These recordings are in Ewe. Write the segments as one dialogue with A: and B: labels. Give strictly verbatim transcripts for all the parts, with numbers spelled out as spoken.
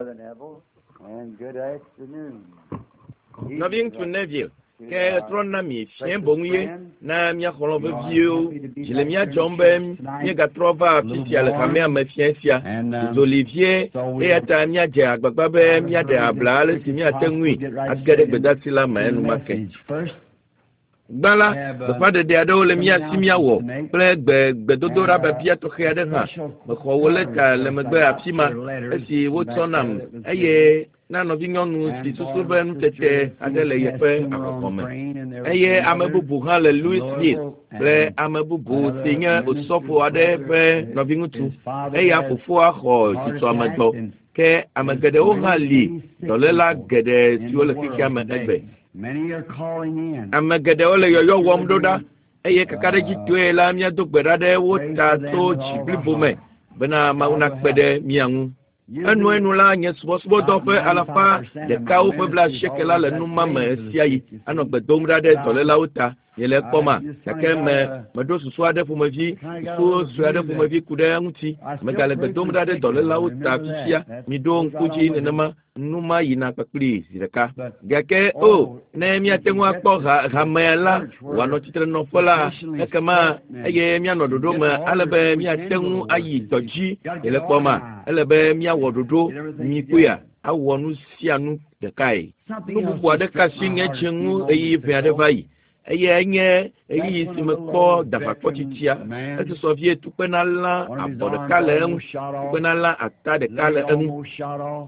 A: Brother Neville, and good afternoon.
B: Nɔviŋutsu Neville, ke trɔ na mi fiẽ boŋu ye na mía xɔlɔ̃ veviwo. Dzi le mía dzɔm be míegatrɔ va afi sia le hamea me fiẽ sia. Zoli vie eya ta míadze agbagba be míaɖe abla ale si míate ŋui age ɖe gbedasi la me enumake. Gbã la, gbeƒãɖeɖe aɖewo le mía si míawɔ kple gbe gbedodoɖa biabia tɔxɛ aɖe hã. Mexɔ wo lɛta le megbe afi ma esi wotsɔ nam eye na nɔvinyɔnu si susu be nutete aɖe le yeƒe ahɔhɔ̃ me. Eye ame bubu hã le Louisville kple ame bubu si nye osɔfo aɖe ƒe nɔviŋutsu. Eya fofoa xɔ tsitsɔamedɔ. Ke ame geɖewo hã li dɔléla geɖe siwo le xexea me egbe. Ame geɖewo le yɔyɔ wɔm ɖo ɖa eye kakaɖedzitɔe la míado gbe ɖa ɖe wo ta tso dzi blibo me bena Mawu nakpe ɖe mía ŋu. Enuenu la nye subɔsubɔdɔ ƒe alafa ɖekawo ƒe blaasieke la le nu ma me ɣe sia ɣi anɔ gbe dom ɖa ɖe dɔlélawo ta. Miele ekpɔma gake me meɖo susu aɖe ƒomevi susu sue aɖe ƒomevi ku ɖe eŋuti. Megale gbe dom ɖa ɖe dɔlélawo ta fifia. Miɖo ŋku dzi nenema nu ma yina kpakpli zi ɖeka. Gake o ne míate ŋu akpɔ ha hamea la wòanɔ tsitrenɔƒe la ekema eye míanɔ ɖoɖo me ale be míate ŋu ayi dɔ dzi miele kpɔma ele be míawɔ ɖoɖo mikpɔea awɔ nu sia nu ɖekae. Nu bubu aɖeke asi nye dzi ŋu ɣeyiɣi ʋɛ aɖe va yi eye enye ɣeyiɣi si mekpɔ davakpɔtsitsia esusɔ vie tukpena lã abɔ ɖeka le eŋu tukpena lã ata ɖeka le eŋu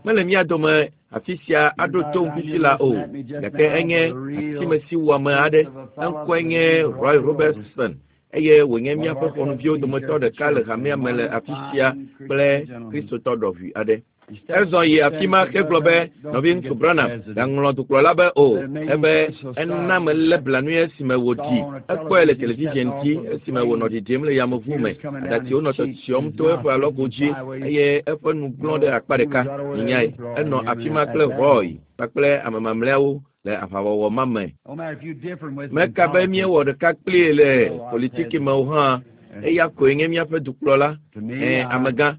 B: mele mía dome afi sia aɖo to fifi la o gake enye atimesi wɔame aɖe eŋkɔe nye Roy Robertson eye wònye míaƒe xɔnuviwo dometɔ ɖeka le hamea me le afi sia kple kristotɔ ɖɔʋui aɖe. Ezɔ yi afi ma hegblɔ be nɔviŋutsu Branham gaŋlɔ dukplɔla be o ebe ena melé blanui esime wòɖi ekpɔe le television dzi esime wònɔ ɖiɖim le yameʋu me aɖatsiwo nɔ tsyɔtsyɔm to eƒe alɔgo dzi eye eƒe nu glɔ̃ ɖe akpa ɖeka nyae enɔ afi ma kple Roy kpakple ame mamlɛawo le aʋawɔwɔ ma me. Meka be míewɔ ɖeka kplii le politiki me o hã eya koe nye míaƒe dukplɔla ɛ amegã.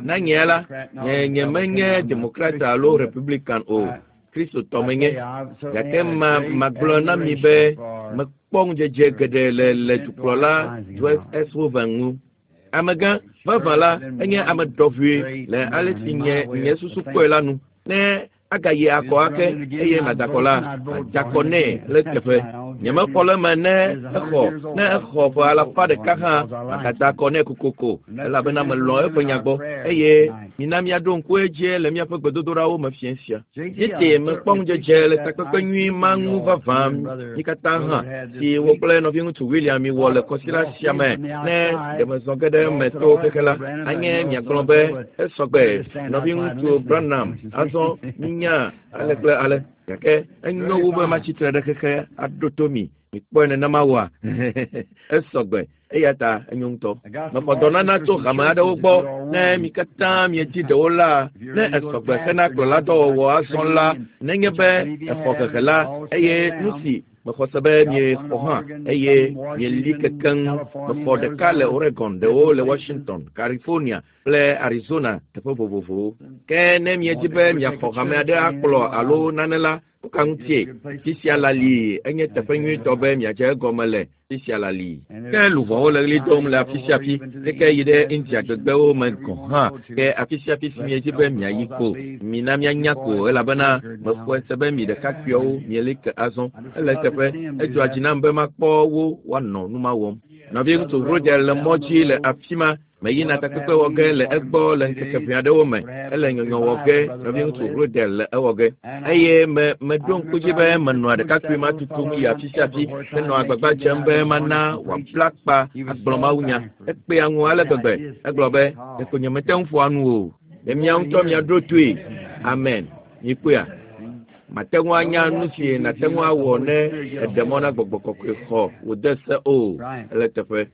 B: Na nye la, nye nye menye Demokrat alo Republican o, Kristotɔ menye. Gake ma magblɔ na mi be mekpɔ ŋudzedze geɖe le le dukplɔla Dwight S. Hoover ŋu. Amegã vavã la enye ame ɖɔʋui le ale si nye nye susu kpɔe la nu. Ne agayi akɔ ake eye madakɔ la, madzakɔ nɛ le teƒe. Nyemexɔ le eme ne exɔ ne exɔ ƒe alafa ɖeka hã magada akɔ nɛ kokoko elabena melɔ̃ eƒe nya gbɔ eye mina míaɖo ŋku edzi le míaƒe gbedodoɖawo me fiẽ sia. Tete mekpɔ ŋudzedze le takpekpe nyui ma ŋu vavã mí katã hã si wo kple nɔviŋutsu William miwɔ le kɔsiɖa sia me ne ɖe mezɔ ge ɖe eme to xexe la anye miagblɔ be esɔgbe nɔviŋutsu Branham azɔ minya ale kple ale gake enyo wu be matsi tre ɖe xexe aɖo to mi mikpɔe nenema wɔa esɔgbe eya ta enyo ŋutɔ. Mexɔ dɔnana tso hame aɖewo gbɔ ne mi katã miedzi ɖewo la ne esɔgbe hena kplɔladɔwɔwɔ azɔ la nenye be exɔ hehe la eye nu si mexɔ se be miexɔ hã eye mieli kekeŋ mexɔ ɖeka le Oregon ɖewo le Washington, California kple Arizona teƒe vovovowo. Ke ne miedzi be miaxɔ hame aɖe akplɔ alo nane la nuka ŋutie fi sia la li enye teƒe nyuitɔ be miadze egɔme le fi sia la li. Ke luʋɔwo le ɣli dom le afi sia afi keke yi ɖe India gbegbewo me gɔ̃ hã ke afi sia afi si miedzi be miayi ko mina mianya ko elabena mexɔe se be mi ɖekakpuiawo mieli ke azɔ ele teƒe edzɔa dzi nam be makpɔ wo woanɔ nu ma wɔm. Nɔviŋutsu Roger le mɔ dzi le afi ma meyina takpekpe wɔ ge le egbɔ le ŋkeke ʋɛ aɖewo me ele nyɔnyɔ wɔ ge nɔviŋutsu Rodel le ewɔ ge eye me meɖo ŋku dzi be menɔa ɖekakpui ma tutum yi afi sia afi henɔ agbagba dzem be mana wòabla akpa agblɔ mawunya ekpea ŋu ale gbegbe egblɔ be ɖeko nyemete ŋu ƒoa nu o ɖe mia ŋutɔ miaɖo toe amen mikpɔea mate ŋu anya nu si nàte ŋu awɔ ne eɖe mɔ na gbɔgbɔ kɔkɔe xɔ wòde se o ele teƒe.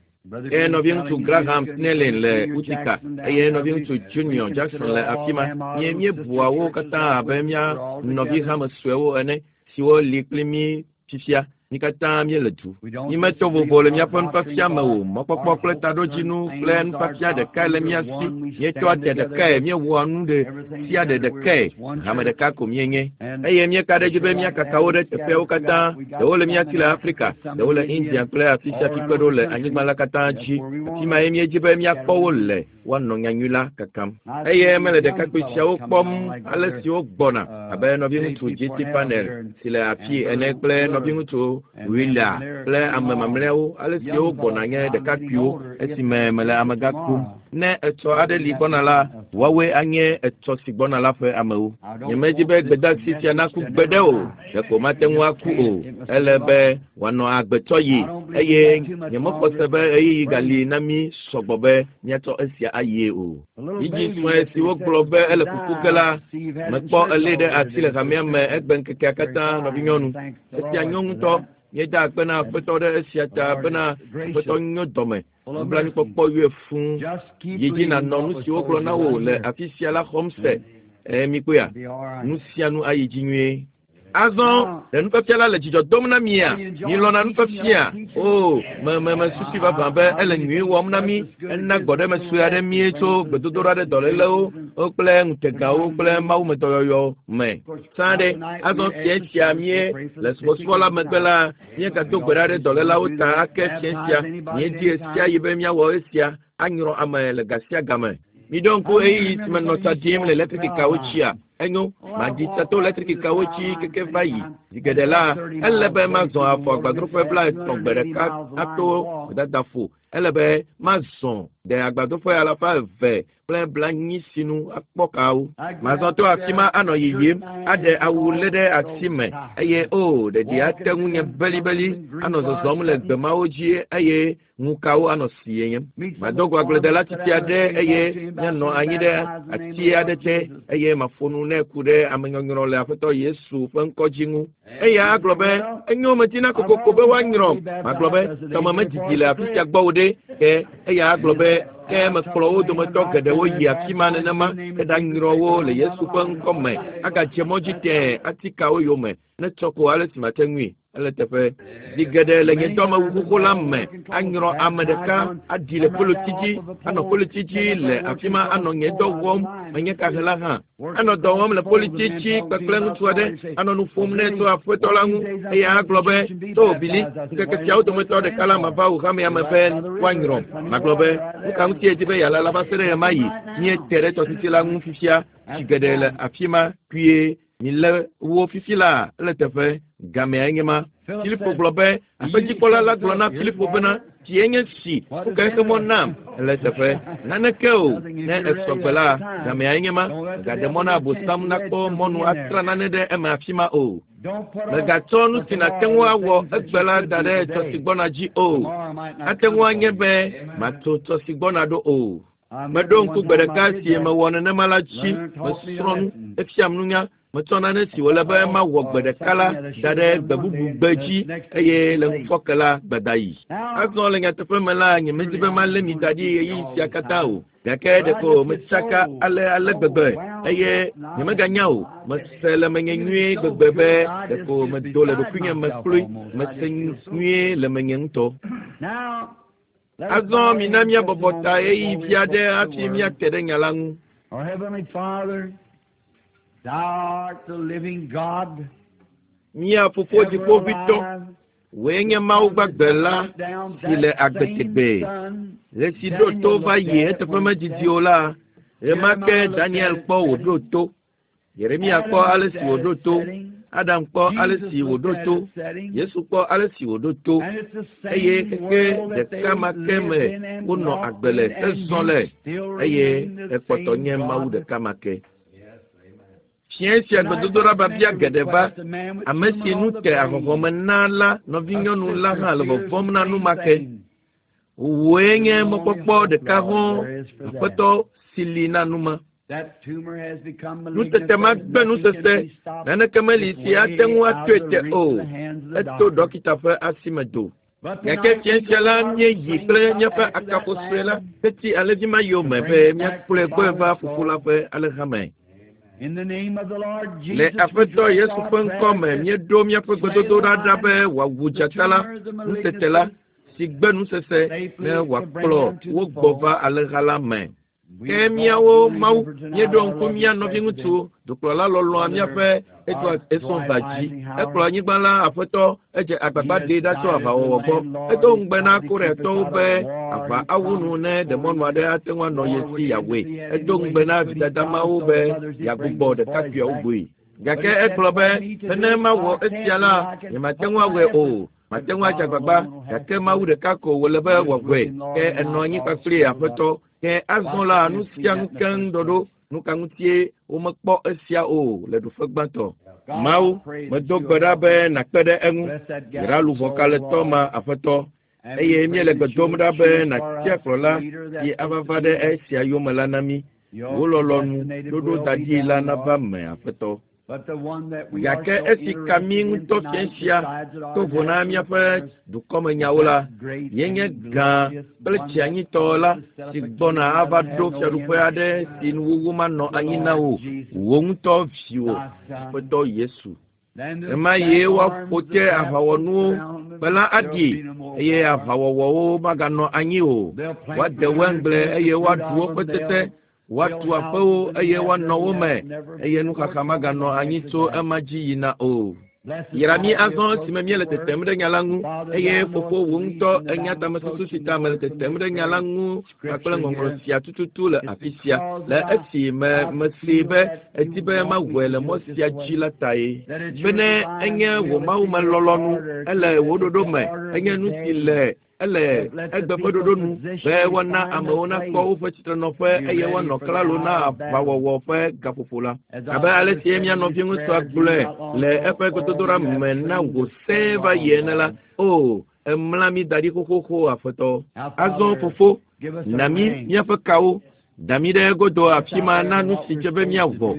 B: Eye nɔviŋutsu Graham Snelling le Utica eye nɔviŋutsu Junior Jackson le afi ma. Mie míebua wo katã abe mía nɔvi hame suewo ene siwo li kpli mí fifia. Mi katã míele du. Mímetɔ vovo le míaƒe nufiafia me o. Mɔkpɔkpɔ kple taɖodzinu kple nufiafia ɖekae le mía si. Míetsɔa te ɖekae, míewɔa nu ɖe sia ɖe ɖekae. Hame ɖeka ko míenye. Eye míeka ɖe edzi be míakaka wo ɖe teƒeawo katã. Ɖewo le mía si le Afrika, ɖewo le India kple afi sia afi kpe ɖo le anyigba la katã dzi. Afi mae míedzi be míakpɔ wo le woanɔ nyanyui la kakam. Eye mele ɖekakpui siawo kpɔm ale si wogbɔna abe nɔviŋutsu G T Panel si le afi ene kple nɔviŋutsu Willa kple ame mamlɛawo ale si wogbɔna nye ɖekakpuiwo esime mele amegã kum. Ne etsɔ aɖe li gbɔna la, woawoe anye etsɔ si gbɔna la ƒe amewo. Nyemedi be gbedeasi sia naku gbeɖe o, ɖeko mate ŋu aku o. Ele be wòanɔ agbetɔ yi eye nyemexɔ se be ɣeyiɣi gali na mí sɔgbɔ be míatsɔ esia ayie o. Vidzĩ sue si wogblɔ be ele kuku ge la, mekpɔ elé ɖe asi le hamea me egbe ŋkekea katã nɔvinyɔnu. Esia nyo ŋutɔ. Míeda akpe na Aƒetɔ ɖe esia ta bena Aƒetɔ nyo dɔme. Nublanuikpɔkpɔ yɔe fũu. Yi dzi nànɔ nu si wogblɔ na wò le afi sia la xɔm se. Eye mikpɔea, nu sia nu ayi dzi nyuie. Azɔ ɖe nufiafia la le dzidzɔ dom na mia. Milɔ̃na nufiafia. O, me me mesusi vavã be ele nyui wɔm na mí. Ena gbɔɖeme sue aɖe mí tso gbedodoɖa ɖe dɔlélewo kple ŋutegawo kple mawumedɔyɔyɔ me. Sã ɖe azɔ fia sia mie le subɔsubɔ la megbe la míegado gbe ɖa ɖe dɔlélawo ta ake fia sia. Míedi esia yi be míawɔ esia anyrɔ ame le ga sia game. Miɖo ŋku ɣeyiɣi si menɔ tsa ɖim le eletrikikawo dzia. Enyo, maɖi tsa to eletrikikawo dzi keke va yi. Zi geɖe la, ele be mazɔ afɔ agbadroƒe blaetɔ̃ gbe ɖeka ato gbedadaƒo. Ele be mazɔ ɖe agbadroƒe alafa eve kple blanyi sinu akpɔ kawo. Mazɔ to afi ma anɔ yiyim, aɖe awu lé ɖe asi me eye o ɖeɖi ate ŋu nye belibeli anɔ zɔzɔm le gbe mawo dzi eye ŋukawo anɔ siem. Mado go agbledela tsitsi aɖe eye míanɔ anyi ɖe ati aɖe te eye maƒo nu nɛ ku ɖe amenyɔnyrɔ le Aƒetɔ Yesu ƒe ŋkɔ dzi ŋu. Eya agblɔ be enyo medina kokoko be woanyrɔm. Magblɔ be tɔme medidi le afi sia gbɔ o ɖe. Ke eya agblɔ be ke mekplɔ wo dometɔ geɖewo yi afi ma nenema ke ɖanyrɔ wo le Yesu ƒe ŋkɔ me. Agadze mɔ dzi tẽe atikawo yome ne tsɔ ko ale si mate ŋui. Ele teƒe. Zi geɖe le nye dɔmewu xoxo la me anyrɔ ame ɖeka aɖi le poloti dzi anɔ poloti dzi le afi ma anɔ nye dɔ wɔm menye kahela hã. Anɔ dɔ wɔm le poloti dzi kpekple ŋutsu aɖe anɔ nu ƒom nɛ tso Aƒetɔ la ŋu eye agblɔ be to Bili ŋkeke siawo dometɔ ɖeka la mava wò hamea me be woanyrɔm. Magblɔ be nu ka ŋuti edi be yealala va se ɖe ɣemaɣi míete ɖe tɔsisi la ŋu fifia tsi geɖe le afi ma kpuie. Milé wo fifi la ele teƒe gamea nye ma. Filipo gblɔ be aƒedzikpɔla la gblɔ na Filipo bena tsie nye si woka eƒe mɔ nam ele teƒe naneke o ne esɔgbe la gamea nye ma. Megaɖe mɔ na Abosam nakpɔ mɔnu atra nane ɖe eme afi ma o. Megatsɔ nu si nàte ŋu awɔ egbe la da ɖe tsɔ si gbɔna dzi o. Ate ŋu anye be matso tsɔ si gbɔna ɖo o. Meɖo ŋku gbe ɖeka si mewɔ nenema la dzi. Mesrɔ̃ nu, efiam nunya. Metsɔ nane si wòle be mawɔ gbe ɖeka la da ɖe gbe bubu gbe dzi eye le ŋufɔke la gbeda yi. Azɔ le nyateƒe me la, nyemedi be malé mi da ɖi ɣeyiɣi sia katã o. Gake ɖeko metsaka ale ale gbegbe eye nyemeganya o. Mese le menye nyuie gbegbe be ɖeko medo le ɖokuinye me kloe. Mese nyuie le menye ŋutɔ. Azɔ mina míabɔbɔ ta ɣeyiɣi vi aɖe hafi míate ɖe nya la ŋu.
A: Our Heavenly Father, Thou art the living God.
B: Mía Fofo Dziƒoʋĩtɔ, wòe nye Mawu gbagbe la si le agbe tegbee. Ɣe si ɖo to va yi eteƒe medidi o la, ɣema ke Daniel kpɔ wòɖo to. Yeremia kpɔ ale si wòɖo to. Adam kpɔ ale si wòɖo to. Yesu kpɔ ale si wòɖo to. Eye xexe ɖeka ma ke me wonɔ agbe le hezɔ le eye ekpɔtɔ nye Mawu ɖeka ma ke. Fiẽ sia gbedodoɖa biabia geɖe va. Ame si nu te ahɔhɔme na la nɔvinyɔnu la hã le vɔvɔ̃m na nu ma ke. Wòe nye mɔkpɔkpɔ ɖeka hɔ̃ Aƒetɔ si li na nu ma. Nutete ma gbe nusese, naneke meli si ate ŋu atoe te o. Eto ɖɔkita ƒe asi me do. Gake fiẽ sia la míeyi kple míaƒe akafo sue la teti alẽvi ma yome be míakplɔe gbɔe va fofo la ƒe alẽha me. Le Aƒetɔ Yesu ƒe ŋkɔ me míeɖo míaƒe gbedodoɖa ɖa be wòawu dzata la, nutete la, si gbe nusese ne wòakplɔ wo gbɔ va alẽha la me. Ke míawo Mawu míeɖo ŋku mía nɔviŋutsu dukplɔla lɔlɔ̃a míaƒe Edward Esɔnva dzi. Ekplɔ anyigba la Aƒetɔ edze agbagba ɖee ɖa tso aʋawɔwɔ gbɔ. Edo ŋugbe na Koreatɔwo be aʋa awu nu ne ɖemɔnu aɖe ate ŋu anɔ ye si yeawɔe. Edo ŋugbe na vidada mawo be yeagbugbɔ ɖekakpuiawo gbɔe. Gake egblɔ be bene mawɔ esia la, nyemate ŋu awɔe o. Mate ŋu adze agbagba, gake Mawu ɖeka ko wòle be wòawɔe. Ke enɔ anyi kpakple Aƒetɔ. Ke azɔ la nu sia nu keŋ ɖɔɖo. Nu ka ŋutie womekpɔ esia o le ɖoƒe gbãtɔ. Mawu, medo gbe ɖa be nàkpe ɖe eŋu. Yra luʋɔ kalẽtɔ ma Aƒetɔ. Eye míele gbe dom ɖa be nàtia kplɔla si ava va ɖe esia yome la na mí. Wò lɔlɔ̃nu ɖoɖo da ɖi la nava me Aƒetɔ. Gake esi ka mí ŋutɔ fia sia to vo na míaƒe dukɔmenyawo la, míenye gã kple tsianyitɔ la si gbɔna ava ɖo fiaɖuƒe aɖe si nuwuwu manɔ anyi na wò, wò ŋutɔ viwò, Aƒetɔ Yesu. Ɣemaɣie woaƒo te aʋawɔnuwo, kpe la aɖi eye aʋawɔwɔwo maganɔ anyi o. Woade waingble eye woaɖu woƒe tete. Woatu aƒewo eye woanɔ wo me eye nuxaxa maganɔ anyi tso ema dzi yina o. Yra mí azɔ esime míele tetem ɖe nya la ŋu eye fofo wò ŋutɔ enya tamesusu si ta mele tetem ɖe nya la ŋu kpakple ŋɔŋlɔ sia tututu le afi sia le esi me mesee be edi be mawɔe le mɔ sia dzi la tae. Bene enye wò Mawu me lɔlɔ̃nu, ele wò ɖoɖo me, enye nu si le ele egbe ƒe ɖoɖo nu be woana amewo nakpɔ woƒe tsitrenɔƒe eye woanɔ klalo na aʋawɔwɔ ƒe gaƒoƒo la. Abe ale si mía nɔviŋutsua gblɔe le eƒe gbedodoɖa me na wò sẽe va yi ene la, o emla mí da ɖi xoxoxo Aƒetɔ. Azɔ fofo, na mí míaƒe kawo, da mí ɖe egodo afi ma na nu si dze be míawɔ,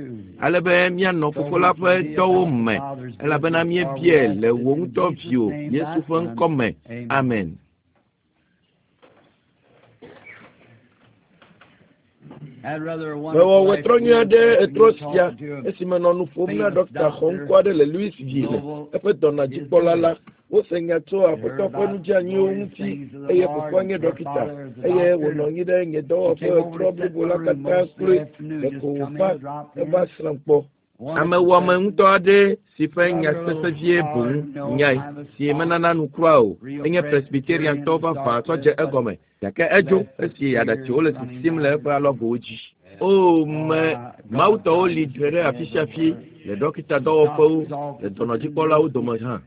B: ale be míanɔ fofo la ƒe dɔwo me, elabena míebiae le wò ŋutɔ viwò Yesu ƒe ŋkɔ me. Amen. Mewɔ wetrɔ nyui aɖe etrɔ sia esime nɔ nu ƒom na ɖɔkita xɔŋkɔ aɖe le Louisville, eƒe dɔnɔdzikpɔla la. Wose nya tso Aƒetɔ ƒe nudzɛanyiwo ŋuti eye fofoa nye ɖɔkita eye wònɔ anyi ɖe nye dɔwɔƒe etrɔ blibo la katã kloe ɖeko wòva eva srãm kpɔ. Amewɔame ŋutɔ aɖe si ƒe nya sesẽ vie boŋ nyae si menana nu kura o. Enye Presbyteriantɔ vavã tsɔ dze egɔme. Gake edzo esi aɖatsiwo le sisim le eƒe alɔgowo dzi. O me Mawutɔwo li dre ɖe afi sia afi le ɖɔkita dɔwɔƒewo le dɔnɔdzikpɔlawo dome hã.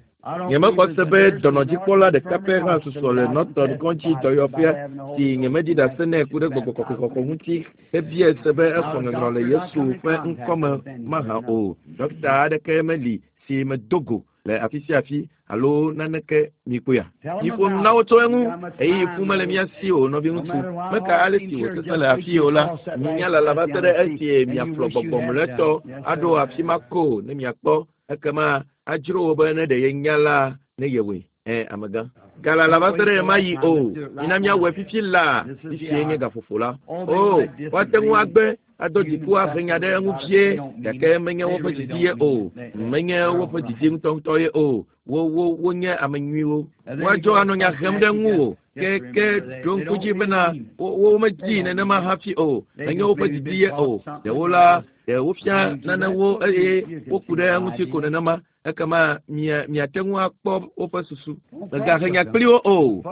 B: Nyemexɔ se be dɔnɔdzikpɔla ɖeka pɛ hã susɔ le Norton kɔdzi dɔyɔƒea si nyemeɖi ɖase nɛ ku ɖe gbɔgbɔ kɔkɔe ŋuti hebiae se be exɔ nyɔnyrɔ le Yesu ƒe ŋkɔme mahã o. Ɖɔkita aɖeke meli si medo go le afi sia afi alo naneke mikpɔea. Miƒo nu na wo tso eŋu ɣeyiɣi ƒu mele mía si o nɔviŋutsu. Meka ale si wòsesẽ le afi o la, minya lala va se ɖe esi miaƒlɔ gbɔgbɔ mlɔetɔ aɖo afi ma ko ne miakpɔ ekema adzro wò be ne ɖe yenya la ne yewɔe. Ɛ amegã. Galala va se ɖe ɣemaɣi o. Mina míawɔe fifi laa fifi nye gaƒoƒo la. O woate ŋu agbe ado dziku ahe nya ɖe eŋu vie gake menye woƒe didi ye o. Menye woƒe didi ŋutɔŋutɔ ye o. Wo wo wonye ame nyuiwo. Woadzɔ anɔ nya hem ɖe ŋuwò. Ke ke ɖo ŋku dzi bena wo womedii nenema hafi o. Menye woƒe didi ye o. Ɖewo la ɖe wofia nanewo eye woku ɖe eŋuti ko nenema. Ekema mia miate ŋu akpɔ woƒe susu. Mègahe nya kpli wo o.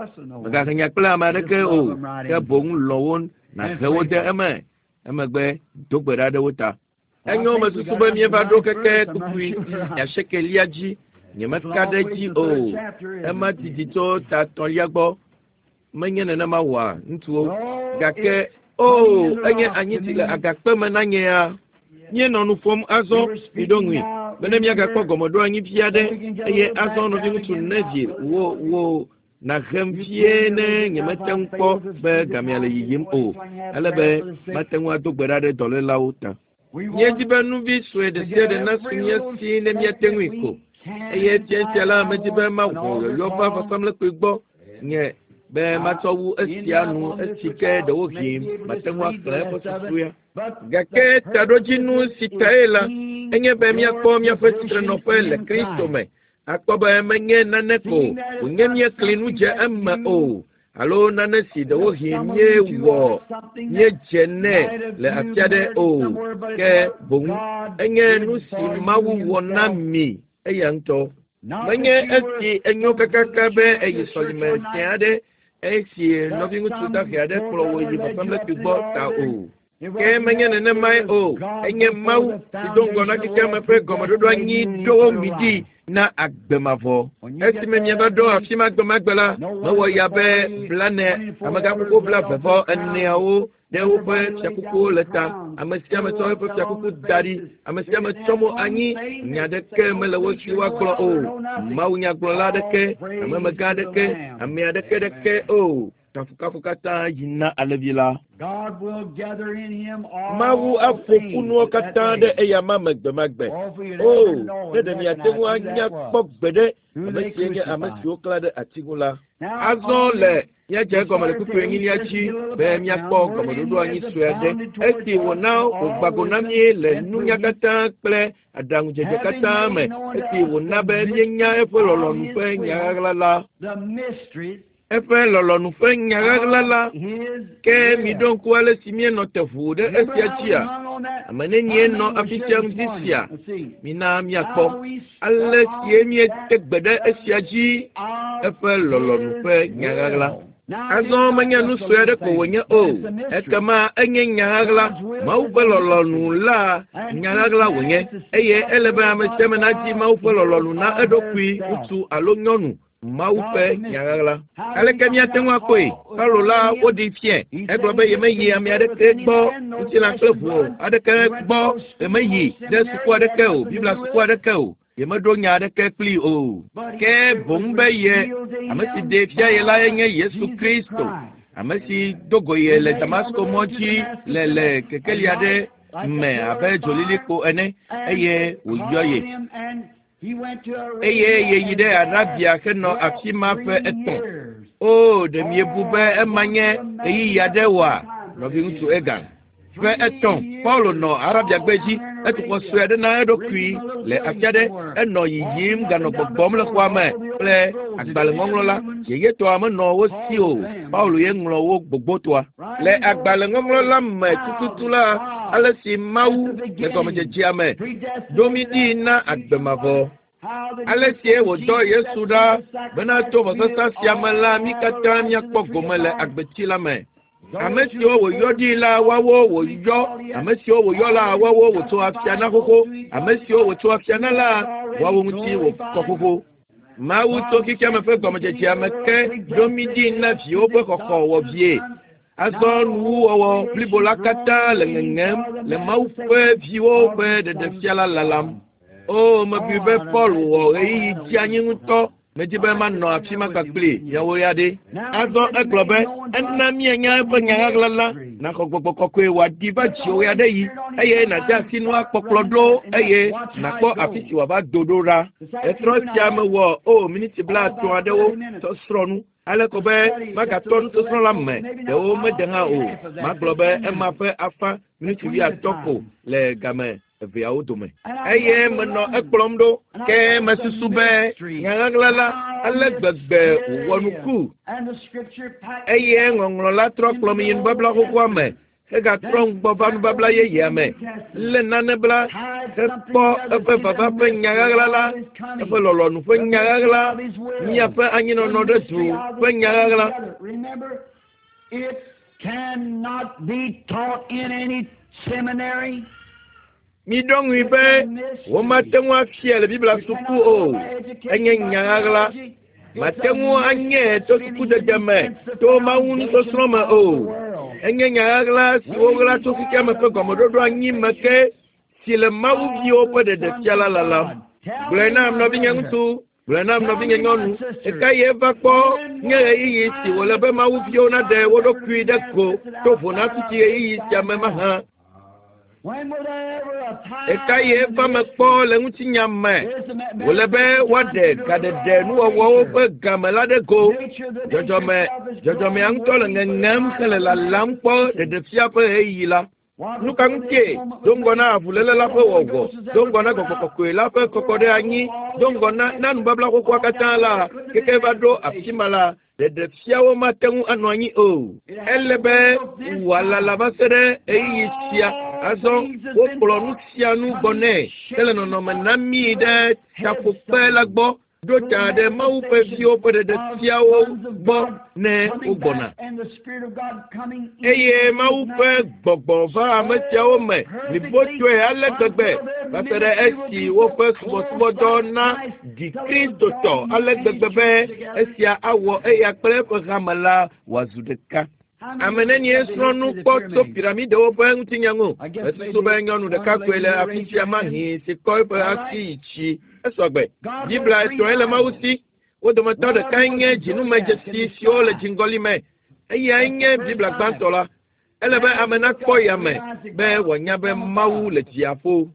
B: Mègahe nya kple ame aɖeke o. Ke boŋ lɔ̃ wo nàhe wo de eme. Emegbe do gbe ɖa ɖe wo ta. Enyo mesusu be míeva ɖo keke kpukpui asiekɛlia dzi. Nyemeka ɖe edzi o. Ema didi tso ta etɔ̃lia gbɔ. Menye nenema wɔa ŋutsuwo. Gake o enye anyi si le agakpe me na nye ya. Míenɔ nu ƒom azɔ miɖo ŋui bene míagakpɔ gɔmeɖoanyi vi aɖe eye azɔ nɔviŋutsu Neville wo wo nahem vie ne nyemete ŋu kpɔ be gamea le yiyim o ale be mate ŋu ado gbe ɖa ɖe dɔlélawo ta. Míedi be nuvi sue ɖe sia ɖe nasu mía si ne míate ŋui ko eye fia sia la medi be mawɔ yɔyɔ va vɔsamlekpui gbɔ nye Be matsɔ wu esia nu esi ke ɖewohĩ mate ŋu axlẽ eƒe susuea. Gake taɖodzinu si tae la, enye be míakpɔ míaƒe tsitrenɔƒe le Kristo me. Akpɔ be menye nane ko wònye míekli nu dze eme o, alo nane si ɖewohĩ míewɔ míedze nɛ le afi aɖe o, ke boŋ enye nu si Mawu wɔ na mi eya ŋutɔ. Menye esi enyo kakaka be eyi sɔlime fiẽ aɖe esi nɔviŋutsu dahe aɖe kplɔ wò yi vɔsamlekpui gbɔ ta o. Ke menye nenemae o, enye Mawu si do ŋgɔ na xexeame ƒe gɔmeɖoɖo anyi ɖo mi ɖi na agbe mavɔ. Esime mieva ɖo afi ma gbemagbe la, mewɔ ya be blane amegãkuku blaeve vɔ eneawo ɖe woƒe fiakukuwo le ta. Ame sia ame tsɔ eƒe fiakuku da ɖi. Ame sia ame tsɔ mo anyi. Nya aɖeke mele wo si woagblɔ o. Mawunyagblɔla aɖeke, amemegã aɖeke, ame aɖeke ɖeke o. Kafukafu katã yi na Alevi la.
A: God will gather in him all
B: Mawu aƒo ƒu nuwo katã ɖe eyama me gbemagbe.
A: Oh, if we
B: O,
A: ever know
B: ne
A: and
B: ɖe miate ŋu
A: recognize who
B: anya
A: that was.
B: kpɔ gbeɖe
A: Who
B: ame
A: they
B: sie nye ame
A: crucified.
B: siwo klã ɖe ati ŋu la.
A: Now,
B: Azɔ
A: on
B: le
A: this,
B: míadze egɔme le kpukpui enyilia dzi be míakpɔ gɔmeɖoɖo anyi sue aɖe. Esi wòna wògba go na mí le nunya katã kple aɖaŋudzedze katã me, esi wòna be míenya eƒe lɔlɔ̃nu ƒe nya ɣaɣla la.
A: the mysteries
B: Eƒe lɔlɔ̃nu ƒe nya ɣaɣla la.
A: of his
B: Ke
A: will.
B: miɖo ŋku ale si míenɔ te ʋuu ɖe
A: Remember
B: esia
A: how we
B: dzia?
A: hung on that?
B: Ame nenie
A: How
B: nɔ
A: many were
B: afi
A: here
B: sia
A: this
B: ŋdi
A: morning?
B: sia?
A: Let's see.
B: Mina míakpɔ
A: How we
B: ale
A: stuck
B: sie
A: on
B: míete
A: that
B: gbe ɖe esia dzi
A: of
B: eƒe lɔlɔ̃nu
A: his
B: ƒe nya ɣaɣla.
A: will. Now,
B: Azɔ
A: it's not
B: menye nu
A: just a
B: sue aɖe
A: little
B: ko
A: thing,
B: wònye
A: but
B: o,
A: it's a mystery.
B: ekema enye nya ɣaɣla. Mawu ƒe lɔlɔ̃nu la nya ɣaɣla wònye eye ele be ame sia ame nadzi Mawu ƒe lɔlɔ̃nu na eɖokui ŋutsu alo nyɔnu. Mawu ƒe nya ɣaɣla. Aleke míate ŋu akpɔe? Paulo la woɖi fiẽ. Egblɔ be yemeyi ame aɖeke gbɔ ŋutilã kple ʋu o, aɖeke gbɔ yemeyi ɖe suku aɖeke o, Biblia suku aɖeke o. Yemeɖo nya aɖeke kplii o. Ke boŋ be ye ame si ɖee fia ye lae nye Yesu Kristo, ame si do go ye le Damasko mɔ dzi le le kekeli aɖe me abe dzolilikpo ene eye wòyɔ ye. Eye yeyi ɖe Arabia henɔ afi ma ƒe etɔ̃. O, ɖe miebu be ema nye ɣeyiɣi aɖe oa, nɔviŋutsu Egan? Ƒe etɔ̃, Paulo nɔ Arabiagbe dzi. Etu xɔ sue aɖe na eɖokui le afi aɖe. Enɔ yiyim ganɔ gbɔgbɔm le xɔa me kple agbalẽŋɔŋlɔ la. Yeyetɔa menɔ wo si o. Paulo ye ŋlɔ wo gbogbotɔa. Le agbalẽŋɔŋlɔ la me tututu la, ale si Mawu le gɔmedzedzea me ɖo mí ɖi na agbe mavɔ. Ale sie wòdɔ Yesu ɖa bena to vɔsasa sia me la, mí katã míakpɔ gome le agbetsi la me. Ame siwo wòyɔ ɖi la, woawo wòyɔ. Ame siwo wòyɔ la, woawo wòtso afia na xoxo. Ame siwo wòtso afia na la, woawo ŋuti wòkɔ xoxo. Mawu tso xexeame ƒe gɔmedzedzea me ke ɖo mí ɖi na viwo ƒe xɔxɔ wɔ vie. Azɔ nuwuwɔwɔ blibo la katã le ŋeŋem le Mawu ƒe viwo ƒe ɖeɖefia la lalam. O, mebui be Paul wɔ ɣeyiɣi dzeanyi ŋutɔ. Medi be manɔ afi ma kpakpli miawo ya ɖe. Azɔ egblɔ be ena míanya eƒe nya ɣaɣla la, naxɔ gbɔgbɔ kɔkɔe wòaɖi va dziwò ya ɖe yi eye nàde asi nua kpɔkplɔ ɖo eye nàkpɔ afi si wòava do ɖo ɖa. Etrɔ sia mewɔ o miniti blaatɔ̃ aɖewo sɔsrɔ̃ nu. Ale ko be magatɔ nusɔsrɔ̃ la me ɖewo mede hã o. Magblɔ be ema ƒe afã miniti wuiatɔ̃ ko le game eveawo dome. Eye menɔ ekplɔm ɖo ke mesusu be nya ɣaɣla la ale gbegbe wòwɔ nuku
A: And the scripture packed
B: eye ŋɔŋlɔ la trɔ kplɔm yi nubabla xoxoa me hegatrɔ ŋgbɔ va nubabla yeyea me lé nane bla hekpɔ eƒe vava ƒe nya ɣaɣla la eƒe lɔlɔ̃nu ƒe nya ɣaɣla míaƒe anyinɔnɔ ɖe du ƒe nya ɣaɣla
A: Remember, it cannot be taught in any seminary.
B: Miɖo ŋui be womate ŋu afia le Biblia suku o. Enye nya ɣaɣla. Mate ŋu anye to sukudede me, to Mawu nusɔsrɔ̃ me o. Enye nya ɣaɣla si woɣla tso xexeame ƒe gɔmeɖoɖo anyi me ke si le Mawu viwo ƒe ɖeɖefia la lalam. Gblɔe nam nɔvinye ŋutsu, gblɔe nam nɔvinye nyɔnu, ɖeka ye va kpɔ nye ɣeyiɣi si wòle be Mawu viwo naɖe wo ɖokui ɖe go to vo na fifia ɣeyiɣi sia me mahã. Ɖeka ye eva me kpɔ le ŋutinya me wòle be woaɖe gaɖeɖe nuwɔwɔwo ƒe game la ɖe go. Dzɔdzɔme dzɔdzɔmea ŋutɔ le ŋeŋem hele lalam kpɔ ɖeɖefia ƒe ɣeyiɣi la. Nu ka ŋutie do ŋgɔ na avuléle la ƒe wɔwɔ, do ŋgɔ na gbɔgbɔ kɔkɔe la ƒe kɔkɔ ɖe anyi, do ŋgɔ na na nubabla xoxoa katã la, keke va ɖo afi ma la, ɖeɖefiawo mate ŋu anɔ anyi o. Ele be wòalala va se ɖe ɣeyiɣi sia. Azɔ wokplɔ nu sia nu gbɔ nɛ hele nɔnɔme na mí ɖe taƒokpe la gbɔ ɖo ta ɖe Mawu ƒe viwo ƒe ɖeɖefiawo gbɔ ne wogbɔna. Eye Mawu ƒe gbɔgbɔ va ame siawo me blibotɔe ale gbegbe va se ɖe esi woƒe subɔsubɔdɔ na ɖi Kristotɔ ale gbegbe be esia awɔ eya kple eƒe hame la wòazu ɖeka. Ame nenie srɔ̃ nu kpɔ tso piramidewo ƒe ŋutinya ŋu? Mesusu be nyɔnu ɖeka koe le afi sia mahi si kɔ eƒe asi yi tsi. Esɔgbe. Biblia etɔ̃e le Mawu si. Wo dometɔ ɖekae nye dzinumedzesi siwo le dziŋgɔli me. Eyae nye Biblia gbãtɔ la. Ele be ame nakpɔ yame be wòanya be Mawu le dziaƒo.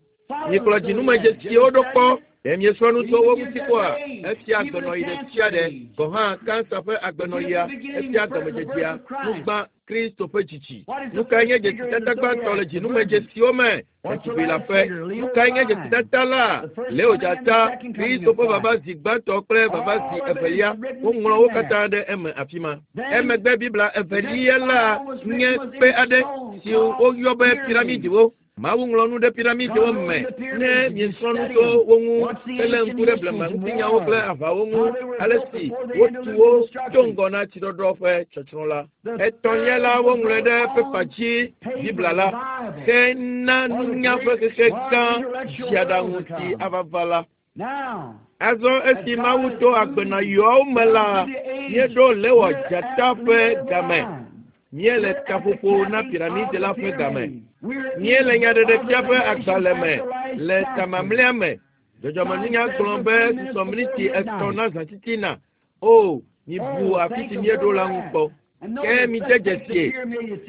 B: Mikplɔ dzinumedzesiwo ɖo kpɔ. Ɖe miesrɔ̃ nu tso wo ŋuti kpɔa? Efia agbenɔɣi ɖe sia ɖe gɔ̃ hã kansa ƒe agbenɔɣia, efia gɔmedzedzea, nugbã Kristo ƒe dzidzi. Nu kae nye dzesitata gbãtɔ le dzinumedzesiwo me? Ɖetugbi la ƒe. Nu kae nye dzesitata la? Leo dzata, Kristo ƒe vava zi gbãtɔ kple vava zi evelia. Woŋlɔ wo katã ɖe eme afi ma. Emegbe Biblia evelia la nye kpe aɖe si woyɔ be piramidiwo. Mawu ŋlɔ nu ɖe piramidiwo me ne miesrɔ̃ nu tso wo ŋu hele ŋku ɖe blema ŋutinyawo kple aʋawo ŋu ale si wotu wo tso ŋgɔ na tsiɖɔɖɔ ƒe tsɔtsrɔ̃ la. Etɔ̃lia la woŋlɔe ɖe pepa dzi Biblia la ke na nunya ƒe xexe gã dziaɖaŋu si ava va la. Azɔ esi Mawu to agbenɔɣiwo me la, míeɖo Lewɔ dzata ƒe game. Míele taƒoƒo na piramidi la ƒe game. Míele nyaɖeɖefia ƒe agbalẽ me le tamamlɛa me. Dzɔdzɔmenunya gblɔ be susɔ miniti etɔ̃ na zãtitina. O, mibu afi si míeɖo la ŋu kpɔ. Ke midze dzesie.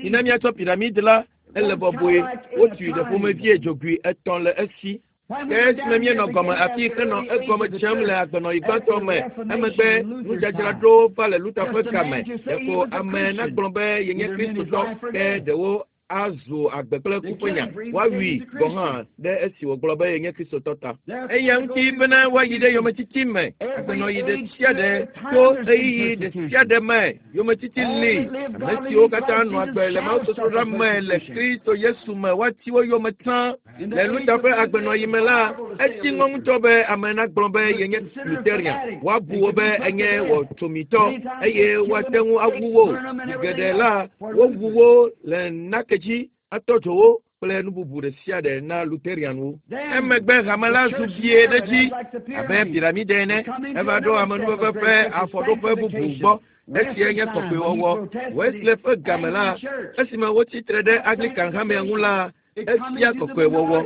B: Mina míatsɔ piramidi la, ele bɔbɔe. Wotui ɖe ƒomevie dzogoe etɔ̃ le esi. Ke esime míenɔ gɔme afi henɔ egɔme dzem le agbenɔɣi gbãtɔ me, emegbe nudzadzraɖo va le Luther ƒe game. Ɖeko ame nagblɔ be yenye Kristotɔ, ke ɖewo azu agbe kple ku ƒe nya. Woawui gɔ̃ hã ɖe esi wògblɔ be yenye Kristotɔ ta. Eya ŋuti bena woayi ɖe yometiti me. Agbenɔɣi ɖe sia ɖe tso ɣeyiɣi ɖe sia ɖe me. Yometiti li. Ame siwo katã nɔ agbe le mawusosroɖa me le Kristo Yesu me woati wo yome tsã. Le Luther ƒe agbenɔɣi me la, etsi ŋɔ ŋutɔ be ame nagblɔ be yenye Lutherian. Woabu wo be enye wɔtsomitɔ eye woate ŋu awu wo. Zi geɖe la, wowu wo le nake dzi atɔ dzo wo kple nu bubu ɖe sia ɖe na Lutherianwo. Emegbe hame la zu vie ɖe dzi abe piramide ene. Eva ɖo amenuveve ƒe afɔɖoƒe bubu gbɔ. Esia nye kɔkɔewɔwɔ. Wesley ƒe game la, esime wotsi tre ɖe Anglican hamea ŋu la, efia kɔkɔewɔwɔ.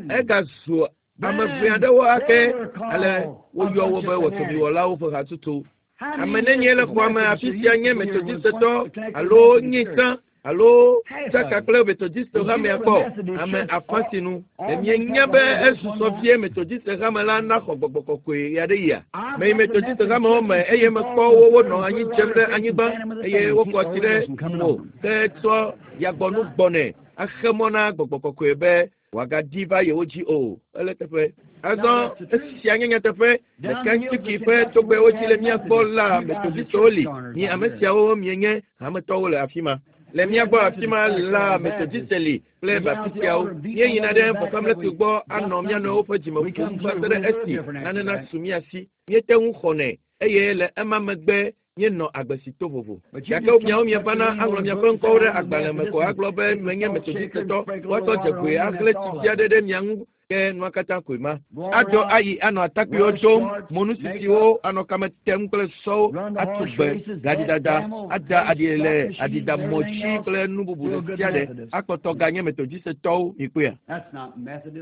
B: Egazu ame ʋɛ aɖewo ake ale woyɔ wo be wɔtsomiwɔlawo ƒe hatutu. Ame nenie le xɔa me afi sia nye Methodistetɔ alo nye tsã alo tsaka kple Methodiste hamea kpɔ ame afã si nu. Ɖe mienya be esusɔ vie Methodiste hame la naxɔ gbɔgbɔ kɔkɔe ɣe aɖe yia? Meyi Methodiste hamewo me eye mekpɔ wo wonɔ anyi dzem ɖe anyigba eye wokɔ tsi ɖe mo ke tsɔ yagbɔnu gbɔnɛ axe mɔ na gbɔgbɔ kɔkɔe be wòagaɖi va yewo dzi o. Ele teƒe. Azɔ esia nye nyateƒe. Le Kentucky ƒe togbɛwo dzi le mía gbɔ la, Methodistewo li. Mi ame siawo mienye hametɔwo le afi ma. Le mía gbɔ afi ma la, Methodiste li kple Baptistiawo. Míeyina ɖe vɔsamlekpui gbɔ anɔ mía nɔewo ƒe dzime ƒom va se ɖe esi nane nasu mía si. Míete ŋu xɔnɛ eye le ema megbe míenɔ agbe si to vovo. Gake miawo mievana aŋlɔ miaƒe ŋkɔwo ɖe agbalẽ me ko agblɔ be menye Methodistetɔ. Woatsɔ dzegoe ahlẽ tsi aɖe ɖe mia ŋu ke nua katã koe ma. Adzɔ ayi anɔ atakpuiwo dom, monusisiwo anɔ kame tem kple sɔwo, atu gbe, gaɖidada, ada aɖi le aɖidamɔ dzi kple nu bubu ɖe sia ɖe akpɔtɔ ganye Methodistetɔwo mikpɔea.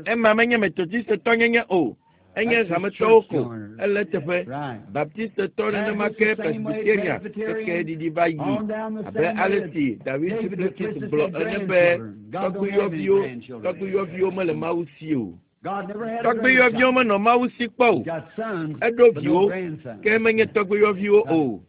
B: Ema menye Methodistetɔ nyenye o. Enye hametɔwo ko ele teƒe. Baptistetɔ nenema ke Presbyterian keke ɖiɖi va yi abe ale si David Duplessis gblɔ ene be tɔgbuiyɔviwo tɔgbuiyɔviwo mele Mawu si o. Tɔgbuiyɔviwo menɔ Mawu si kpɔ o. Eɖo viwo ke menye tɔgbuiyɔviwo o.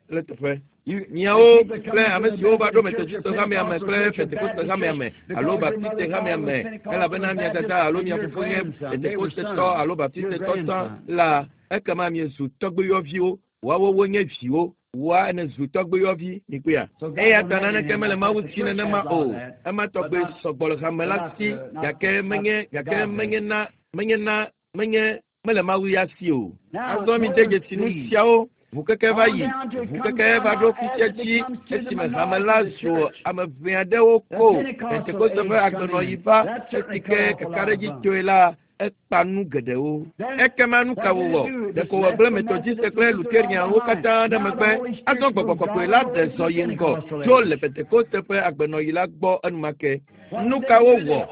B: Le teƒe. Miawo kple ame siwo va ɖo Methodist hamea me kple Pentecost hamea me alo Baptiste hamea me elabena mia dada alo mia fofo nye Pentecostetɔ alo Baptistetɔ tsã la ekema miezu tɔgbuiyɔviwo woawo wonye viwo woa ene zu tɔgbuiyɔvi mikpɔea. Eya ta naneke mele Mawu si nenema o. Ema tɔgbe sɔgbɔ le hame la si gake menye gake menye na menye na menye mele Mawu ya si o. Azɔ mi de dzesi nu siawo. Ʋukeke va yi, ʋukeke va ɖo fisia dzi esime hame la zu ame ʋɛ aɖewo ko. Pentekoste ƒe agbenɔɣi va esi ke kakaɖedzi tsoe la ekpa nu geɖewo. Ekema nu ka wòwɔ? Ɖeko wògblẽ Methodiste kple Lutherianwo katã ɖe megbe. Azɔ gbɔgbɔ kɔkɔe la ɖe zɔ yi ŋgɔ tso le Pentekoste ƒe agbenɔɣi la gbɔ enumake. Nu ka wowɔ?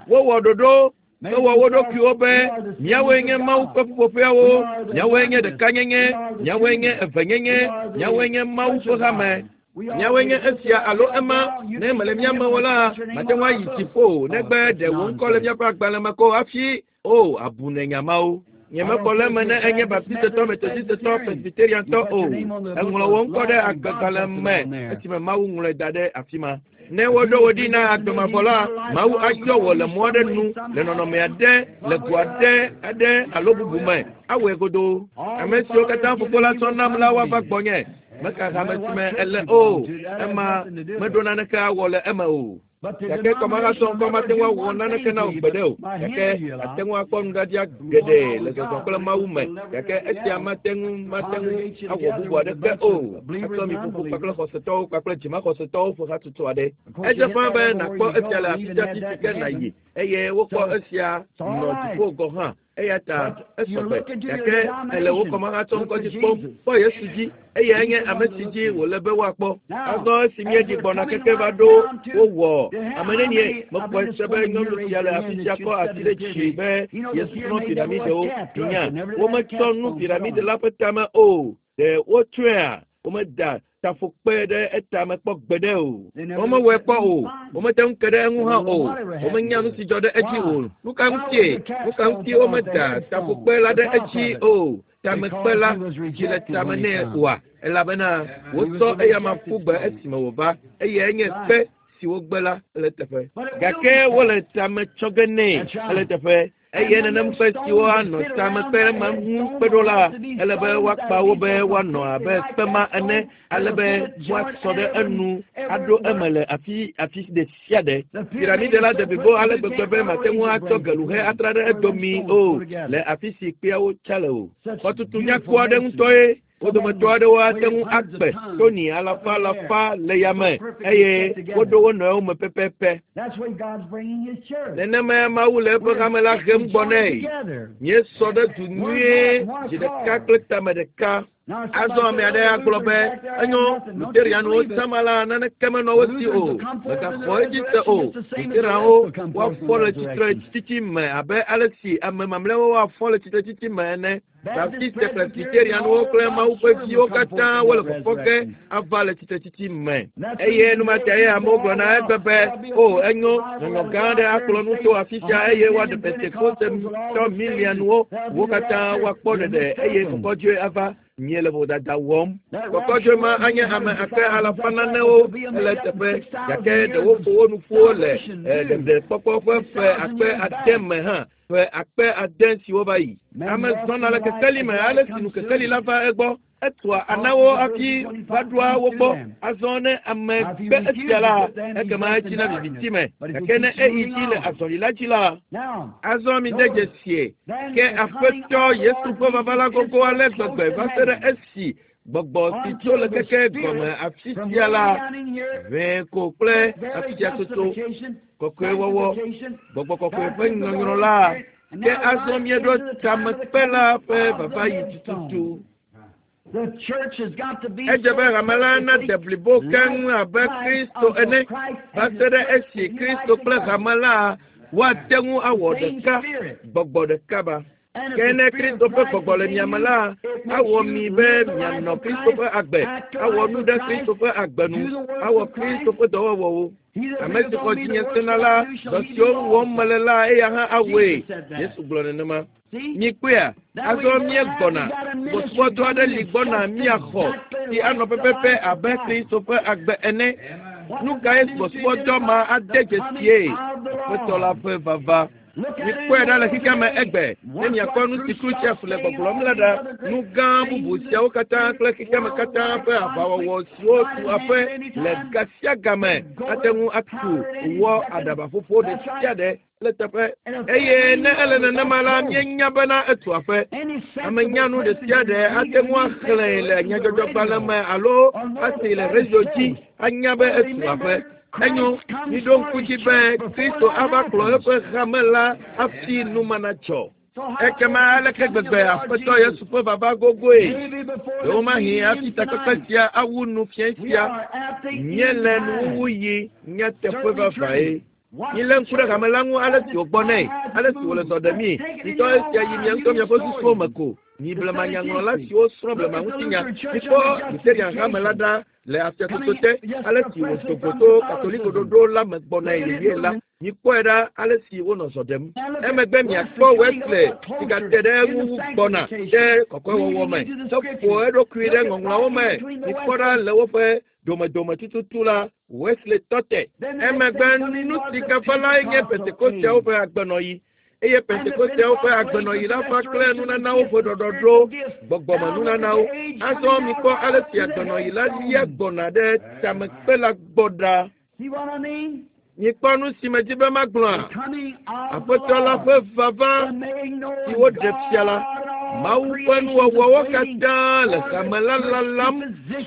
B: Wowɔ ɖoɖo. Wowɔ wo ɖokuiwo be míawoe nye Mawu ƒe ƒuƒoƒeawo, míawoe nye ɖekanyenye, míawoe nye evenyenye, míawoe nye Mawu ƒe hame. Míawoe nye esia alo ema. Ne mele mía me o la, mate ŋu ayi dziƒo o negbe ɖe wò ŋkɔ le míaƒe agbalẽ me ko hafi o abu ne nya mawo. Nyemekpɔ le eme ne enye Baptistetɔ, Methodistetɔ, Presbyteriantɔ o. Eŋlɔ wò ŋkɔ ɖe agbegbalẽ me esime Mawu ŋlɔe da ɖe afi ma. Ne woɖo wò ɖi na agbemavɔ la, Mawu ayɔ wò le mɔ aɖe nu, le nɔnɔme aɖe, le go aɖe aɖe alo bubu me. Awɔe godoo. Ame siwo katã fofo la tsɔ nam la woava gbɔnye. Meka hame si me ele o. Ema meɖo naneke awɔ le eme o. Gake kɔmahatsɔ ŋkɔ mate ŋu awɔ naneke na wò gbeɖe o. Gake ate ŋu akpɔ nuɖaɖia geɖe le zɔzɔ kple Mawu me. Gake esia mate ŋu mate ŋu awɔ bubu aɖeke o. Atsɔ mi ƒoƒo kpakple xɔsetɔwo kpakple dzimaxɔsetɔwo ƒe hatsotso aɖe. Edze ƒãa be nàkpɔ esia le afi sia afi si ke nàyi eye wokpɔ esia nɔ dziƒo gɔ̃ hã. Eya ta esɔgbe gake ele wò kɔmahatsɔ ŋkɔ dzi kpɔm. Kpɔ Yesu dzi eyae nye ame si dzi wòle be woakpɔ. Azɔ esi míeɖi gbɔna keke va ɖo wowɔ ame nenie mekpɔe se be nyɔnu sia le afi sia kɔ asi ɖe dzi be yesrɔ̃ piramidewo. Nya wometsɔ nu piramide la ƒe tame o. Ɖe wotsɔea? Womeda tafokpe ɖe etame kpɔ gbeɖe o. Womewɔe kpɔ o. Womete ŋu ke ɖe eŋu hã o. Womenya nu si dzɔ ɖe edzi o. Nu ka ŋutie? Nu ka ŋutie womeda tafokpe la ɖe edzi o? Tamekpe la si le tame nɛ oa? Elabena wotsɔ eyama ƒu gbe esime wòva eye enye kpe si wogbe la ele teƒe. Gake wole tame tsɔ ge nɛ ele teƒe. Eye nenem kpe siwo anɔ tamekpe ma ŋu kpe ɖo la, ele be woakpa wo be woanɔ abe kpe ma ene, ale be woasɔ ɖe enu aɖo eme le afi afi ɖe sia ɖe. Piramide la de blibo ale gbegbe be mate ŋu atsɔ geluhe atra ɖe edomi o le afi si kpeawo tsa le o. Xɔtutu nyakpɔ aɖe ŋutɔe. Wo dometɔ aɖewo ate ŋu akpe toni alafa alafa le yame eye woɖo wo nɔewo me pɛpɛpɛ. Nenemae Mawu le eƒe hame la hem gbɔ nɛ. Míesɔ ɖe du nyuie dzi ɖeka kple tame ɖeka. Azɔ ame aɖe agblɔ be enyo Lutherianwo tsãma la naneke menɔ wo si o. Megaxɔ edzi se o. Lutherianwo woafɔ le tsitretsitsi me abe ale si ame mamlɛawo woafɔ le tsitretsitsi me ene. Baptiste Presbyterianwo kple Mawu ƒe viwo katã wole fɔfɔ ge ava le tsitretsitsi me. Eye numatae amewo gblɔna egbe be o enyo nyɔnyɔ gã aɖe akplɔ nu to afi sia eye woaɖe Pentekostetɔ miliɔnwo wo katã woakpɔ ɖeɖe eye kɔkɔdzoe ava. Míele vodada wɔm. Kɔkɔdzoe ma anye ame akpe alafa nanewo le teƒe gake ɖewo ƒo wo nu ƒu le ɖeɖekpɔkpɔ ƒe ƒe akpe ade me hã. Ƒe akpe ade siwo va yi. Ame zɔna le kekeli me ale si nu kekeli la va egbɔ. Etua anawo hafi va ɖoa wo gbɔ. Azɔ ne ame gbe esia la, ekema etsina viviti me. Gake ne eyi dzi le azɔli la dzi la, azɔ mi de dzesie ke Aƒetɔ Yesu ƒe vava la gogo ale gbegbe va se ɖe esi gbɔgbɔ si tso le keke gɔme afi sia la ʋɛ ko kple afiatsotso kɔkɔewɔwɔ gbɔgbɔ kɔkɔe ƒe nyɔnyrɔ la ke azɔ míeɖo tamekpe la ƒe vava yi tututu. Edze be hame la nade blibo keŋ abe Kristo ene va se ɖe esi Kristo kple hame la woate ŋu awɔ ɖeka gbɔgbɔ ɖeka ba. Ke ne Kristo ƒe gbɔgbɔ le mia me la, awɔ mi be mianɔ Kristo ƒe agbe, awɔ nu ɖe Kristo ƒe agbe nu, awɔ Kristo ƒe dɔwɔwɔwo. Ame si xɔ dzinye sena la, dɔ siwo wɔm mele la, eya hã awɔe. Yesu gblɔ nenema. Mikpɔea, azɔ míegbɔna. Subɔsubɔdɔ aɖe li gbɔna míaxɔ si anɔ pɛpɛpɛ abe Kristo ƒe agbe ene. Nu kae subɔsubɔdɔ ma ade dzesie? Aƒetɔ la ƒe vava. Mikpɔe ɖa le xexea me egbe ne miakpɔ nu si Khrushchev le gbɔgblɔm la ɖa. Nu gã bubu siawo katã kple xexea me katã ƒe aʋawɔwɔ siwo tu aƒe le ga sia game ate ŋu atu wɔ aɖabaƒoƒo ɖe sia ɖe le teƒe. Eye ne ele nenema la, míenya bena etu aƒe. Ame nyanu ɖe sia ɖe ate ŋu axlẽe le nyadzɔdzɔgbalẽ me alo asee le radio dzi anya be etu aƒe. Enyo, miɖo ŋku dzi be Kristo ava kplɔ eƒe hame la hafi nu ma natsɔ. Ekema aleke gbegbe Aƒetɔ Yesu ƒe vava gogoe. Ɖewomahi hafi takpekpe sia awu nu fiẽ sia. Míele nuwuwu yi nyateƒe vavae. Milé ŋku ɖe hame la ŋu ale si wògbɔ nɛ, ale si wòle zɔ ɖemii. Mitɔ esia yi mia ŋutɔ miaƒe susuwo me ko. Mi blemanyaŋlɔla siwo srɔ̃ blemaŋutinya, mikpɔ Lutheran hame la ɖa le afiatsotso te, ale si wòdo go to Katoliko ɖoɖo la me gbɔnae yeye la. Mikpɔe ɖa ale si wonɔ zɔ ɖem. Emegbe miakpɔ Wesley si gate ɖe eŋu wu gbɔna ɖe kɔkɔewɔwɔ me, heƒo eɖokui ɖe ŋɔŋlɔawo me. Mikpɔ ɖa le woƒe domedome tututu la, Wesley tɔ te. Emegbe nu si gava lae nye Pentekosteawo ƒe agbenɔɣi. Eye Pentekosteawo ƒe agbenɔɣi la va kple nunanawo ƒe ɖɔɖɔɖo, gbɔgbɔme nunanawo. Azɔ mikpɔ ale si agbenɔɣi la lia gbɔna ɖe tamekpe la gbɔ ɖa. Mikpɔ nu si medzi be magblɔa? Aƒetɔ la ƒe vava si woɖe fia la, Mawu ƒe nuwɔwɔwo katã le hame la lalam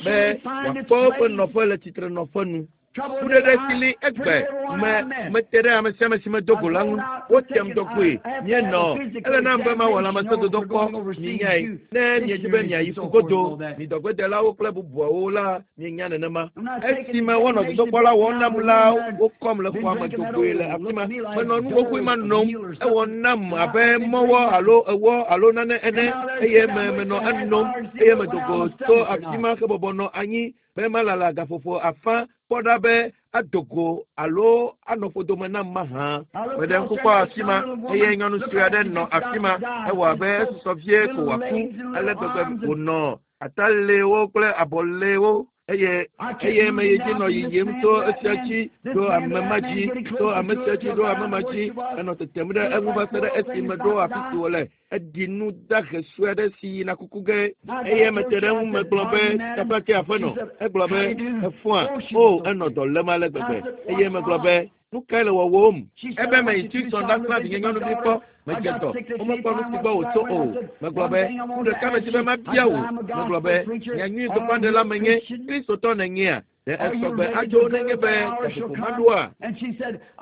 B: be wòakpɔ woƒe nɔƒe le tsitrenɔƒe nu. Kuɖeɖe si li egbe me mete ɖe ame sia ame si medo go la ŋu. Wotem dɔgoe. Míenɔ. Ele nam be mawɔ lãmesẽdodokpɔ. Minyae. Ne miedzi be miayi ƒugodo, mi dɔgbedelawo kple bubuawo la, mienya nenema. Esime wonɔ dodokpɔ la wɔm nam la, wokɔm le xɔa me dogoe le afi ma. Menɔ nu xoxoe ma nom. Ewɔ nam abe mɔwɔ alo ewɔ alo nane ene eye me menɔ enom eye medo go tso afi ma hebɔbɔ nɔ anyi be malala gaƒoƒo afã kpɔ ɖa be ado go alo anɔ ƒodome nam mahã. Meɖe ŋku kpɔ afi ma eye nyɔnu sue aɖe nɔ afi ma. Ewɔ abe esusɔ vie ko wòaku ale gbegbe wònɔ atalewo kple abɔlewo eye eye meyi dzi nɔ yiyim tso esia dzi ɖo ame ma dzi tso ame sia dzi ɖo ame ma dzi enɔ tetem ɖe eŋu va se ɖe esi meɖo afi si wòle. Eɖi nu dahe sue aɖe si yina kuku ge eye mete ɖe eŋu megblɔ be teƒe ke aƒenɔ. Egblɔ be efɔa o enɔ dɔ lém ale gbegbe eye megblɔ be nu kae le wɔwɔm? Ebe meyi Tucson ɖasrã vinye nyɔnuvi kpɔ. Medze dɔ. Womekpɔ nu si gbɔ wòtso o. Megblɔ be nu ɖeka medzi be mabia wò. Megblɔ be nyanyui gbeƒãɖela menye Kristotɔ nènyea? Ɖe esɔgbe adzo nenye be gaƒoƒo maɖoa?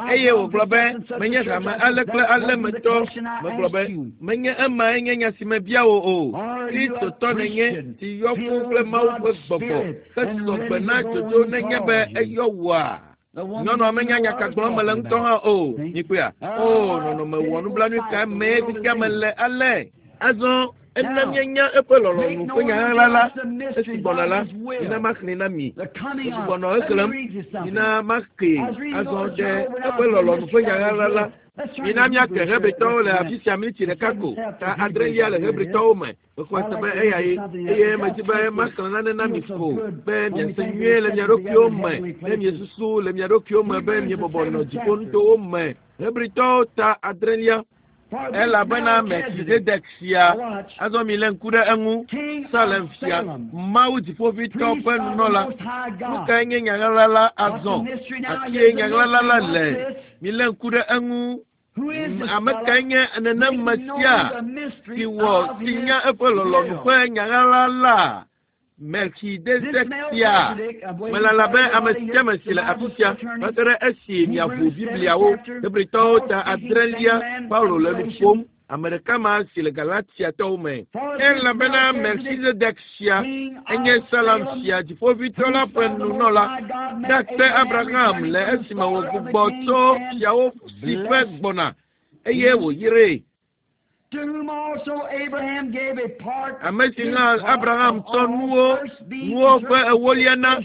B: Eye wògblɔ be menye hame ale kple ale me tɔ. Megblɔ be menye emae nye nya si mebia wò o. Kristotɔ nènye si yɔ fũu kple Mawu ƒe gbɔgbɔ hesɔgbe na dzodzo nenye be eyɔ wòa? Nyɔnua menya nya ka gblɔm mele ŋutɔ hã o. Mikpɔea? O, nɔnɔme wɔ nublanui ka mee fifia mele ale. Azɔ ena míenya eƒe lɔlɔ̃nu ƒe nyaɣaɣla la esi gbɔna la, mina maxlẽe na mi. Megbugbɔ nɔ exlẽm, mina maxee azɔ ɖe eƒe lɔlɔ̃nu ƒe nyaɣaɣla la. Mina míake Hebritɔwo le afi sia miniti ɖeka ko. Ta adrelia le Hebritɔwo me. Mexɔe se be eya ye eye medzi be maxlẽ nane na mi ko be miase nyuie le mia ɖokuiwo me ne miesusu le mia ɖokuiwo me be miebɔbɔ nɔ dziƒonutowo me. Hebritɔwo ta adrelia. Elabena Melchizedek sia, azɔ milé ŋku ɖe eŋu, Salem fia, Mawu dziƒoʋĩtɔ ƒe nunɔla. Nu kae nye nyaɣaɣla la azɔ? Afie nyaɣaɣla la le. Milé ŋku ɖe eŋu. Ame kae nye nenema sia si wɔ si nya eƒe lɔlɔ̃nu ƒe nyaɣaɣla la? Melchizedek sia. Melala be ame sia ame si le afi sia va se ɖe esi miaʋu Bibliawo. Hebritɔwo ta adrelia, Paulo le nu ƒom. Ame ɖeka ma si le Galatiatɔwo me. Elabena Melchizedek sia enye Salem fia dziƒoʋĩtɔ la ƒe nunɔla. Ɖakpe Abraham le esime wògbugbɔ tso fiawo si ƒe gbɔna eye wòyree. Ame si hã Abraham tsɔ nuwo nuwo ƒe ewolia na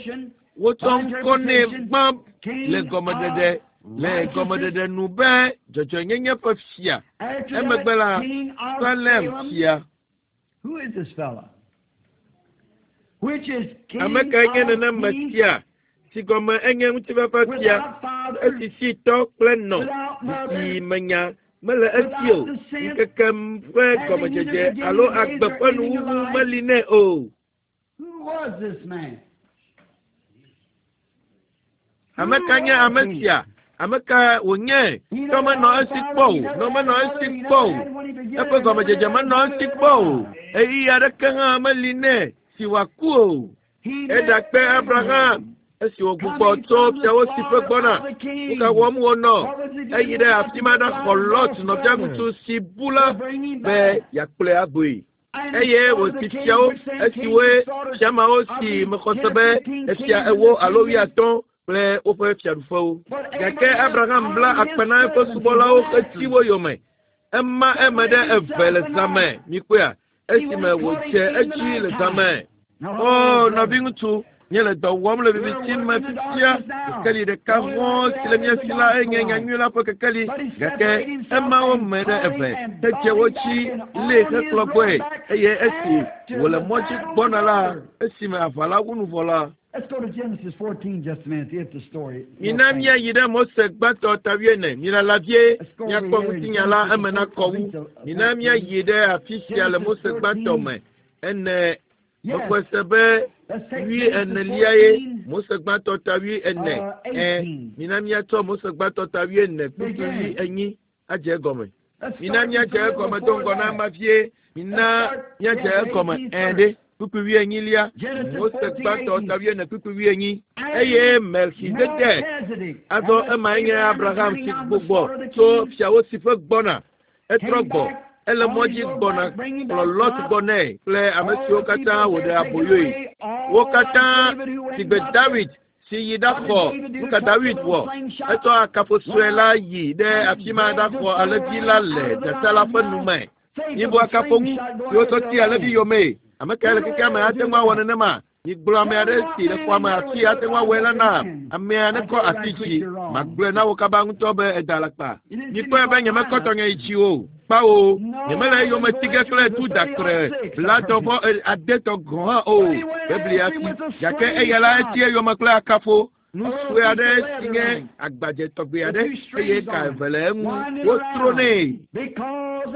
B: wotsɔ ŋkɔ nɛ gbã le gɔmeɖeɖe le gɔmeɖeɖe nu be dzɔdzɔenyenye ƒe fia. Emegbe la Salem fia. Ame kae nye nenem sia si gɔme enye ŋutifafa fia esi si tɔ kple nɔ si menya mele esi o ŋkeke ƒe gɔmedzedze alo agbe ƒe nuwuwu meli nɛ o. Ame ka nye ame sia? Ame ka wònye? Tɔ menɔ esi kpɔ o, nɔ menɔ esi kpɔ o, eƒe gɔmedzedze menɔ esi kpɔ o, ɣeyiɣi aɖeke hã meli nɛ si wòaku o. Eɖakpe Abraham esi wògbugbɔ tso fiawo si ƒe gbɔna. Nu ka wɔm wònɔ? Eyi ɖe afi ma ɖaxɔ Lot nɔviaŋutsu si bu la be yeakplɔe agbɔe. Eye wòsi fiawo esiwoe fiamawo si mexɔ se be efia ewo alo wuiatɔ̃ kple woƒe fiaɖuƒewo. Gake Abraham bla akpe na eƒe subɔlawo hetsi wo yome. Ema eme ɖe eve le zãme, mikpɔea, esime wòdze edzi le zãme. O nɔviŋutsu, míele dɔ wɔm le viviti me fifia. Kekeli ɖeka hɔ̃ si le mía si la enye nyanyui la ƒe kekeli. Gake ema wo me ɖe eve hedze wo dzi lée hekplɔ gbɔe. Eye esi wòle mɔ dzi gbɔna la, esime aʋa la wu nu vɔ la, mina míayi ɖe Mose gbãtɔ ta wuiene. Milala vie míakpɔ ŋutinya la eme nakɔ wu. Mina míayi ɖe afi sia le Mose gbãtɔ me ene. Mexɔe se be wui enelia ye Mose gbãtɔ ta wui ene. Ɛ mina míatsɔ Mose gbãtɔ ta wui ene kpukpui wui enyi adze egɔme. Mina míadze egɔme do ŋgɔ na ema vie. Mina míadze egɔme ɛ ɖe kpukpui wui enyilia. Mose gbãtɔ ta wui ene kpukpui wui enyi. Eye Melchizedek azɔ emae nye Abraham si gbugbɔ tso fiawo si ƒe gbɔna. Etrɔ gbɔ. Ele mɔ dzi gbɔna kplɔ Lot gbɔ nɛ kple ame siwo katã wòɖe aboyoe. Wo katã si gbe David si yi ɖaxɔ nu ka David wɔ. Etsɔ akafo sue la yi ɖe afi ma ɖaxɔ alẽvi la le dzata la ƒe nu me. Mibu akafo ŋu si wotsɔ ti alẽvi yomee. Ame kae le xexea me ate ŋu awɔ nenema? Migblɔ ame aɖe si le xɔa me afi ate ŋu awɔe la na amea nekɔ asi dzi. Magblɔe na wo kaba ŋutɔ be eda alakpa. Mikpɔe be nyemekɔ tɔnye yi dzi o. Kpawo, nyemele eyome ti ge kple tu dakre blatɔ vɔ adetɔ gɔ̃ hã o. Biblia fi. Gake eya la eti eyome kple akafo. Nu sue aɖe si nye agbadze tɔgbi aɖe eye ka eve le eŋu wotro nɛ.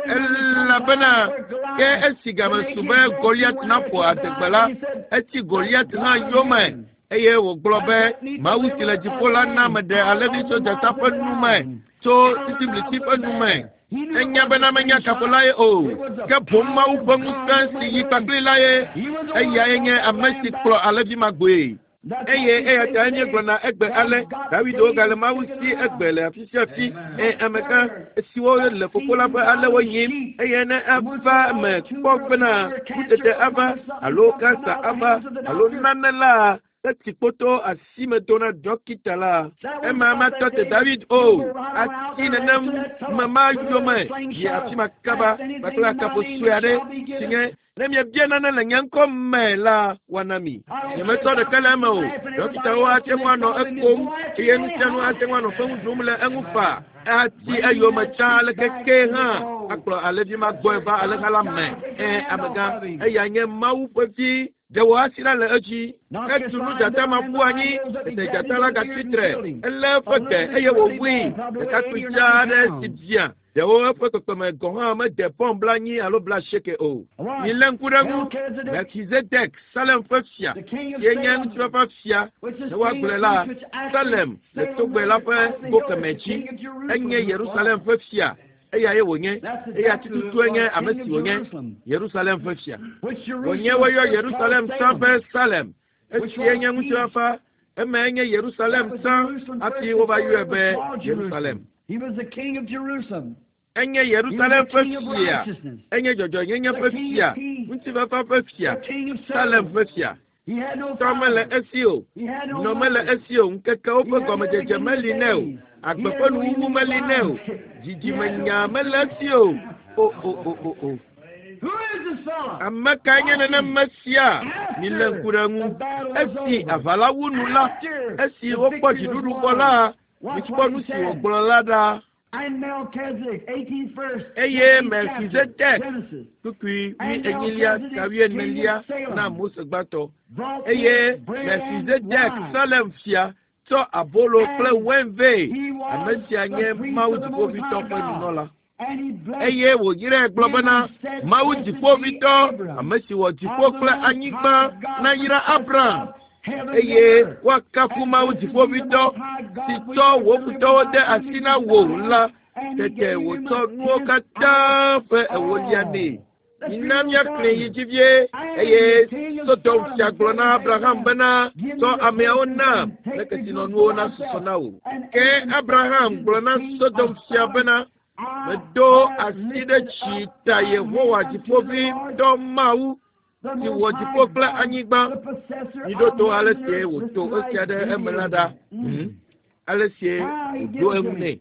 B: Elabena ke esi game su be Goliat naƒo adegbe la, etsi Goliat hã yome eye wògblɔ be Mawu si le dziƒo la na meɖe alẽvi tso dzata ƒe nu me, tso titibliti ƒe nu me. Enya bena menye akafo la ye o, ke boŋ Mawu ƒe ŋusẽ si yi kpakpli la ye. Eyae nye ame si kplɔ alẽvi ma gbɔe. Eye eya ta míegblɔna egbe ale David wogale Mawu si egbe le afi sia afi. Ɛ amegã siwo le fofo la ƒe alẽwo nyim eye ne ava eme kpɔ bena nutete ava alo kansa ava alo nane la etsi kpoto asime do na dɔkita la. Ema matɔ te David o. Ati nenem me ma yome yi afi ma kaba kpakple akafo sue aɖe si nye ne miebia nane le nye ŋkɔ me la woana mi. Nyemetsɔ ɖeke le eme o. Dɔkitawo ate ŋu anɔ ekom eye nu sia nu ate ŋu anɔ feŋu ɖum le eŋu faa. Ati eyome tsã aleke ke hã akplɔ alẽvi ma gbɔe va alẽha la me. Ɛ amegã eya nye Mawu ƒe vi. Ɖe wò asi ɖa le edzi. Etu nu dzata ma ƒu anyi. Tete dzata la gatsi tre. Elé eƒe gbe eye wòwui. Ɖekakpui dzaa aɖe si bia. Ɖewo eƒe kpekpeme gɔ̃ hã mede pɔn bla anyi alo bla asieke o. Milé ŋku ɖe eŋu. Melchizedek, Salem ƒe fia, sie nye ŋutifafa fia. Ne woagblɔe la, Salem le togbe la ƒe go kemɛ dzi. Enye Yerusalem ƒe fia. Eyae wònye. Eya tututue nye ame si wònye. Yerusalem ƒe fia. Wònye woyɔ Yerusalem tsã be Salem. Esie nye ŋutifafa. Emae nye Yerusalem tsã hafi wova yɔe be Yerusalem. Enye Yerusalem ƒe fia. Enye dzɔdzɔenyenye ƒe fia. Ŋutifafa ƒe fia. Salem ƒe fia. Tɔ mele esi o. Nɔ mele esi o. Ŋkekewo ƒe gɔmedzedze meli nɛ o. Agbe ƒe nuwuwu meli nɛ o. Dzidzimenya mele esi o. O, o, o, o, o. Ame kae nye nenema sia? Milé ŋku ɖe eŋu. Esi aʋa la wu nu la, esi wokpɔ dziɖuɖu vɔ la, mikpɔ nu si wògblɔ la ɖa. Eye Melkizedek, kpukpui wuienyilia ta wuienelia na Mose gbãtɔ. Eye Melkizedek Salem fia tsɔ abolo kple wain vɛ. Ame sia nye Mawu Dziƒoʋĩtɔ ƒe nunɔla. Eye wòyrae gblɔ bena, Mawu Dziƒoʋĩtɔ, ame si wɔ dziƒo kple anyigba, nayra Abraham. Eye woakafu Mawu Dziƒoʋĩtɔ, si tsɔ wò futɔwo de asi na wò la. Tete wòtsɔ nuwo katã ƒe ewolia nɛ. Mina míaxlẽ yi dzi vie. Eye Sodom fia gblɔ na Abraham bena, tsɔ ameawo nam, ne kesinɔnuwo nasusɔ na wò. Ke Abraham gblɔ na Sodom fia bena, medo asi ɖe dzi ta Yehowa Dziƒoʋĩtɔ Mawu, si wɔ dziƒo kple anyigba. Miɖo to ale sie wòto esia ɖe eme la ɖa. Ale sie wòɖo eŋu nɛ.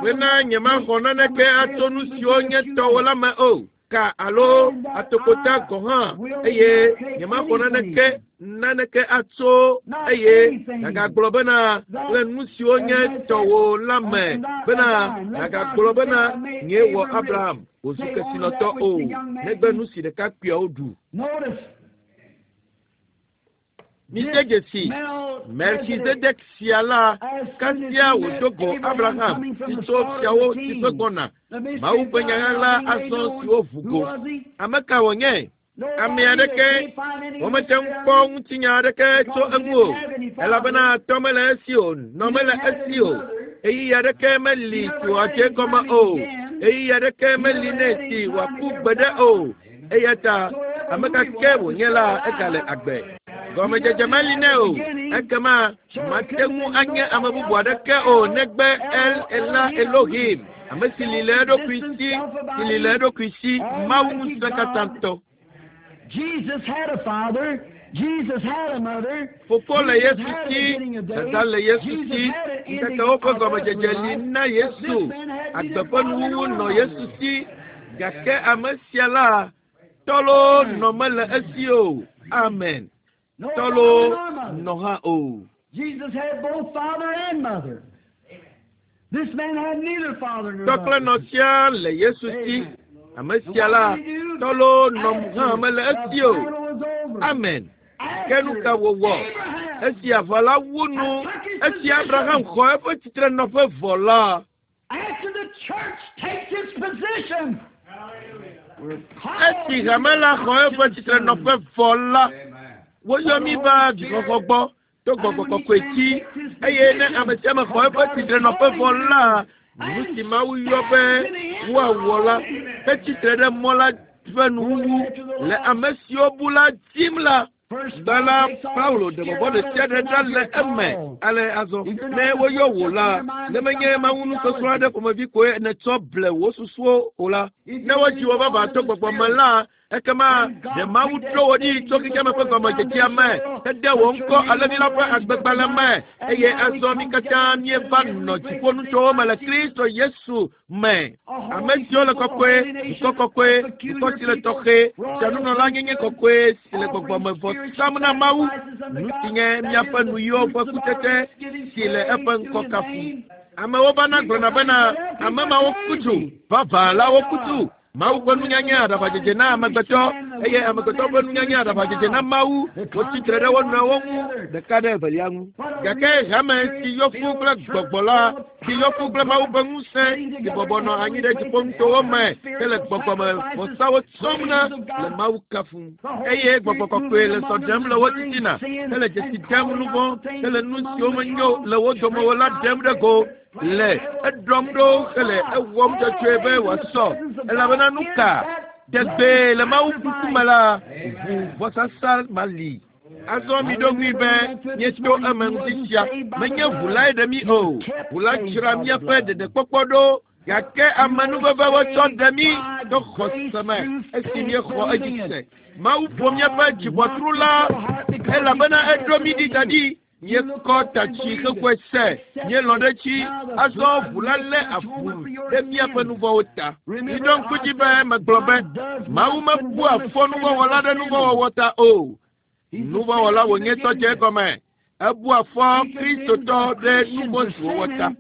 B: Bena nyemaxɔ naneke atso nu siwo nye tɔwò la me o, ka alo atokota gɔ̃ hã, eye nyemaxɔ naneke naneke atso eye nàgagblɔ bena le nu siwo nye tɔwò la me bena nàgagblɔ bena nyee wɔ Abraham wòzu kesinɔtɔ o, negbe nu si ɖekakpuiawo ɖu. Mide dzesi Melkizedek sia la, kasia wòdo go Abraham si tso fiawo siƒe gbɔna. Mawu ƒe nyaɣaɣla azɔ siwo ʋu go. Ame ka wònye? Ame aɖeke womete ŋu kpɔ ŋutinya aɖeke tso eŋu o, elabena tɔ mele esi o, nɔ mele esi o. Ɣeyiɣi aɖeke meli si wòadze egɔme o. Ɣeyiɣi aɖeke meli nɛ si wòaku gbeɖe o. Eya ta ame ka ke wònye la, egale agbe. Gɔmedzedze meli nɛ o. Ekema mate ŋu anye ame bubu aɖeke o negbe El Ela Elohim, ame si li le eɖokui si, si li le eɖokui si, Mawu ŋusẽkatãtɔ.
A: Jesus had a father. Jesus had a mother.
B: Fofo le Yesu si, dada le Yesu si, ŋkekewo ƒe gɔmedzedze li na Yesu. Agbe ƒe nuwuwu nɔ Yesu si, gake ame sia la, tɔlo nɔ mele esi o. Amen.
A: No
B: Tɔlo
A: father nor mother.
B: nɔ hã o.
A: Jesus had both father and mother. This man had neither father nor
B: Tɔ kple
A: mother.
B: nɔ sia le Yesu si. Ame sia la, tɔlo nɔ hã mele esi o. Amen. Ke nu ka wòwɔ? Esi aʋa la wu nu, esi Abraham xɔ eƒe tsitrenɔƒe vɔ la,
A: After the church takes its position, we're
B: esi hame la xɔ eƒe tsitrenɔƒe vɔ la, woyɔ mí va dzixɔxɔ gbɔ to gbɔgbɔ kɔkɔe dzi, eye ne ame sia ame xɔ eƒe tsitrenɔƒe vɔ la, nu si Mawu yɔ be woawɔ la, hetsitre ɖe mɔ la ƒe nuwuwu le ame siwo bu la dim la. Gbã la, Paulo ɖe vɔvɔ̃ ɖe sia ɖe ɖa le eme. Ale azɔ, ne woyɔ wò la, ne menye Mawu nusɔsrɔ̃ aɖe ƒomevi koe nètsɔ ble wò susuwo o la, ne wodzi wò vavã to gbɔgbɔ me la, ekema ɖe Mawu ɖo wò ɖi tso xexeame ƒe gɔmedzedzea me, hede wò ŋkɔ Alẽvi la ƒe agbegbalẽ me, eye azɔ mí katã míeva nɔ dziƒonutowo me le Kristo Yesu me. Ame siwo le kɔkɔe, dukɔ kɔkɔe, dukɔ si le tɔxɛ, fianunɔlanyenye kɔkɔe si le gbɔgbɔme vɔ sam na Mawu, nu si nye míaƒe nuyiwo ƒe kutsetse si le eƒe ŋkɔ kafum. Amewo vana gblɔna bena ame mawo ku tsu, vavã la woku tsu. Mawu ƒe nunyanya aɖaʋadzedze na amegbetɔ, eye amegbetɔ ƒe nunyanya aɖaʋadzedze na Mawu. Wotsi tre ɖe wo nɔewo ŋu ɖeka ɖe evelia ŋu. Gake hame si yɔ fũu kple gbɔgbɔ la, si yɔ fũu kple Mawu ƒe ŋusẽ, si bɔbɔ nɔ anyi ɖe dziƒonutowo me hele gbɔgbɔme vɔsawo tsɔm na le Mawu kafum. Eye gbɔgbɔ kɔkɔe le sɔ ɖem le wo titina, hele dzesi dem nu vɔ̃, hele nu siwo menyo le wo dome o la ɖem ɖe go. Le eɖɔm ɖo hele ewɔm dzɔdzɔe be wòasɔ. Elabena nu ka? Tegbee le Mawu ŋkume la, ʋu vɔsasa ma li. Azɔ miɖo ŋui be míeto eme ŋuti sia. Menye ʋu lae ɖe mí o. Ʋu la dzra míaƒe ɖeɖekpɔkpɔ ɖo. Gake amenuveve wotsɔ ɖe mí to xɔse me esi míexɔ edzi se. Mawu ƒo míaƒe dziʋɔtru la, elabena eɖo mí ɖi da ɖi. Míekɔ ta tsi xexɔe se, míelɔ̃ ɖe edzi. Azɔ ʋu la lé avu ɖe míaƒe nuvɔ̃wo ta. Miɖo ŋku dzi be megblɔ be Mawu mebua fɔ nuvɔ̃wɔla ɖe nuvɔ̃wɔwɔ ta o. Nuvɔ̃wɔla wònye tɔ dze egɔme. Ebua fɔ Kristotɔ ɖe nuvɔ̃ si wòwɔ ta.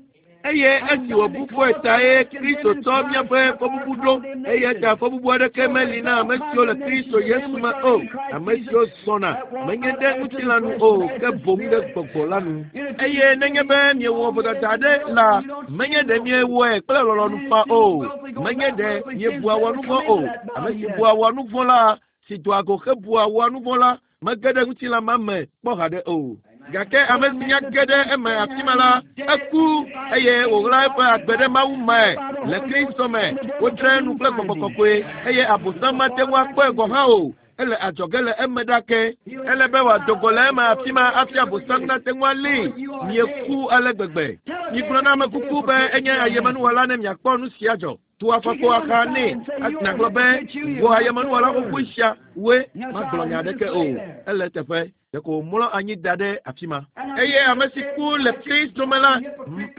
B: Eye esi wòbu fɔe ta ye Kristo tsɔ míaƒe fɔbubu ɖo. Eya ta fɔbubu aɖeke meli na ame siwo le Kristo Yesu me o. Ame siwo zɔna menye ɖe ŋutilã nu o, ke boŋ ɖe gbɔgbɔ la nu. Eye nenye be miewɔ vodada aɖe la, menye ɖe miewɔe kple lɔlɔ̃nu faa o. Menye ɖe miebua wɔ nuvɔ̃ o. Ame si bua wɔ nuvɔ̃ la, si doa go hebua wɔ nuvɔ̃ la, mege ɖe ŋutilã ma me kpɔ haɖe o. Gake ame si nya ge ɖe eme afi ma la, eku eye wòɣla eƒe agbe ɖe Mawu me le Kristo me. Wodzrae nu kple gbɔgbɔ kɔkɔe eye Abosam mate ŋu akpɔe gɔ̃ hã o. Ele adzɔge le eme ɖake. Ele be wòado go le eme afi ma hafi Abosam nate ŋu alée. Mieku ale gbegbe. Migblɔ na ame kuku be enye ayemenuwɔla ne miakpɔ nu sia dzɔ. Tu afɔkpo axa nɛ. Nagblɔ be wò ayemenuwɔla xoxoe sia woe magblɔ nya aɖeke o. Ele eteƒe. Ɖeko wòmlɔ anyi da ɖe afi ma. Eye ame si ku le Kristo me la,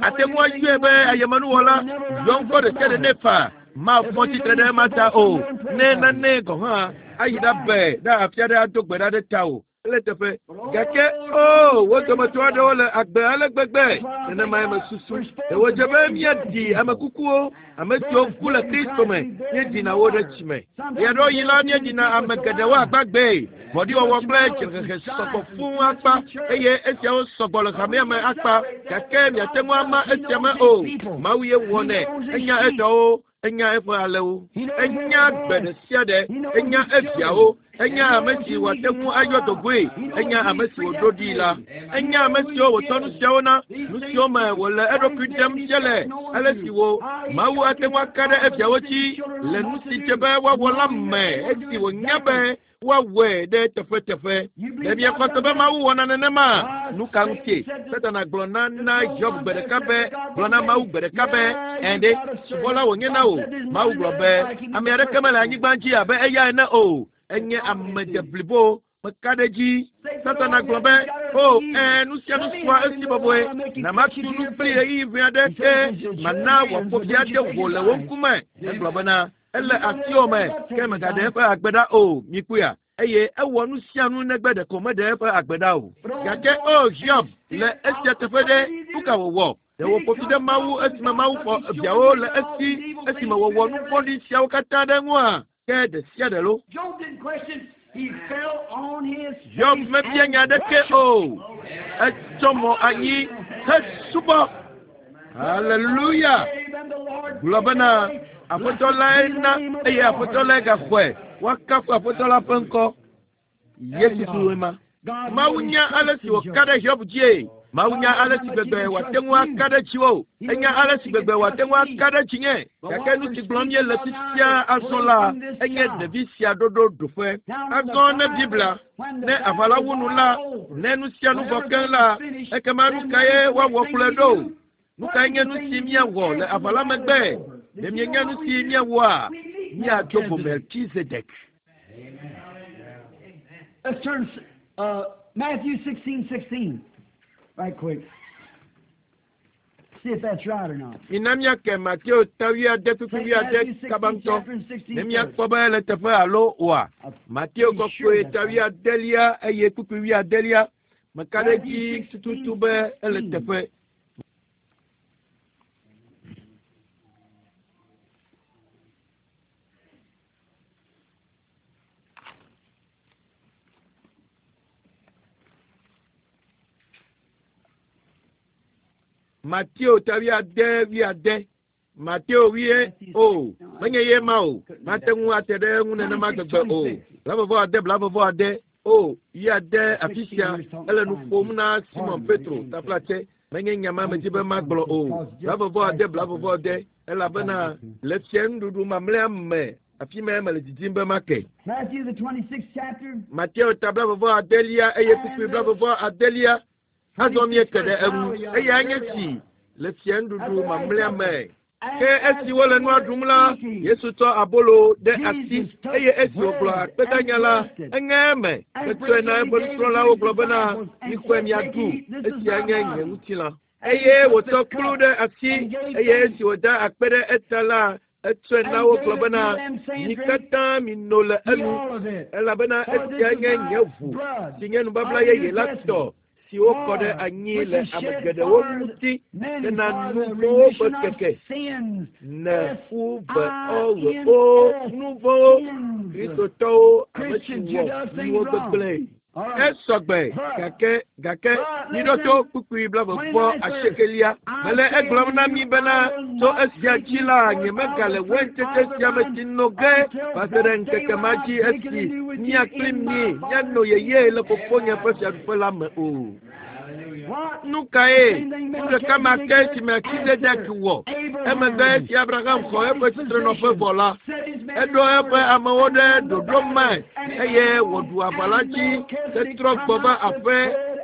B: ate ŋu ayɔe be ayemenuwɔla yɔ ŋkɔ ɖe sia ɖe nɛ faa. Mafɔ tsitre ɖe ema ta o. Ne nane gɔ̃ hã ayi ɖabe ɖe afi aɖe ado gbe ɖa ɖe ta o. Ele teƒe. Gake o, wo dometɔ aɖewo le agbe ale gbegbe. Nenemae mesusu. Ɖe wòdze be míaɖi ame kukuwo, ame siwo ku le Kristo me, míeɖina wo ɖe tsi me. Ɣeaɖewoɣi la, míeɖina ame geɖewo agbagbee. Vɔ̃ɖiwɔwɔ kple dzrehehe sɔgbɔ fũu akpa eye esiawo sɔgbɔ le hamea me akpa. Gake miate ŋu ama esia me o. Mawu ye wɔnɛ. Enya etɔwo. Enya eƒe alẽwo. Enya gbe ɖe sia ɖe. Enya eviawo. Enya ame si wòate ŋu ayɔ dogoe. Enya ame si wòɖo ɖii la. Enya ame siwo wòtsɔ nu siawo na, nu siwo me wòle eɖokui ɖem fia le, ale si wo Mawu ate ŋu aka ɖe eviawo dzi le nu si dze be woawɔ la me esi wònya be woawɔe ɖe teƒeteƒe. Ɖe miexɔ se be Mawu wɔna nenema? Nu ka ŋutie? Satana gblɔ na na Hiob gbe ɖeka be, gblɔ na Mawu gbe ɖeka be, ɛ̃ ɖe, subɔla wònye na wò. Mawu gblɔ be, ame aɖeke mele anyigba dzi abe eya ene o. Enye ame deblibo. Meka ɖe edzi. Satana gblɔ be, o, ɛ̃, nu sia nu sua esi bɔbɔe. Na matu nu kpli ɣeyiɣi ʋɛ aɖe ke mana wòaƒo fi ade wò le wò ŋkume. Egblɔ bena, ele asiwò me, ke mègaɖe eƒe agbe ɖa o. Mikpɔea? Eye ewɔ nu sia nu negbe ɖeko meɖe eƒe agbe ɖa o. Gake o Hiob, le esia teƒe ɖe, nu ka wòwɔ? Ɖe wòƒo fi ɖe Mawu esime Mawu xɔ viawo le esi esime wòwɔ nu vɔ̃ɖi siawo katã ɖe eŋua? Ke ɖe sia ɖe lo. Hiob mebia nya aɖeke o. Etsɔ mɔ anyi hesubɔ. Haleluya! Gblɔ bena Aƒetɔ lae na eye Aƒetɔ lae gaxɔe. Woakafu Aƒetɔ la ƒe ŋkɔ. Yesu Kristoe ma. Mawu nya ale si wòka ɖe Hiob dzie. Mawu nya ale si gbegbe wòate ŋu aka ɖe dziwò. Enya ale si gbegbe wòate ŋu aka ɖe dzinye. Gake nu si gblɔm míele fifia azɔ la, enye ɖevi sia ɖoɖo ɖoƒe. Azɔ ne Biblia, ne aʋa la wu nu la, ne nu sia nu vɔ keŋ la, ekema nu kae woawɔ kplɔe ɖo? Nu kae nye nu si míawɔ le aʋa la megbe? Ɖe mienya nu si míawɔa? Míado go Melchizedek.
A: Let's turn uh, Matthew sixteen sixteen, right quick. See if that's right or not.
B: Mina míake Mateo ta wuiade kpukpui wuiade kaba ŋutɔ. Ne míakpɔ be ele teƒe alo oa. Mateo kɔkɔe ta wuiadelia eye kpukpui wuiadelia. Meka ɖe edzi tututu be ele teƒe. Mateo ta wuiade wuiade. Mateo wuie o. Menye ye ma o. Mate ŋu ate ɖe eŋu nenema gbegbe o. Blavevɔ ade blavevɔ ade. O wuiade afi sia ele nu ƒom na Simon Petro taflatse. Menye nya ma medzi be magblɔ o. Blavevɔ ade blavevɔ ade. Elabena le fia nuɖuɖu mamlɛa me afi ma mele didim be make.
A: Matthew the twenty-sixth chapter.
B: Mateo ta blavevɔ adelia eye kpukpui blavevɔ adelia. Azɔ míeke ɖe eŋu. Eya nye tsi le fia nuɖuɖu mamlɛa me. Ke esi wole nua ɖum la, Yesu tsɔ abolo ɖe asi eye esi wògblɔ akpedanya la, eŋe eme. Etsɔe na eƒe nusrɔ̃lawo gblɔ bena, mixɔe miaɖu. Esia nye nye ŋutilã. Eye wòtsɔ kplu ɖe asi eye esi wòda akpe ɖe eta la etsɔe na wo gblɔ bena mi katã mino le enu elabena esia nye nye ʋu si nye nubabla yeye la tɔ si wokɔ ɖe anyi le ame geɖewo ŋuti bena nu vɔ̃wo ƒe keke ne u ve ɔ ɣe o nu vɔ̃wo kristotɔwo ame si wɔ nuwo gbegblẽ. Esɔgbe gake gake miɖo to kpukpui blaeve vɔ asiekelia mele egblɔm na mi bena tso esia dzi la nyemegale waintsetse sia me tsi no ge va se ɖe ŋkeke ma dzi esi mía kpli mi míano yeye le fofonye ƒe fiaɖuƒe la me o. Nu kae nu ɖeka ma ke si Melchizedek wɔ emegbe esi Abraham xɔ eƒe tsitrenɔƒe vɔ la eɖo eƒe amewo ɖe ɖoɖo me eye wòɖu aʋa la dzi hetrɔ gbɔ va aƒe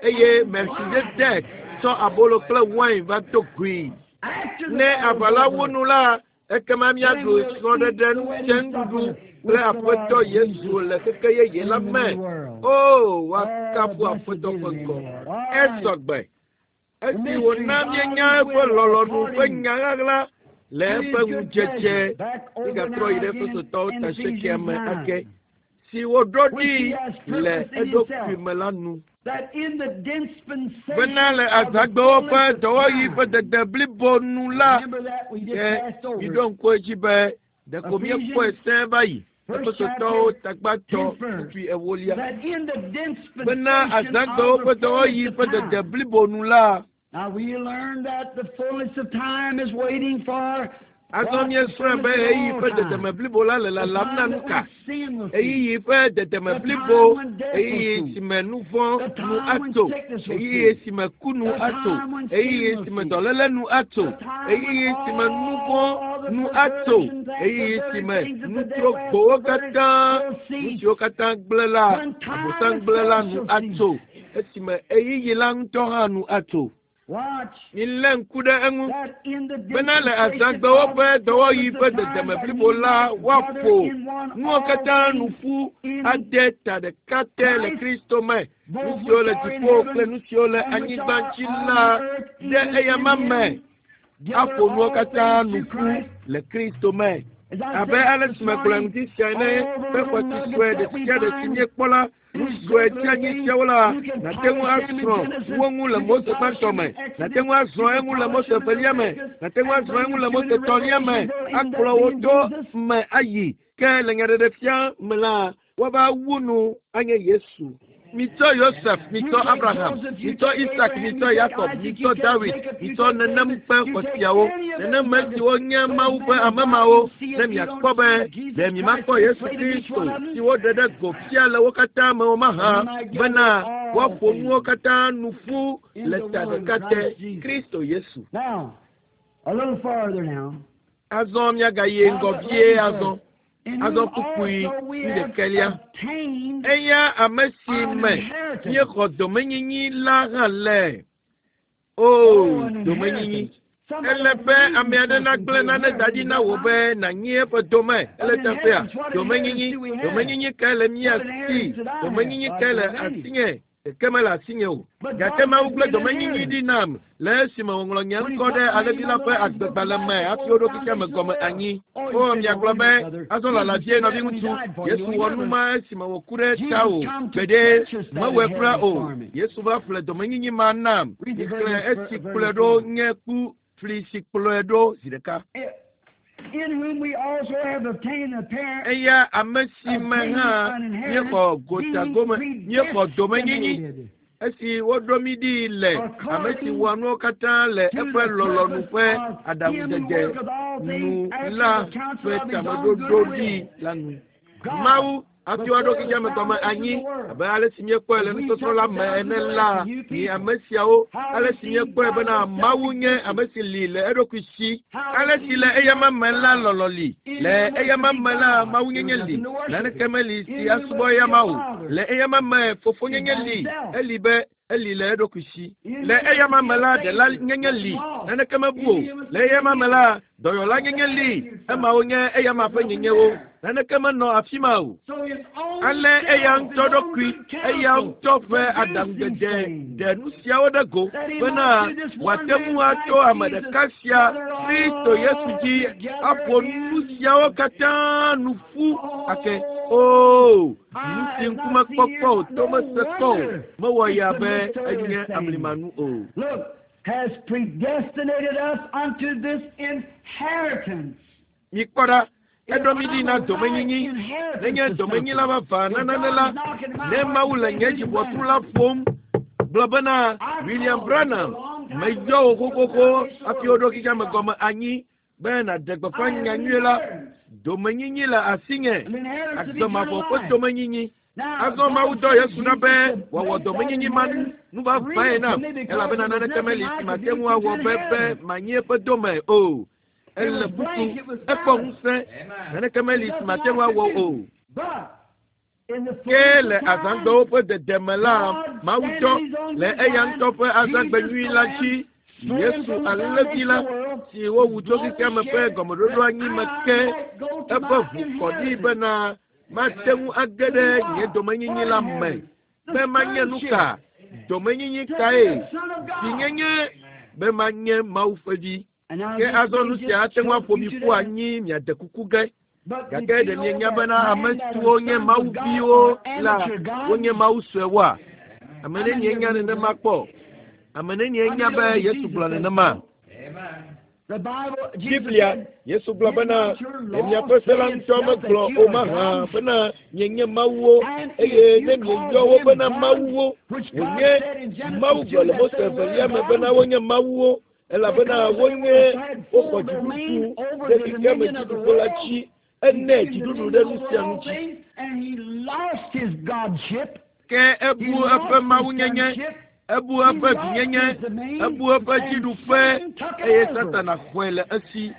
B: eye Melchizedek tsɔ abolo kple wain va do goe. Ne aʋa la wu nu la ekema míaɖu srɔ̃ɖeɖe ŋutsɛnuɖuɖu kple Aƒetɔ Yesu le xexe yeye la me. O, woakafu Aƒetɔ ƒe ŋkɔ. Esɔgbe. Esi wòna míenya eƒe lɔlɔ̃nu ƒe nya ɣaɣla le eƒe ŋudzedze mígatrɔ yi ɖe Efesotɔwo ta asiekea me ake si wòɖo ɖi le eɖokui me la nu. Bena le azãgbewo ƒe dɔwɔɣi ƒe dede blibo nu la ke miɖo ŋku edzi be ɖeko míekpɔe sẽe va yi. Efesotɔwo tagbatɔ kpukpui ewolia. Bena azãgbewo ƒe dɔwɔɣi ƒe dede blibo nu la. Azɔ míesrɔ̃e be ɣeyiɣi ƒe dedeme blibo la le lalam na nu ka? Ɣeyiɣi ƒe dedeme blibo, ɣeyiɣi si me nu vɔ̃ nu atso, ɣeyiɣi si me ku nu atso, ɣeyiɣi si me dɔléle nu atso, ɣeyiɣi si me nu vɔ̃ nu atso, ɣeyiɣi si me nutrogbowo katã, nu siwo katã gblẽ la, Abosam gblẽ la nu atso, esime ɣeyiɣi la ŋutɔ hã nu atso. Milé ŋku ɖe eŋu bena le azãgbewo ƒe dɔwɔɣi ƒe dedeme blibo la woaƒo nuwo katã nu ƒu ade ta ɖeka te le Kristo me. Nu siwo le dziƒo kple nu siwo le anyigba dzi la ɖe eyama me aƒo nuwo katã nu ƒu le Kristo me. Abe ale si megblɔ ŋdi sia ene ƒe xɔti sue ɖe sia ɖe si míekpɔ la nu sue tsianyi siawo la nàte ŋu asrɔ̃ wo ŋu le Mose gbãtɔ me, nàte ŋu asrɔ̃ eŋu le Mose evelia me, nàte ŋu asrɔ̃ eŋu le Mose etɔ̃lia me, akplɔ wo to me ayi. Ke le nyaɖeɖefia me la, woava wu nu anye Yesu. Mitsɔ Yosef, mitsɔ Abraham, mitsɔ Isak, mitsɔ Yakob, mitsɔ Dawid, mitsɔ nenem ƒe xɔsiawo, nenem me siwo nye Mawu ƒe ame mawo, ne miakpɔ be ɖe mimakpɔ Yesu Kristo si woɖe ɖe go fia le wo katã me o mahã, bena woaƒo nuwo katã nu ƒu le ta ɖeka te, Kristo Yesu. Azɔ miagayi ŋgɔ vie azɔ. Azɔ kpukpui wuiɖekɛlia. Eya ame si me míexɔ domenyinyi la hã le. O, domenyinyi. Ele be ame aɖe nagblẽ nane da ɖi na wò be nànyi eƒe dome. Ele teƒea. Domenyinyi. Domenyinyi kae le mía si? Domenyinyi kae le asinye? Ɖeke mele asinye o. Gake Mawu gblẽ domenyinyi ɖi nam le esime wòŋlɔ nye ŋkɔ ɖe alẽvi la ƒe agbegbalẽ me hafi woɖo xexea me gɔme anyi. O, miagblɔ be azɔ lala vie nɔviŋutsu, Yesu wɔ nu ma esime wòku ɖe tawò. Gbeɖe mewɔe kura o. Yesu va ƒle domenyinyi ma nam. Mixlẽ esi kplɔe ɖo nye ku fli si kplɔe ɖo zi ɖeka. Eya ame si me hã míexɔ gotagome, míexɔ domenyinyi esi woɖo mí ɖi le ame si wɔa nuwo katã le eƒe lɔlɔ̃nu ƒe aɖaŋudzedze nu la ƒe tameɖoɖo ɖi la nu. Mawu hafi woaɖo xexea me gɔme anyi abe ale si míekpɔe le nusɔsrɔ̃ la me ene la, mi ame siawo, ale si míekpɔe bena Mawu nye ame si li le eɖokui si. Ale si le eyama me la lɔlɔ̃ li, le eyama me la mawunyenye li, naneke meli si asubɔ eyama o. Le eyama me fofonyenye li, eli be eli le eɖokui si. Le eyama me la ɖela nyenye li, naneke mebu o. Le eyama me la Dɔyɔla nyenye li, emawo nye eyama ƒe nyenyewo. Naneke menɔ afi ma o. Ale eya ŋutɔ ɖokui, eya ŋutɔ ƒe aɖaŋudzedze ɖe nu siawo ɖe go bena wòate ŋu ato ame ɖeka sia Kristo Yesu dzi aƒo nu siawo katã nu ƒu ake. Oo, nu si ŋkume kpɔkpɔ o, to mese kpɔ o, mewɔ ya be enye amlimanu o.
A: Look, has predestinated us unto this inheritance.
B: Mikpɔ ɖa, eɖo mi ɖi na domenyinyi. Nenye domenyila vavã na nane la, ne Mawu le nye dziʋɔtru la ƒom, gblɔ bena William Branham, meyɔ wò xoxoxo hafi woɖo xexeame gɔme anyi be nàɖe gbeƒã nyanyui la. Domenyinyi le asinye, agbemavɔ ƒe domenyinyi. Azɔ Mawu dɔ Yesu ɖa be wòawɔ domenyinyi ma nu vavãe nam, elabena naneke meli si mate ŋu awɔ be be manyi eƒe dome o. Ele kuku, ekpɔ ŋusẽ, naneke meli si mate ŋu awɔ o. Ke le azãgbewo ƒe dedeme la, Mawu dɔ le eya ŋutɔ ƒe azãgbe nyui la dzi Yesu alẽvi la si wowu tso xexeame ƒe gɔmeɖoɖo anyi me ke eƒe ʋu kɔ ɖi bena mate ŋu age ɖe nye domenyinyi la me be manye nu ka? Domenyinyi kae? Vinyenye be manye Mawu ƒe vi. Ke azɔ nu sia ate ŋu aƒo mi ƒu anyi miade kuku ge. Gake ɖe mienya bena ame siwo nye Mawu viwo la wonye Mawu suewoa? Ame nenie nya nenema kpɔ? Ame nenie nya be Yesu gblɔ nenema? Biblia, Yesu gblɔ bena ɖe miaƒe se la ŋutɔ megblɔ o mahã bena mienye mawuwo eye ne mieyɔ wo bena mawuwo, wònye Mawu gblɔ le Mose evelia me bena wonye mawuwo elabena wonye woxɔ dziɖuɖu ɖe xexeame dziɖuƒe la dzi. Ene dziɖuɖu ɖe nu sia nu dzi. Ke ebu eƒe mawunyenye, ebu eƒe vinyenye, ebu eƒe dziɖuƒe eye Satana xɔe le esi.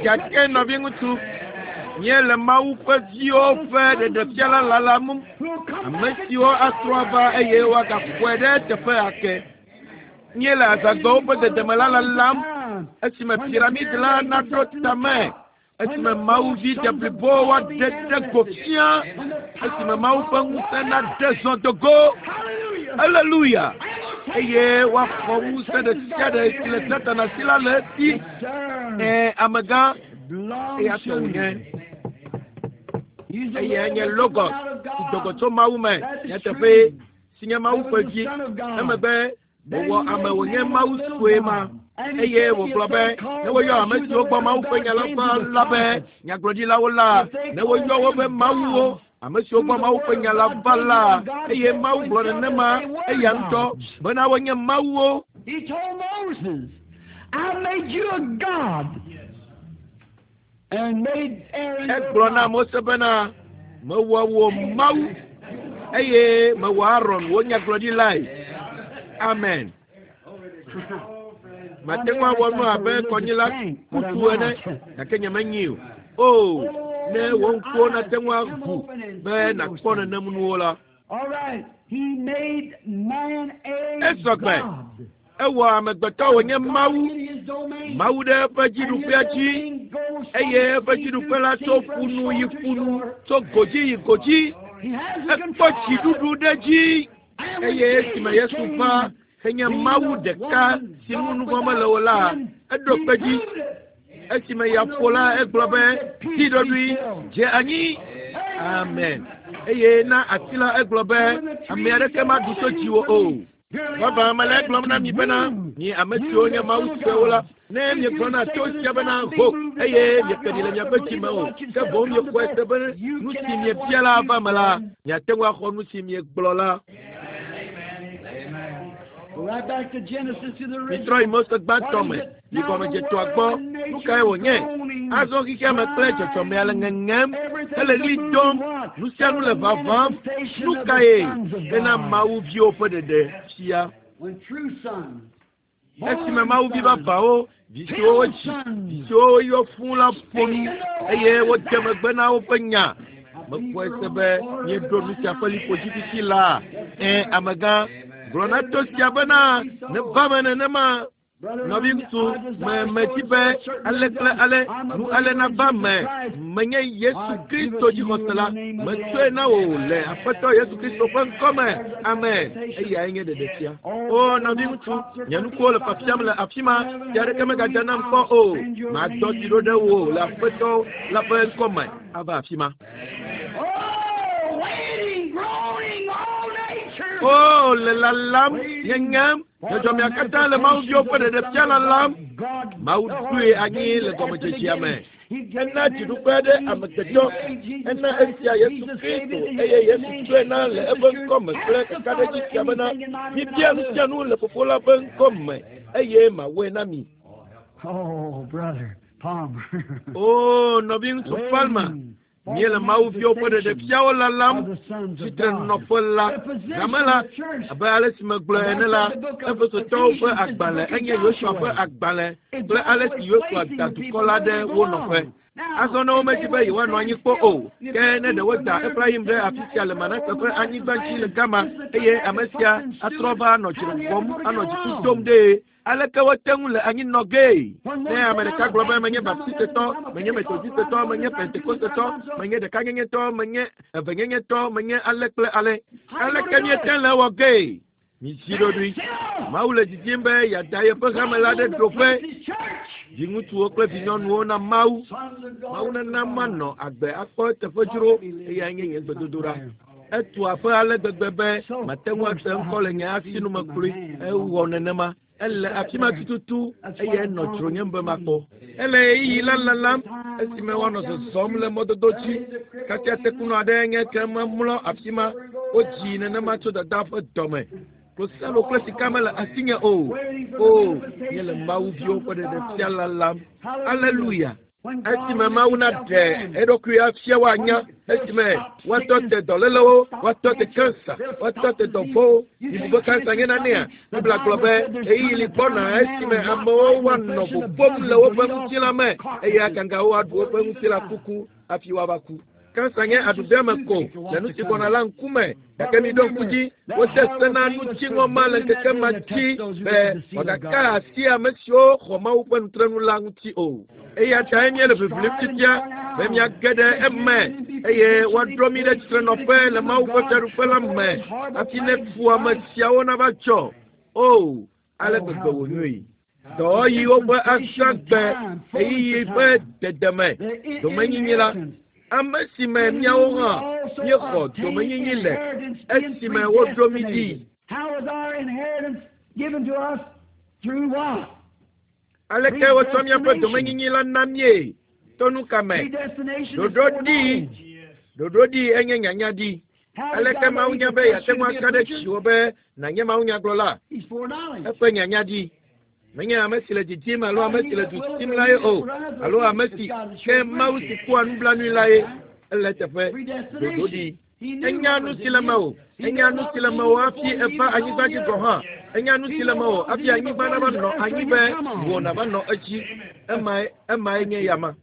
B: Gake nɔviŋutsu, míele Mawu ƒe viwo ƒe ɖeɖefia la lalam, ame siwo atrɔ ava eye woagaxɔe ɖe teƒe ake. Míele azãgbewo ƒe dedeme la lalam esime piramid la naɖo tame, esime Mawu vi deblibo woaɖe ɖe go fia, esime Mawu ƒe ŋusẽ naɖe zɔ do go. Haleluya! Eye woaxɔ ŋusẽ ɖe sia ɖe si le Satana si la le esi. Ɛ amegã eya tɔ wònye. Eyae nye Logos si do go tso Mawu me nyateƒe si nye Mawu ƒe vi. Emegbe wòwɔ ame wònye Mawu sue ma. Eye wògblɔ be ne woyɔ ame siwo gbɔ Mawu ƒe nya la va la be nyagblɔɖilawo la, ne woyɔ wo be mawuwo, ame siwo gbɔ Mawu ƒe nya la va la, eye Mawu gblɔ nenema eya ŋutɔ bena wonye mawuwo.
A: He told Moses, I made you a god and made Aaron your
B: Egblɔ na
A: prophet.
B: Mose bena mewɔ wò Mawu eye mewɔ Aron wò nyagblɔɖilae. Amen. Mate ŋu awɔ nu abe kɔnyila kutu ene gake nyemenyi o. O, ne wò ŋkuwo nate ŋu aʋu be nàkpɔ nenem nuwo la.
A: All right. He made man a
B: Esɔgbe.
A: god.
B: Ewɔ amegbetɔ wònye Mawu,
A: In his domain.
B: Mawu ɖe eƒe dziɖuƒea dzi eye eƒe dziɖuƒe la tso ƒunu yi ƒunu, tso godzi yi godzi.
A: He has the
B: Ekpɔ
A: control.
B: dziɖuɖu ɖe dzi eye esime Yesu va henye Mawu ɖeka si ŋu nu vɔ̃ mele o la, eɖo kpe dzi. Esime ya ƒo la, egblɔ be ti ɖoɖoe, dze anyi. Amen. Eye na ati la egblɔ be ame aɖeke maɖu tso dziwò o. Vavã mele egblɔm na mi bena mi ame siwo nye Mawu suewo la, ne miegblɔ na to sia bena ho eye mieke ɖi le miaƒe dzime o, ke boŋ miexɔe se be nu si miebia la ava me la, miate ŋu axɔ nu si miegblɔ la.
A: Go right back to Genesis to the original.
B: Mitrɔ yi Mose gbãtɔ me, yi gɔmedzetoa gbɔ. Nu kae wònye? Azɔ xexeame kple dzɔdzɔmea le ŋeŋem hele ɣli dom. Nu sia nu le vavam. Nu kae hena Mawu viwo ƒe ɖeɖe fia?
A: When true sons,
B: Esime Mawu vi vavãwo, vi siwo wodzi, vi siwo woyɔ fũu la ƒo nu eye wode megbe na woƒe nya. Mekpɔe se be míeɖo nu sia ƒe liƒo dzi fifi laa. Ẽ, amegã, Gblɔ na to sia bena neva me nenema. Nɔviŋutsu, me medi be ale kple ale nu ale nava me. Menye Yesu Kristo dzixɔsela. Metsɔe na wò le Aƒetɔ Yesu Kristo ƒe ŋkɔme. Amen. Eyae nye ɖeɖefia. O nɔviŋutsu, nye nukuwo le fiafiam le afi ma. Fia aɖeke megadza nam kpɔ o. Madɔ tsi ɖo ɖe wò le Aƒetɔ la ƒe ŋkɔme ava afi ma.
A: Oh, waiting, groaning, all nature.
B: O le lalam, nyenyem, dzɔdzɔmea katã le Mawu viwo ƒe ɖeɖefia lalam. Mawu ɖoe anyi le gɔmedzedzea me. Ena dziɖuƒe aɖe amegbetɔ. Ena esia Yesu Kristo eye Yesu tsɔe na le eƒe ŋkɔme kple kakaɖedzi sia bena mibia nu sia nu le Fofo la ƒe ŋkɔme eye mawɔe na mi.
A: Oh, brother Palmer.
B: O nɔviŋutsu Palmer, míele Mawu viwo ƒe ɖeɖefiawo lalam. Tsitrenɔƒe la, game la, abe ale si megblɔ ene la, Efesotɔwo ƒe agbalẽ enye Yosua ƒe agbalẽ kple ale si Yosua da dukɔ la ɖe wo nɔƒe. Azɔ ne womedi be yewoanɔ anyi kpɔ o, ke ne ɖe woda Efraim ɖe afi sia le Manase ƒe anyigba dzi le gama eye ame sia atrɔ va anɔ dzre wɔm, anɔ dziku dom ɖee. Aleke wote ŋu le anyi nɔ gee? Ne ame ɖeka gblɔ be menye Baptistetɔ, menye Metodistetɔ, menye Pentekostetɔ, menye ɖekanyenyetɔ, menye evenyenyetɔ, menye ale kple ale. Aleke míete le wɔ gee? Mizi ɖoɖoe. Mawu le didim be yeada yeƒe hame la ɖe ɖoƒe. Viŋutsuwo kple vinyɔnuwo na Mawu. Mawu nana manɔ agbe akpɔ eteƒe dzro eyae nye nye gbedodoɖa. Etu aƒe ale gbegbe be mate ŋu ase ŋkɔ le nye asinume kloe. Ewɔ nenema. Ele afi ma tututu eye enɔ dzronyem be makpɔ. Ele ɣeyiɣi la lalam esime woanɔ zɔzɔm le mɔdodo dzi. Kasia tekunɔ aɖe nye ke memlɔ afi ma. Wodzii nenema tso dada ƒe dɔme. Klosalo kple sika mele asinye o. O, míele Mawu viwo ƒe ɖeɖefia lalam. Aleluya. Esime Mawu naɖe eɖokui afia woanya, esime woatɔ te dɔlélewo, woatɔ te kansa, woatɔ te dɔvɔ̃wo. Mibu be kansa nye nanea? Biblia gblɔ be ɣeyiɣi li gbɔna esime amewo woanɔ vovóm le woƒe ŋutilã me eye agangawo aɖu woƒe ŋutilã kuku hafi woava ku. Kansa nye aɖuɖeme ko le nu si gbɔna la ŋkume. Gake miɖo ŋku dzi, wode se na nutsiŋɔ ma le ŋkeke ma dzi be wòagaka asi ame siwo xɔ Mawu ƒe nutrenu la ŋuti o. Eya tae míele ʋiʋlim fifia be míage ɖe eme eye woaɖo mí ɖe tsitrenɔƒe le Mawu ƒe fiaɖuƒe la me hafi ne fuame siawo nava dzɔ. O, ale gbegbe wònyoe. Dɔwɔɣiwo ƒe azãgbe ɣeyiɣi ƒe dedeme domenyinyi la, ame si me míawo hã míexɔ domenyinyi le esime woɖo mí ɖi.
A: How was our inheritance given to us? Through what?
B: Aleke wotsɔ míaƒe domenyinyi la na míe? To nu ka me?
A: Predestination is
B: Ɖoɖo ɖi,
A: foreknowledge.
B: ɖoɖo ɖi enye nyanya ɖi.
A: How did
B: Aleke
A: God
B: Mawu
A: know
B: nya
A: he
B: be
A: could
B: yeate ŋu
A: be
B: aka
A: a
B: ɖe
A: preacher?
B: dziwò be nànye mawunyagblɔla?
A: He's foreknowledge.
B: Eƒe nyanya ɖi. Menye ame si le didim alo ame si le du sim la ye o, alo ame si ke Mawu si kpɔa nublanui la ye. Ele teƒe ɖoɖo ɖi. Enya nu si le mewò. Enya nu si le mewò hafi eva anyigba dzi gɔ̃ hã. Enya nu si le mewò hafi anyigba nava nɔ anyi be wò nava nɔ edzi. Emae emae nye yama.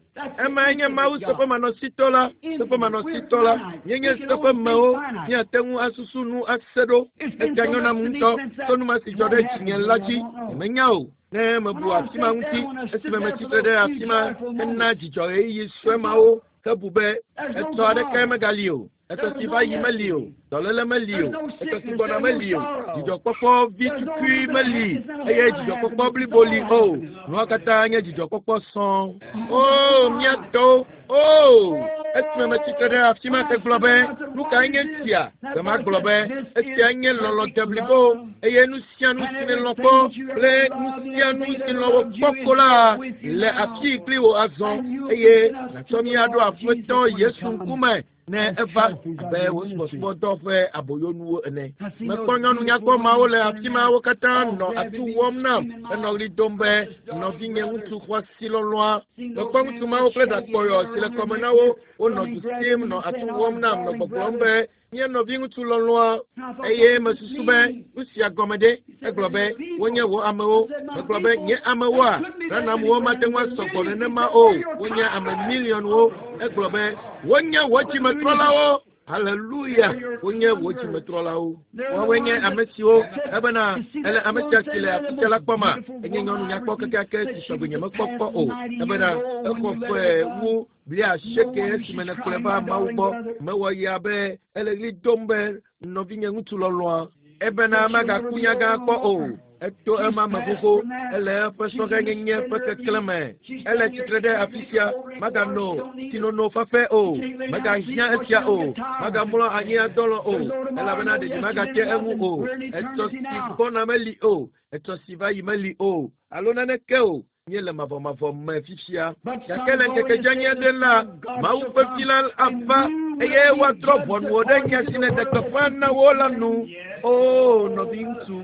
B: Emae nye Mawu seƒemanɔsitɔ la, seƒemanɔsitɔ la. Míenye seƒemewo, míate ŋu asusu nu ase ɖo. Esia nyo nam ŋutɔ tso nu ma si dzɔ ɖe dzinye la dzi. Nyemenya o. Ne mebu afi ma ŋuti, esime metsitre ɖe afi ma hena dzidzɔ ɣeyiɣi sue mawo hebu be etsɔ aɖeke megali o. Etsɔ si va yi meli o, dɔléle meli o, etsɔ si gbɔna meli o, dzidzɔkpɔkpɔ vi tukui meli eye dzidzɔkpɔkpɔ blibo li o. Nua katã nye dzidzɔkpɔkpɔ sɔŋ. O, mía tɔwo, o, esime metsitre ɖe afi ma hegblɔ be, nu kae nye esia? Gbe ma gblɔ be, esia nye lɔlɔ̃ deblibo eye nu sia nu si nèlɔ̃ kpɔ kple nu sia nu si lɔ̃ wò kpɔ ko la le afii kpli wò azɔ eye nàtsɔ mí aɖo Aƒetɔ Yesu ŋkume ne eva abe wò subɔsubɔdɔ ƒe aboyonuwo ene. Mekpɔ nyɔnu nyakpɔ mawo le afi ma wo katã nɔ atu wɔm nam henɔ ɣli dom be nɔvinye ŋutsu xɔasi lɔlɔ̃a. Mekpɔ ŋutsu mawo kple ɖakpɔyɔ si le kɔme na wo wonɔ du sim nɔ atu wɔm nam nɔ gbɔgblɔm be nye nɔvi ŋutsu lɔlɔ̃a eye mesusu be nu sia gɔme ɖe. Egblɔ be wonye wò amewo. Megblɔ be nye amewoa Branhamwo mate ŋu asɔ gbɔ nenema o. Wonye ame miliɔnwo. Egblɔ be wonye wò dzimetrɔlawo. Haleluya! Wonye wò dzimetrɔlawo. Woawoe nye ame siwo ebena ele ame sia si le afi sia la kpɔma. Enye nyɔnu nyakpɔ kekeake si sɔgbe nyemekpɔ kpɔ o. Ebena exɔ ƒe wu blaasieke esime nèkplɔe va Mawu gbɔ. Mewɔ ya be ele ɣli dom be nɔvinye ŋutsu lɔlɔ̃a. Ebena magaku nyagã kpɔ o. Eto ema me xoxo. Ele eƒe sɔhɛnyenye ƒe keklẽ me. Ele tsitre ɖe afi sia. Magano tsinono fafɛ o. Megahiã esia o. Magamlɔ anyi adɔlɔ o. Elabena ɖeɖi magate eŋu o. Etsɔ si gbɔna meli o. Etsɔ si va yi meli o. Alo naneke o. Míele mavɔmavɔ me fifia. Gake le ŋkeke dzeani aɖe la, Mawu ƒe vi la ava eye woadrɔ̃ ʋɔnu ɖe nya si nèɖe gbeƒã na wo la nu. Oo, nɔviŋutsu.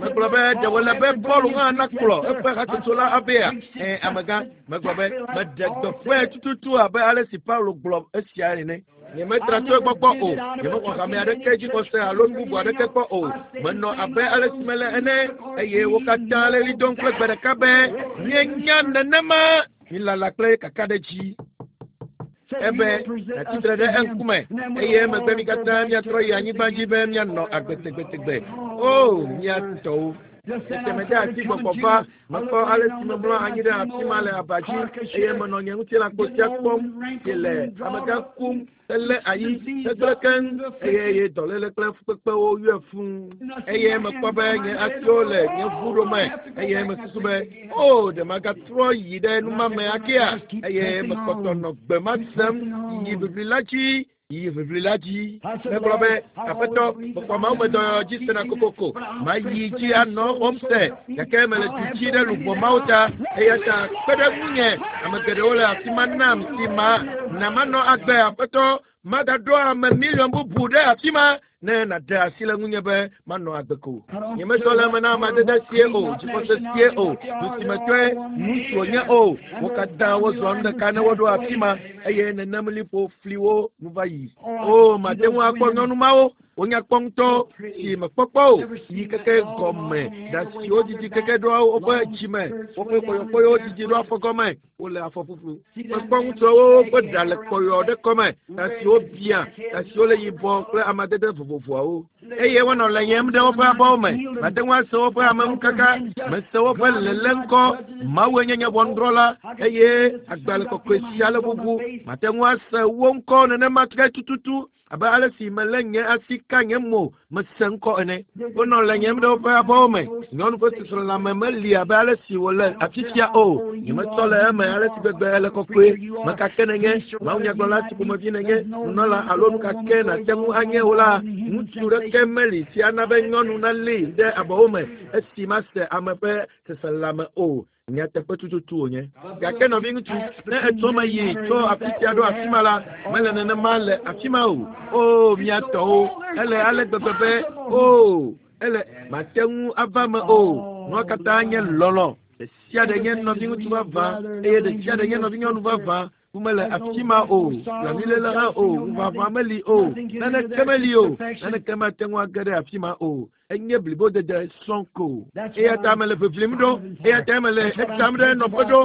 B: Megblɔ be ɖe wòle be Paul hã nakplɔ eƒe hatsotso la avea? Ẽ, amegã, megblɔ be meɖe gbeƒãe tututu abe ale si Paulo gblɔ esia ene. Nyemetra tso egbɔ kpɔ o. Nyemexɔ hame aɖeke dzixɔse alo nu bubu aɖeke kpɔ o. Menɔ abe ale si mele ene eye wo katã le ɣli dom kple gbe ɖeka be míenya nenema. Mílala kple kakaɖedzi. Ebe nàtsitre ɖe eŋkume eye emegbe mi katã míatrɔ yi anyigba dzi be míanɔ agbe tegbetegbe. O, mía tɔwo. Tete mede asi gbɔgbɔ va, mekpɔ ale si memlɔ anyi ɖe afi ma le aba dzi eye menɔ nye ŋutilãkpo sia kpɔm si le amegã kum helé ayi hegblẽ keŋ eye ye dɔléle kple fukpekpewo yɔe fũu. Eye mekpɔ be nye asiwo le nye ʋuɖome eye mesusu be o ɖe magatrɔ yi ɖe numame akea eye mekpɔtɔ nɔ gbe ma sem yi ʋiʋli la dzi yi ʋiʋli la dzi. Megblɔ be aƒetɔ mexɔ Mawu me dɔyɔyɔ dzi sena kokoko mayi dzi anɔ xɔm se gake mele du dzi ɖe luʋɔ mawo ta eya ta kpe ɖe ŋunye ame geɖewo le afi ma nam si ma na manɔ agbe aƒetɔ magaɖo ame miliɔn bubu ɖe afi ma ne nàɖe asi le ŋunye be manɔ agbe ko. Nyemezɔ le eme na amadede sie o, dzixɔse sie o, du si me tɔe nu si wònye o. Wo katã wozɔ nu ɖeka ne woɖo afi ma eye nenem liƒo fliwo nu va yi. O, mate ŋu akpɔ nyɔnu mawo wonya kpɔ ŋutɔ si mekpɔkpɔ o yi keke gɔme ɖa siwo didi keke ɖoa woƒe dzime woƒe kpɔyɔkpɔyɔwo didi ɖo afɔ gɔme wole afɔ ƒuƒlu. Mekpɔ ŋutsuawo ƒe ɖa le kpɔyɔ ɖe kɔme ɖa siwo bia ɖa siwo le yibɔ kple amadede vovovoawo eye wonɔ leyem ɖe woƒe abɔwo me. Mate ŋu ase woƒe ameŋukaka mese woƒe lele ŋkɔ. Mawue nye nye ʋɔnudrɔ̃la eye agbalẽ kɔkɔe sia le ʋuʋu. Mate ŋu ase wo ŋkɔ nenema ke tututu abe ale si melé nye asi ka nye mo mese ŋkɔ ene. Wonɔ leyem ɖe woƒe abɔwo me. Nyɔnu ƒe seselelãme meli abe ale si wòle afi sia o. Nyemetsɔ le eme ale si gbegbe ele kɔkɔe. Mekake nenye mawunyagblɔla si ƒomevi nenye nunɔla alo nu ka ke nàte ŋu anye o la, ŋutsu ɖeke meli si ana be nyɔnu nalée ɖe abɔwo me esi mase ame ƒe seselelãme o. Nyateƒe tututu wònye. Gake nɔviŋutsu, ne etsɔ me yi tso afi sia ɖo afi ma la, mele nenema le afi ma o. O, mía tɔwo, ele ale gbegbe be o, ele mate ŋu ava me o. Nua katã nye lɔlɔ̃. Ɖe sia ɖe nye nɔviŋutsu vavã eye ɖe sia ɖe nye nɔvinyɔnu vavã. Womele afi ma o, blanuiléle hã o, ŋuʋaʋã meli o, naneke meli o, naneke mate ŋu age ɖe afi ma o. Enye blibodede sɔŋ ko. Eya ta mele ʋiʋlim ɖo, eya ta mele etam ɖe nɔƒe ɖo.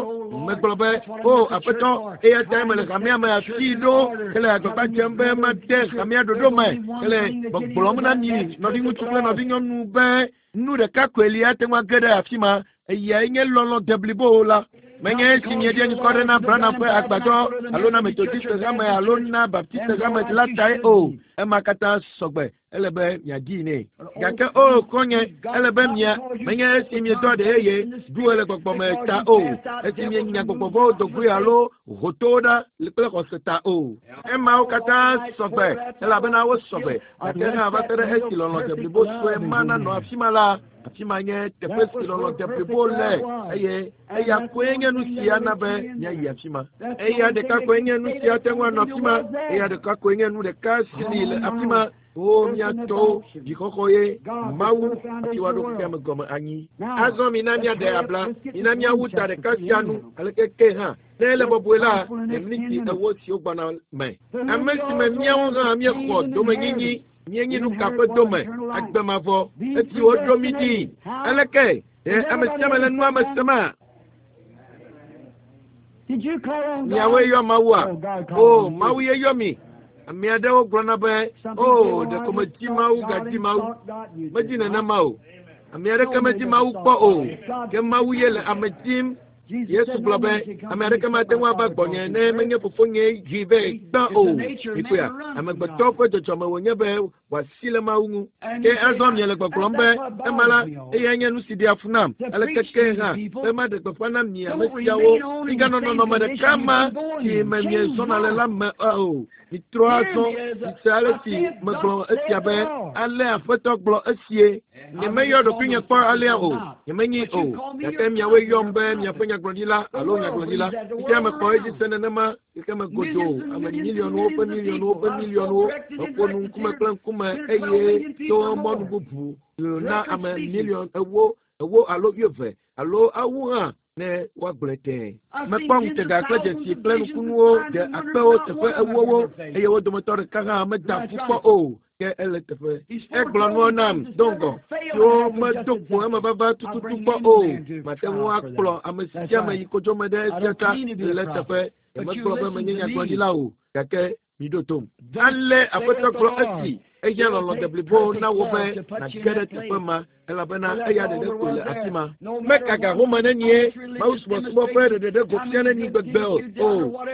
B: Megblɔ be, o aƒetɔ, eya ta mele hamea me afii ɖo, hele agbagba dzem be made hamea ɖoɖo me, hele gbɔgblɔm na mi nɔviŋutsu kple nɔvinyɔnu be nu ɖeka koe li ate ŋu age ɖe afi ma, eyae nye lɔlɔ̃ deblibo la. Menye esi mieɖe ŋkɔ ɖe na Branham ƒe agbadɔ alo na Methodist hame alo na Baptist hame la tae o. Ema katã sɔgbe ele be miadii nɛ. Gake o xɔ̃nye, ele be mia menye esi miedɔ ɖe yeye ɖu le gbɔgbɔme ta o. Esi mienya gbɔgbɔvɔwo do goe alo hotowo ɖa kple xɔse ta o. Emawo katã sɔgbe elabena wo sɔgbe. Gake hã va se ɖe esi lɔlɔ̃ deblibo sue ma nanɔ afi ma la, afi ma nye teƒe si lɔlɔ̃ deblibo le eye eya koe nye nu si ana be míayi afi ma. Eya ɖeka koe nye nu si ate ŋu anɔ afi ma. Eya ɖeka koe nye nu ɖeka si li le afi ma. O mía tɔwo, dzixɔxɔ ye Mawu hafi woaɖo xexea me gɔme anyi. Azɔ mina míaɖe abla, mina míawu ta ɖeka sia nu aleke ke hã. Ne ele bɔbɔe la, le miniti ewo siwo gbɔna me. Ame si me míawo hã míexɔ domenyinyi, míenyi nu ka ƒe dome, agbe mavɔ, esi woɖo mí ɖi. Aleke ɖe ame sia ame le nua me sema?
A: Did you call on God?
B: Miawoe yɔ Mawua?
A: Oh, God
B: O,
A: called you.
B: Mawu ye yɔ mi. Ame aɖewo gblɔna be, o, ɖeko medzi Mawu gadzi Mawu. Medzi nenema o. Ame aɖeke medzi Mawu kpɔ o. Ke Mawu ye le ame dzim. Yesu gblɔ be, ame aɖeke mate ŋu ava gbɔnye ne menye fofonye dzi vɛ gbã o. Mikpɔea, amegbetɔ ƒe dzɔdzɔme wònye be wòasi le Mawu ŋu. Ke azɔ miele gbɔgblɔm be, ema la, eyae nye nu si ɖea fu nam. Ale keke hã be maɖe gbeƒã na mi ame siawo. Miganɔ nɔnɔme ɖeka ma si me miezɔna le la me o. Mitrɔ azɔ, mise ale si megblɔ esia be, ale Aƒetɔ gblɔ esie. Nyemeyɔ ɖokuinye kpɔ alea o. Nyemenyi o. Gake miawoe yɔm be miaƒe nyagblɔɖila alo nyagblɔɖila. Fifia mekpɔ edzi se nenema xexeme godoo. Ame miliɔnwo ƒe miliɔnwo ƒe miliɔnwo meƒo nu ŋkume kple ŋkume eye to mɔnu bubu na ame miliɔn ewo ewo alo wuieve alo awu hã ne woagblɔe tẽe. Mekpɔ ŋutega kple dzesi kple nukunuwo de akpewo teƒe ewowo eye wo dometɔ ɖeka hã meda ƒu kpɔ o. Ke ele teƒe. Egblɔ nuwo nam do ŋgɔ siwo medo kpo emevava tututu kpɔ o. Mate ŋu akplɔ ame sia ame yi kodzome ɖe esia ta le teƒe. Nyemegblɔ be menye nyagblɔɖila o, gake miɖo tom. Ale Aƒetɔ gblɔ esi ehiã lɔlɔ̃ deblibo na wò be nàge ɖe teƒe ma elabena eya ɖeɖe koe le afi ma. Meka ga home nenie, Mawu subɔsubɔ ƒe ɖeɖeɖe go fia neni gbegbe o.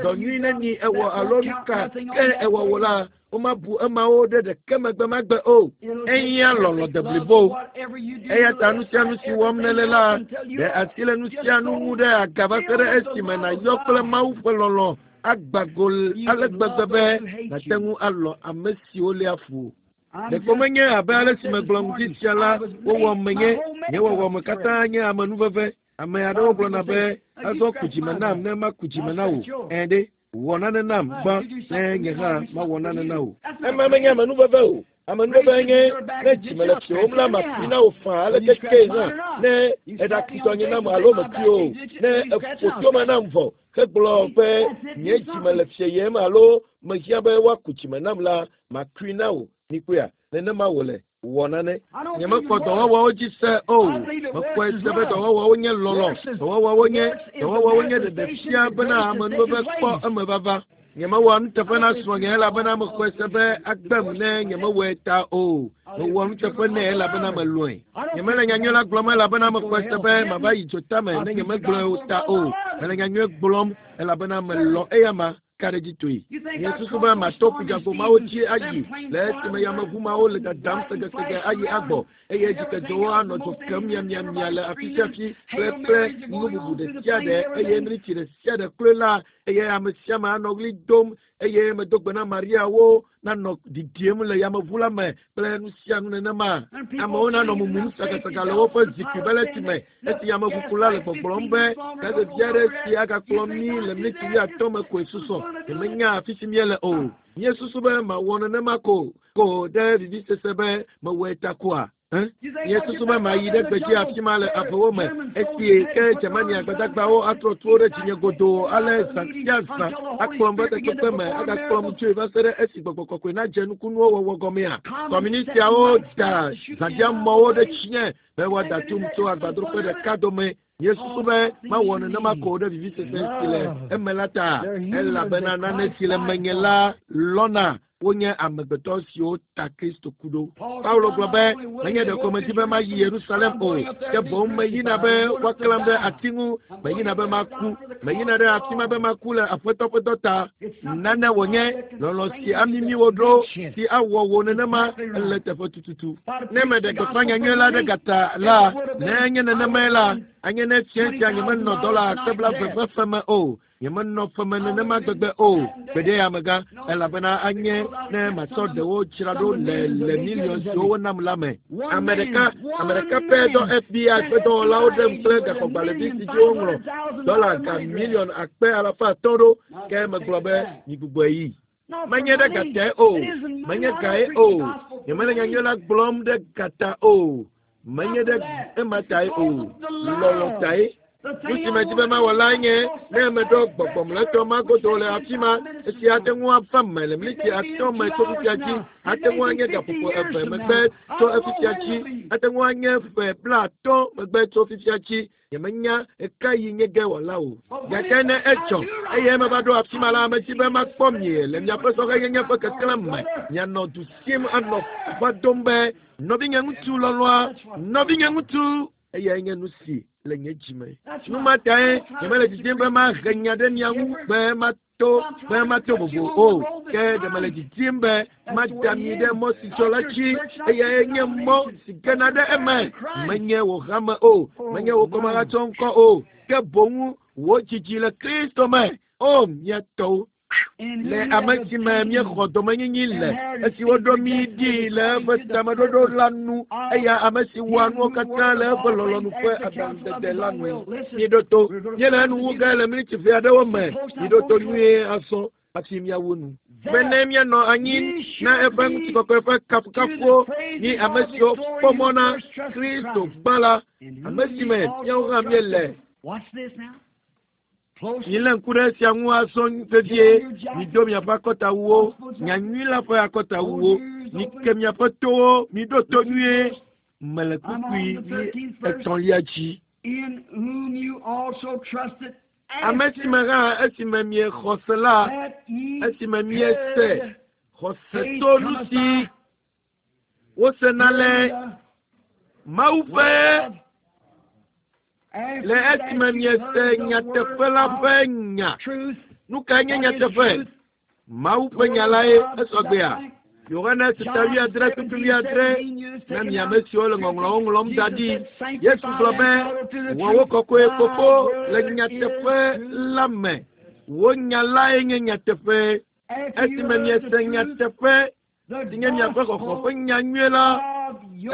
B: Dɔ nyui neni ewɔ alo nu ka ke ewɔ wò la, womabu emawo ɖe ɖeke megbe magbe o. Ehiã lɔlɔ̃ deblibo. Eya ta nu sia nu si wɔm nèle la, ɖe asi le nu sia nu ŋu ɖe aga va se ɖe esime nàyɔ kple Mawu ƒe lɔlɔ̃ agba go ale gbegbe be nàte ŋu alɔ̃ ame siwo léa fu. Ɖeko menye abe ale si megblɔ ŋdi sia la, wowɔ menye. Nye wɔwɔme katã nye amenuveve. Ame aɖewo gblɔna be, azɔ ku dzime nam ne maku dzime na wò. Ẽ ɖe, wɔ nane nam gbã ne nye hã mawɔ nane na wò. Ema menye amenuveve o. Amenuveve nye ne dzime le fiwòm la, makui na wò faa ale keke hã ne eɖakui tɔnye nam alo mekui o. Ne eƒo tome nam vɔ hegblɔ be nye dzime le fieyem alo mehiã be woaku dzime nam la, makui na wò. Mikpɔea, nenema wòle. Wɔ nane. Nyemekpɔ dɔwɔwɔwo dzi se o. Mekpɔe se be dɔwɔwɔwo nye lɔlɔ̃. Dɔwɔwɔwo nye dɔwɔwɔwo nye ɖeɖefia bena amenuveve kpɔ emevava. Nyemewɔ nuteƒe na srɔ̃nye elabena mexɔe se be agbem ne nyemewɔe ta o. Mewɔ nuteƒe nɛ elabena melɔ̃e. Nyemele nyanyui la gblɔm elabena mexɔe se be mava yi dzotame ne nyemegblɔe o ta o. Mele nyanyui gblɔm elabena melɔ̃ eyama. Ka ɖe dzi toe. Nye susu be mato ƒudzagbo mawo dzi ayi le esime yameʋu mawo le dadam segesege ayi agbɔ eye dzikedzowo anɔ dzo kem miamiamia le afi sia afi kple kple nu bubu ɖe sia ɖe eye mliti ɖe sia ɖe kloe la eye ame sia ame anɔ ɣli dom eye medo gbe na Mariawo nanɔ ɖiɖiem le yameʋu la me kple nu sia nu nenema. Amewo nanɔ mumum sagasaga le woƒe zikpui beleti me esi yameʋukula le gbɔgblɔm be gavevi aɖe si agakplɔ mí le mliti wuiatɔ̃ me koe susɔ. Nyemenya afi si míele o. Míesusu be mawɔ nenema ko ko ɖe vivisese be mewɔe ta koa? Míesusu be mayi ɖe gbedzi afi ma le avewo me esi ke Germania gbadagbawo atrɔ tuwo ɖe dzinye godoo ale zã sia zã akplɔm va takpekpe me agakplɔm tsoe va se ɖe esi gbɔgbɔ kɔkɔe nadze nukunuwo wɔwɔ gɔmea. Kɔmunistiawo da zãdiamɔwo ɖe tsinye be woada tum tso agbadroƒe ɖeka dome. Míesusu be mawɔ nenema ko ɖe vivisese si le eme la ta elabena nane si le menye la lɔna wonye amegbetɔ siwo ta Kristo ku ɖo. Paulo gblɔ be menye ɖeko medi be mayi Yerusalem o, ke boŋ meyina be woaklãm ɖe ati ŋu, meyina be maku, meyina ɖe afi ma be maku le Aƒetɔ ƒe dɔ ta. Nane wònye lɔlɔ̃ si amimi wò ɖo si awɔ wò nenema ele teƒe tututu. Ne meɖe gbeƒã nyanyui la ɖe gata la, ne enye nenemae la, anye ne fia sia nyemenɔ dɔla akpe blaeve ƒe feme o. Nyemenɔ feme nenema gbegbe o. Gbeɖe amegã elabena anye ne matsɔ ɖewo dzra ɖo le le miliɔn siwo wonam la me. Ame ɖeka ame ɖeka pɛ dɔ F B I ƒe dɔwɔlawo ɖem kple gaxɔgbalẽvi si dzi woŋlɔ dɔla ga miliɔn akpe alafa atɔ̃ ɖo ke megblɔ be migbugbɔe yi. Menye ɖe gatae o, menye gae o. Nyemele nyanyui la gblɔm ɖe gata o. Menye ɖe ema tae o. Lɔlɔ̃ tae. Nu si medi be mawɔ lae nye ne meɖo gbɔgbɔmletɔ magodo le afi ma, esi ate ŋu ava me le miniti atɔ̃ me tso fifia dzi, ate ŋu anye gaƒoƒo eve megbe tso efifia dzi, ate ŋu anye ƒe blaatɔ̃ megbe tso fifia dzi. Nyemenya ɣeka yi nye ge wòala o. Gake ne edzɔ eye meva ɖo afi ma la, medi be makpɔ mi le miaƒe sɔhɛnyenye ƒe keklẽ me. Mianɔ du sim anɔ va dom be nɔvinye ŋutsu lɔlɔ̃a, nɔvinye ŋutsu, eyae nye nu si le nye dzime. Nu ma tae nyemele didim be mahe nya ɖe mia ŋu be mato be mato vovo o. Ke ɖe mele didim be mada mi ɖe mɔ si dzɔ la dzi. Eyae nye mɔ si gena ɖe eme. Menye wò hame o, menye wò kɔmahatsɔ ŋkɔ o, ke boŋ wò dzidzi le Kristo me. O mía tɔwo, le ame si me míexɔ domenyinyi le, esi woɖo mí ɖi le eƒe tameɖoɖo la nu, eya ame si wɔa nuwo katã le eƒe lɔlɔ̃nu ƒe aɖaŋudede la nu. Miɖo to, míele enu wu ge le miniti ʋɛ aɖewo me. Miɖo to nyuie azɔ hafi míawu nu. Bene míanɔ anyi na eƒe ŋutikɔkɔe ƒe kafukafuwo, mí ame siwo kpɔ mɔ na Kristo gbã la, ame si me míawo hã míele. Milé ŋku ɖe esia ŋu azɔ vevie. Mido miaƒe akɔtawuwo, nyanyui la ƒe akɔtawuwo. Mike miaƒe towo, miɖo to nyuie. Mele kpukpui etɔ̃lia dzi. Ame si me hã esime miexɔ se la, esime miese xɔse to nu si wosena le Mawu ƒe le esime miese nyateƒe la ƒe nya. Nu kae nye nyateƒe? Mawu ƒe nya lae esɔgbea. Yohanes ta wuiadre kpukpui wuiadre na mi ame siwo le ŋɔŋlɔwo ŋlɔm da ɖi. Yesu gblɔ be wɔ wo kɔkɔe fofo le nyateƒe la me. Wò nya lae nye nyateƒe. Esime miese nyateƒe si nye miaƒe xɔxɔ ƒe nya nyui la,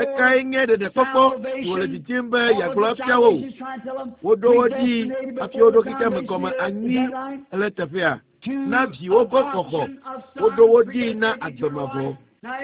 B: ekae nye ɖeɖekpɔkpɔ si wòle didim be yeagblɔ afia wo. Woɖo wo ɖi hafi woɖo xexeame gɔme anyi le teƒea. Na viwo ƒe xɔxɔ, woɖo wo ɖi na agbe mavɔ.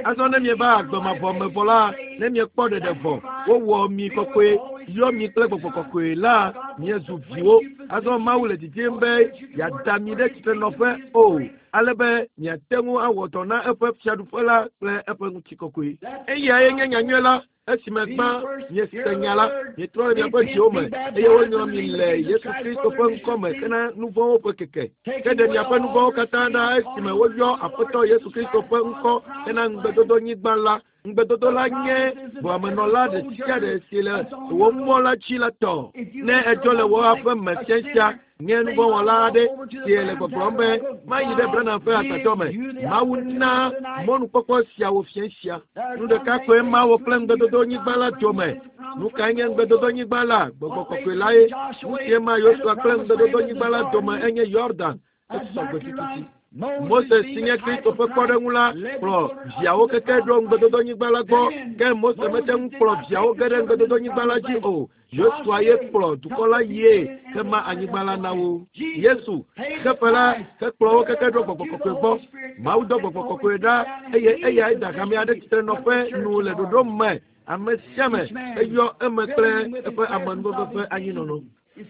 B: Azɔ ne mieva agbe mavɔ me vɔ la, ne miekpɔ ɖeɖe vɔ, wowɔ mi kɔkɔe, yɔ mi kple gbɔgbɔ kɔkɔe la, miezu viwo. Azɔ Mawu le didim be yeada mi ɖe tsitrenɔƒe o, ale be miate ŋu awɔ dɔ na eƒe fiaɖuƒe la kple eƒe ŋutikɔkɔe. Eyae nye nyanyui la. Esime gbã miese nya la, mietrɔ le miaƒe dziwo me eye wonyrɔ mi le Yesu Kristo ƒe ŋkɔ me hena nu vɔ̃wo ƒe keke. Ke ɖe miaƒe nu vɔ̃wo katã ɖa esime woyɔ Aƒetɔ Yesu Kristo ƒe ŋkɔ hena ŋugbedodonyigba la. Ŋugbedodo la nye ʋuamenɔla ɖe sia ɖe si le wò mɔ la dzi la tɔ. Ne edzɔ le wò aƒe me fiasia, nye nuvɔ̃wɔla aɖe si le gbɔgblɔm be mayi ɖe Branham ƒe agbadɔ me. Mawu na mɔnukpɔkpɔ siawo fiasia. Nu ɖeka koe ma wò kple ŋugbedodonyigba la dome. Nu kae nye ŋugbedodonyigba la? Gbɔgbɔ kɔkɔe lae. Nu sie ma Yosua kple ŋugbedodonyigba la dome enye Yordan. Esɔgbe tututu. Mose si nye Kristo ƒe kpɔɖeŋu la kplɔ viawo keke ɖo ŋugbedodonyigba la gbɔ, ke Mose mete ŋu kplɔ viawo ge ɖe ŋugbedodonyigba la dzi o. Yosua ye kplɔ dukɔ la yie hema anyigba la na wo. Yesu xefe la hekplɔ wo keke ɖo gbɔgbɔ kɔkɔe gbɔ. Mawu dɔ gbɔgbɔ kɔkɔe ɖa eye eyae da hame aɖe tsitrenɔƒe nu le ɖoɖo me. Ame sia ame eyɔ eme kple eƒe amenuveve ƒe anyinɔnɔ.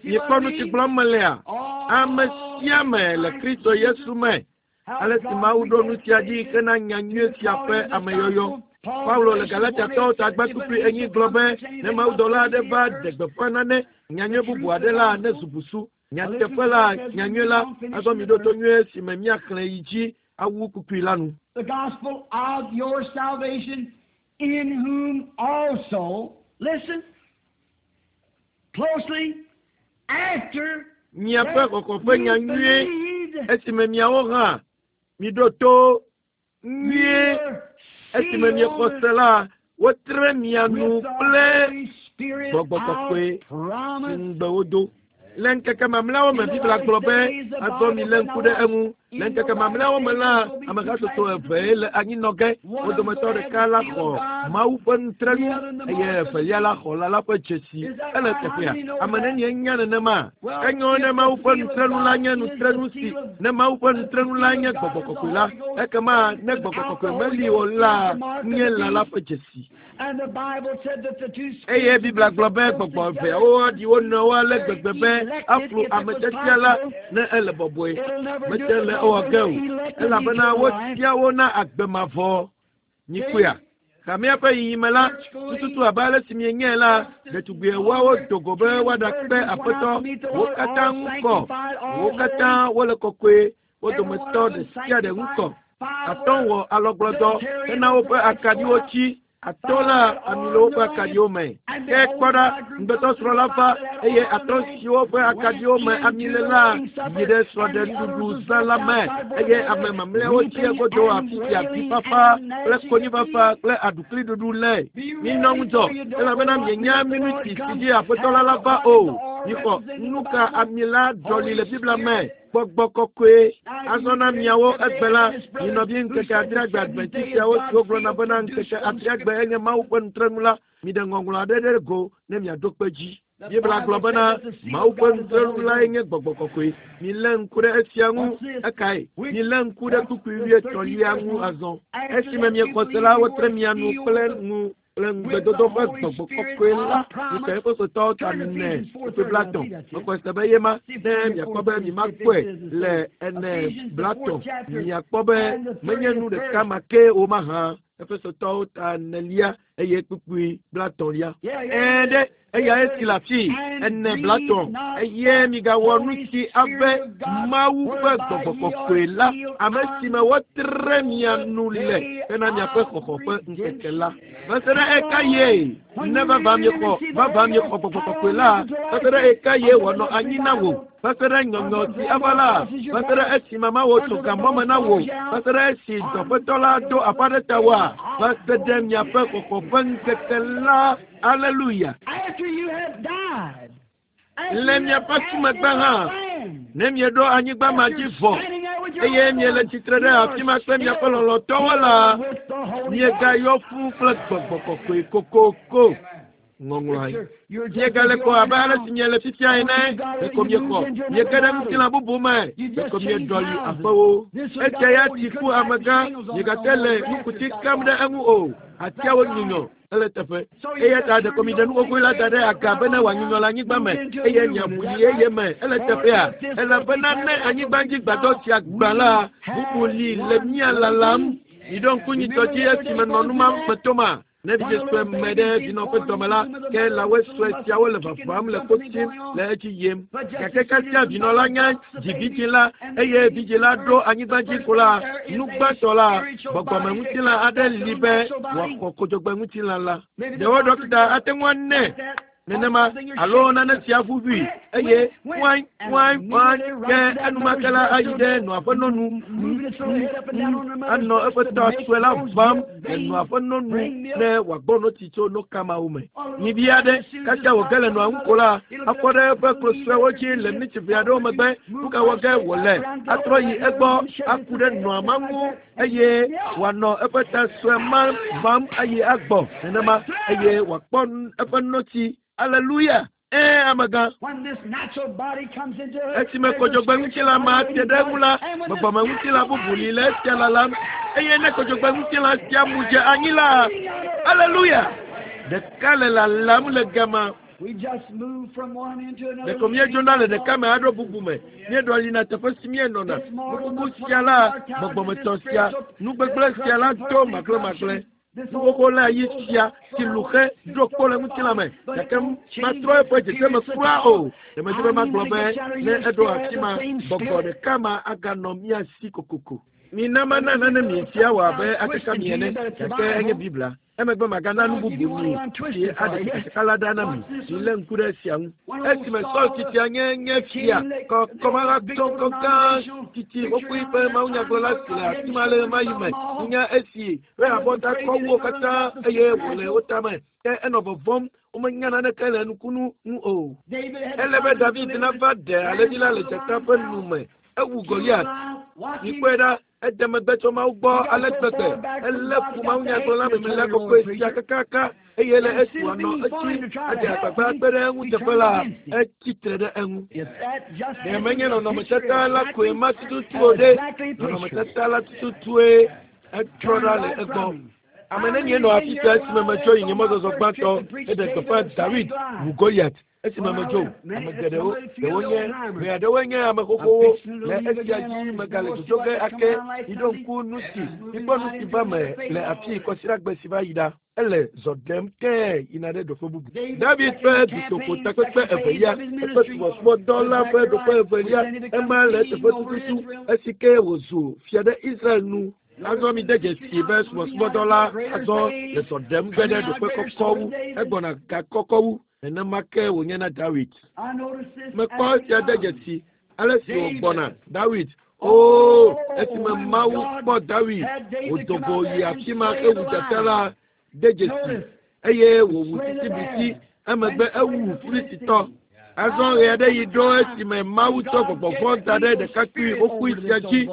B: Miekpɔ nu si gblɔm melea? Ame sia ame le Kristo Yesu me. Ale si Mawu ɖo nu sia ɖi hena nyanyui sia ƒe ameyɔyɔ. Paulo le Galatiatɔwo tagba kpukpui enyi gblɔ be ne mawudɔla aɖe va ɖe gbeƒã nane nyanyui bubu aɖe la ne zu busu. Nyateƒe la, nyanyui la, azɔ miɖo to nyuie si me míaxlẽ yi dzi awu kpukpui la nu.
A: The gospel of your salvation, in whom also, listen closely, after
B: Miaƒe xɔxɔ ƒe nyanyui esime miawo hã miɖo to nyuie esime miexɔ se la, wotre mia nu kple gbɔgbɔ kɔkɔe si ŋugbe wodo. Le ŋkeke mamlɛawo me Biblia gblɔ be azɔ milé ŋku ɖe eŋu. Le ŋkeke mamlɛawo me la, amehatsotso eve le anyinɔ ge. Wo dometɔ ɖeka la xɔ Mawu ƒe nutrenu eye evelia la xɔ lã la ƒe dzesi. Ele teƒea. Ame nenie nya nenema? Enyo ne Mawu ƒe nutrenu la nye nutrenu si ne Mawu ƒe nutrenu la nye gbɔgbɔ kɔkɔe la, ekema ne gbɔgbɔ kɔkɔe meli o la, nye lã la ƒe dzesi. Eye Biblia gblɔ be gbɔgbɔ eveawo aɖi wo nɔewo ale gbegbe be aflu ame tiatia la ne ele bɔbɔe. Mete le ewɔ ge o, elabena wotia wo na agbe mavɔ. Nyikpɔea? Hamea ƒe yiyime la, tututu abe ale si mienyae la, ɖetugbi ewoawo do go be woaɖakpe aƒetɔ. Wo katã ŋu kɔ, wo katã wole kɔkɔe, wo dometɔ ɖe sia ɖe ŋu kɔ. Atɔ̃ wɔ alɔgblɔdɔ hena woƒe akaɖiwo tsi. Atɔ̃ la ami le woƒe akaɖiwo me. Ke kpɔ ɖa, ŋugbetɔsrɔ̃ la va eye atɔ̃ siwo ƒe akaɖiwo me ami le la yi ɖe srɔ̃ɖenuɖuɖu zã la me eye ame mamlɛawo tsi egodo afi si avifafa kple konyifafa kple aɖukliɖuɖu le. Minɔ ŋudzɔ elabena mienya minuti si dzi aƒetɔ la la va o. Mixɔ nuka ami la ɖɔli le Biblia me. Gbɔgbɔ kɔkɔe. Azɔ na miawo egbe la, minɔvi ŋkeke adreagbe adventist siawo siwo gblɔna bena ŋkeke adreagbe enye Mawu ƒe nutrenu la, miɖe ŋɔŋlɔ aɖe ɖe go ne miaɖo kpe dzi. Biblia gblɔ bena Mawu ƒe nutrenu lae nye gbɔgbɔ kɔkɔe. Milé ŋku ɖe esia ŋu. Ekae? Milé ŋku ɖe kpukpui wuietɔ̃lia ŋu azɔ. Esime miexɔ se la, wotre mia nu kple nu kple ŋugbedodo ƒe gbɔgbɔ kɔkɔe la. Mixɔ Efesotɔwo ta ene kpukpui blatɔ̃. Mexɔe se be ye ma ne miakpɔ be mimakpɔe le ene blatɔ̃. Miakpɔ be menye nu ɖeka ma ke o mahã. Efesotɔwo ta enelia eye kpukpui blatɔ̃lia. Ɛ̃ ɖe eya esi le afii ene blatɔ̃ eye migawɔ nu si ave Mawu ƒe gbɔgbɔ kɔkɔe la, ame si me wotre mia nu le hena miaƒe xɔxɔ ƒe ŋkeke la. Va se ɖe eka ye ne vava miexɔ vava miexɔ gbɔgbɔ kɔkɔe la, va se ɖe eka ye wòanɔ anyi na wò. Va se ɖe nyɔnyɔ si ava la, va se ɖe esime Mawu tso gamɔ me na wò, va se ɖe esi dɔƒetɔ la do aƒa ɖe tawòa, va se ɖe miaƒe xɔxɔ ƒe ŋkeke la. Aleluya.
A: After you have died.
B: Le miaƒe ku megbe hã, ne mieɖo anyigba ma dzi vɔ eye miele tsitre ɖe afi ma kple miaƒe lɔlɔ̃tɔwo la, miegayɔ fũu kple gbɔgbɔ kɔkɔe kokoko. Ŋɔŋlɔae. Miegale kɔ abe ale si miele fifia ene. Ɖeko miexɔ, miege ɖe ŋutilã bubu me. Ɖeko mieɖɔli aƒewo. Esia ya tsi ku amegã. Miegate le nukuti kam ɖe eŋu o. Atiawo nyunyɔ. Ele teƒe. Eya ta ɖeko miɖe nu xoxoe la da ɖe aga bene wòanyunyɔ le anyigba me eye miaʋu yi eye me. Ele teƒea. Elabena ne anyigba dzi gbadɔ sia gbã la, bubu li le mía lalam. Miɖo ŋku nyitsɔ dzi esime nɔ nu ma me toma. Ne vidze sue me ɖe vinɔ ƒe dɔme la, ke lãwoe sue siawo le vavam le kpo tsim le edzi yim. Gake kasia vinɔ la nye dzi vidzĩ la eye vidzĩ la ɖo anyigba dzi ko la, nu gbãtɔ la, gbɔgbɔmeŋutilã aɖe li be wòaxɔ kodzogbeŋutilã la. Ɖewo ɖɔkita ate ŋu anɛ nenema alo nane sia ʋuʋui eye ŋuai ŋuai ŋuai ke enumake la ayi ɖe nɔa ƒe nɔnu anɔ eƒe ta sue la vam le nɔa ƒe nɔnu ne wòagbɔ notsi tso noka mawo me. Nyivi aɖe kasia wòge le nɔa ŋu ko la, afɔ ɖe eƒe klo suewo dzi le miniti ʋɛ aɖewo megbe. Nu ka wɔ ge wòle? Atrɔ yi egbɔ aku ɖe nɔa ma ŋu eye wòanɔ eƒe ta sue ma vam ayi agbɔ nenema eye wòakpɔ eƒe notsi. Aleluya. Ɛ̃ amegã. Esime kodzogbeŋutilã ma te ɖe eŋu la, gbɔgbɔmeŋutilã bubu li le esia lalam eye ne kodzogbeŋutilã sia mu dze anyi la, aleluya. Ɖeka le lalam le gama. Ɖeko míedzona le ɖeka me aɖo bubu me. Míeɖɔlina teƒe si míenɔna. Nukuku sia la, gbɔgbɔmetɔ sia, nugbegblẽ sia la do magblẽmagblẽ. Nuxoxo la yi sia si lu xe ɖo kpo le ŋutilã me gake matrɔ eƒe dzedzeme kura o. Ɖe be magblɔ be ne eɖo afi ma, gbɔgbɔ ɖeka ma aganɔ mía si kokoko. Mina mana nane mi sia wɔ abe akeka mi ene gake enye Biblia. Emegbe magana nu bubu mi si aɖe tsakatsaka la ɖa na mi. Milé ŋku ɖe esia ŋu. Esime Saul tsitsia nye nye fia kɔmaratɔ gã tsitsi xoxoe ƒe mawunyagblɔla si le afi ma le ɣemaɣi me nya esi ƒe abɔta kɔ wu wo katã eye wòle wo tame. Ke enɔ vɔvɔ̃m womenya naneke le nukunu ŋu o. Ele be David nava ɖe alẽvi la le dzata ƒe nu me. Ewu Goliat. Mikpɔe ɖa, ede megbe tso Mawu gbɔ ale gbegbe. Elé fu mawunyagblɔla memlɛlia kɔkɔe sia kakaka eye le esi wòanɔ edzi adze agbagba kpe ɖe eŋu teƒe la, etsi tre ɖe eŋu. Ɖe menye nɔnɔmetata la koe ma tututu o ɖe, nɔnɔmetata la tututue etrɔ ɖa le egbɔ. Ame nenie nɔ afi sia esime metsɔ yi nye mɔzɔzɔ gbãtɔ heɖe gbeƒã Dawid wu Goliat esime medzo. Ame geɖewo, ɖewo nye ʋe aɖewoe nye ame xoxowo le esia dzi megale dzodzo ge ake. Miɖo ŋku nu si mikpɔ nu si va me le afii kɔsiɖagbe si va yi ɖa. Ele zɔ ɖem tẽe yina ɖe ɖoƒe bubu. David ƒe dutoƒo takpekpe evelia, eƒe subɔsubɔdɔ la ƒe ɖoƒe evelia, ema le eteƒe tututu esi ke wòzu fia ɖe Israel nu. Azɔ mi de dzesi be subɔsubɔdɔ la azɔ le zɔ ɖem ge ɖe ɖoƒe kɔkɔ wu, egbɔna ga kɔkɔ wu. Nenema ke wònye na Dawid. Mekpɔ esia de dzesi ale si wògbɔna Dawid. Oo, esime Mawu kpɔ Dawid wòdo go yi afi ma hewu dzata la de dzesi eye wòwu sisibisi emegbe ewu Filistitɔ. Azɔ ɣe aɖe yi ɖo esime Mawu tsɔ gbɔgbɔ vɔ̃ da ɖe ɖekakpui xoxoe sia dzi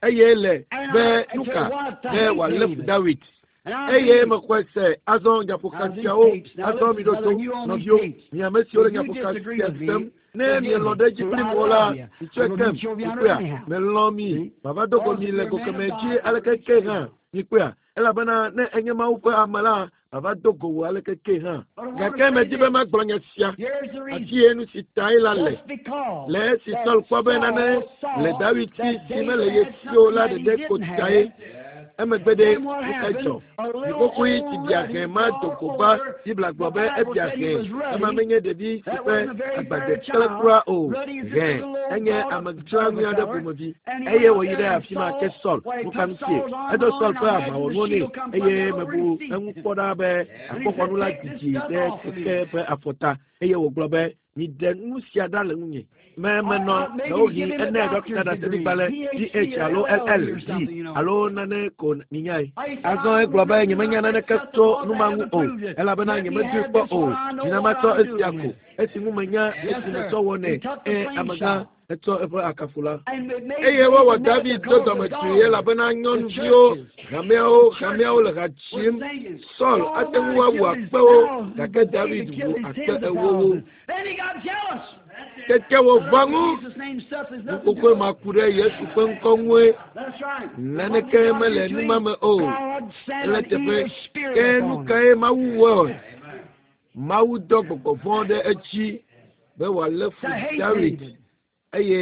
B: eye le be nuka be wòalé fu Dawid. Eye mexɔe se azɔ nyaƒoka siawo azɔ mi ɖo to nɔviwo mi ame siwo le nyaƒoka sia sem ne mielɔ̃ ɖe edzi kplim o la mitsɔe kem mikpɔea melɔ̃ mi mava do go mi le go kemɛ dzi aleke ke hã mikpɔea elabena ne enye Mawu ƒe ame la mava do go wò aleke ke hã gake medi be magblɔ nya sia afi ye nu si tae la le le esi Saul kpɔ be nane le Dawid si si mele ye si o la ɖeɖe ko tae. Emegbe ɖe nuka dzɔ? Ɖiƒoƒoe si bia hɛ ma do go va Biblia gblɔ be ebia hɛ ema menye ɖevi si ƒe agbade kple kura o. Hɛ enye ame dzroanyui aɖe ƒomevi eye wòyi ɖe afi ma ke Saul nuka ŋutie edo Saul ƒe aʋawɔnuwo nɛ eye mebu eŋu kpɔ ɖa be akpoxɔnu la didi ɖe keke ƒe afɔta eye wògblɔ be miɖe nu sia ɖa le ŋunye. Me menɔ ɖewohĩ ene ɖɔkita ɖaseɖigbalẽ D H alo L L D alo nane ko minyae. Azɔ egblɔ be nyemenya naneke tso nu ma ŋu o elabena nyemedoe kpɔ o. Mina matsɔ esia ko esi ŋu menya esi metsɔ wɔnɛ eye amegã etsɔ eƒe akafu la. Eye wowɔ David do dɔmedzoe elabena nyɔnuviwo hameawo hameawo le ha dzim. Saul ate ŋu awu akpewo gake David wu akpe ewowo. Tete wòva ŋu nukokoe ma ku ɖe Yesu ƒe ŋkɔ ŋue. Naneke mele nu ma me o. Ele teƒe ke nu kae Mawu wɔe? Mawu dɔ gbɔgbɔ vɔ̃ ɖe edzi be wòalé fu Dawid eye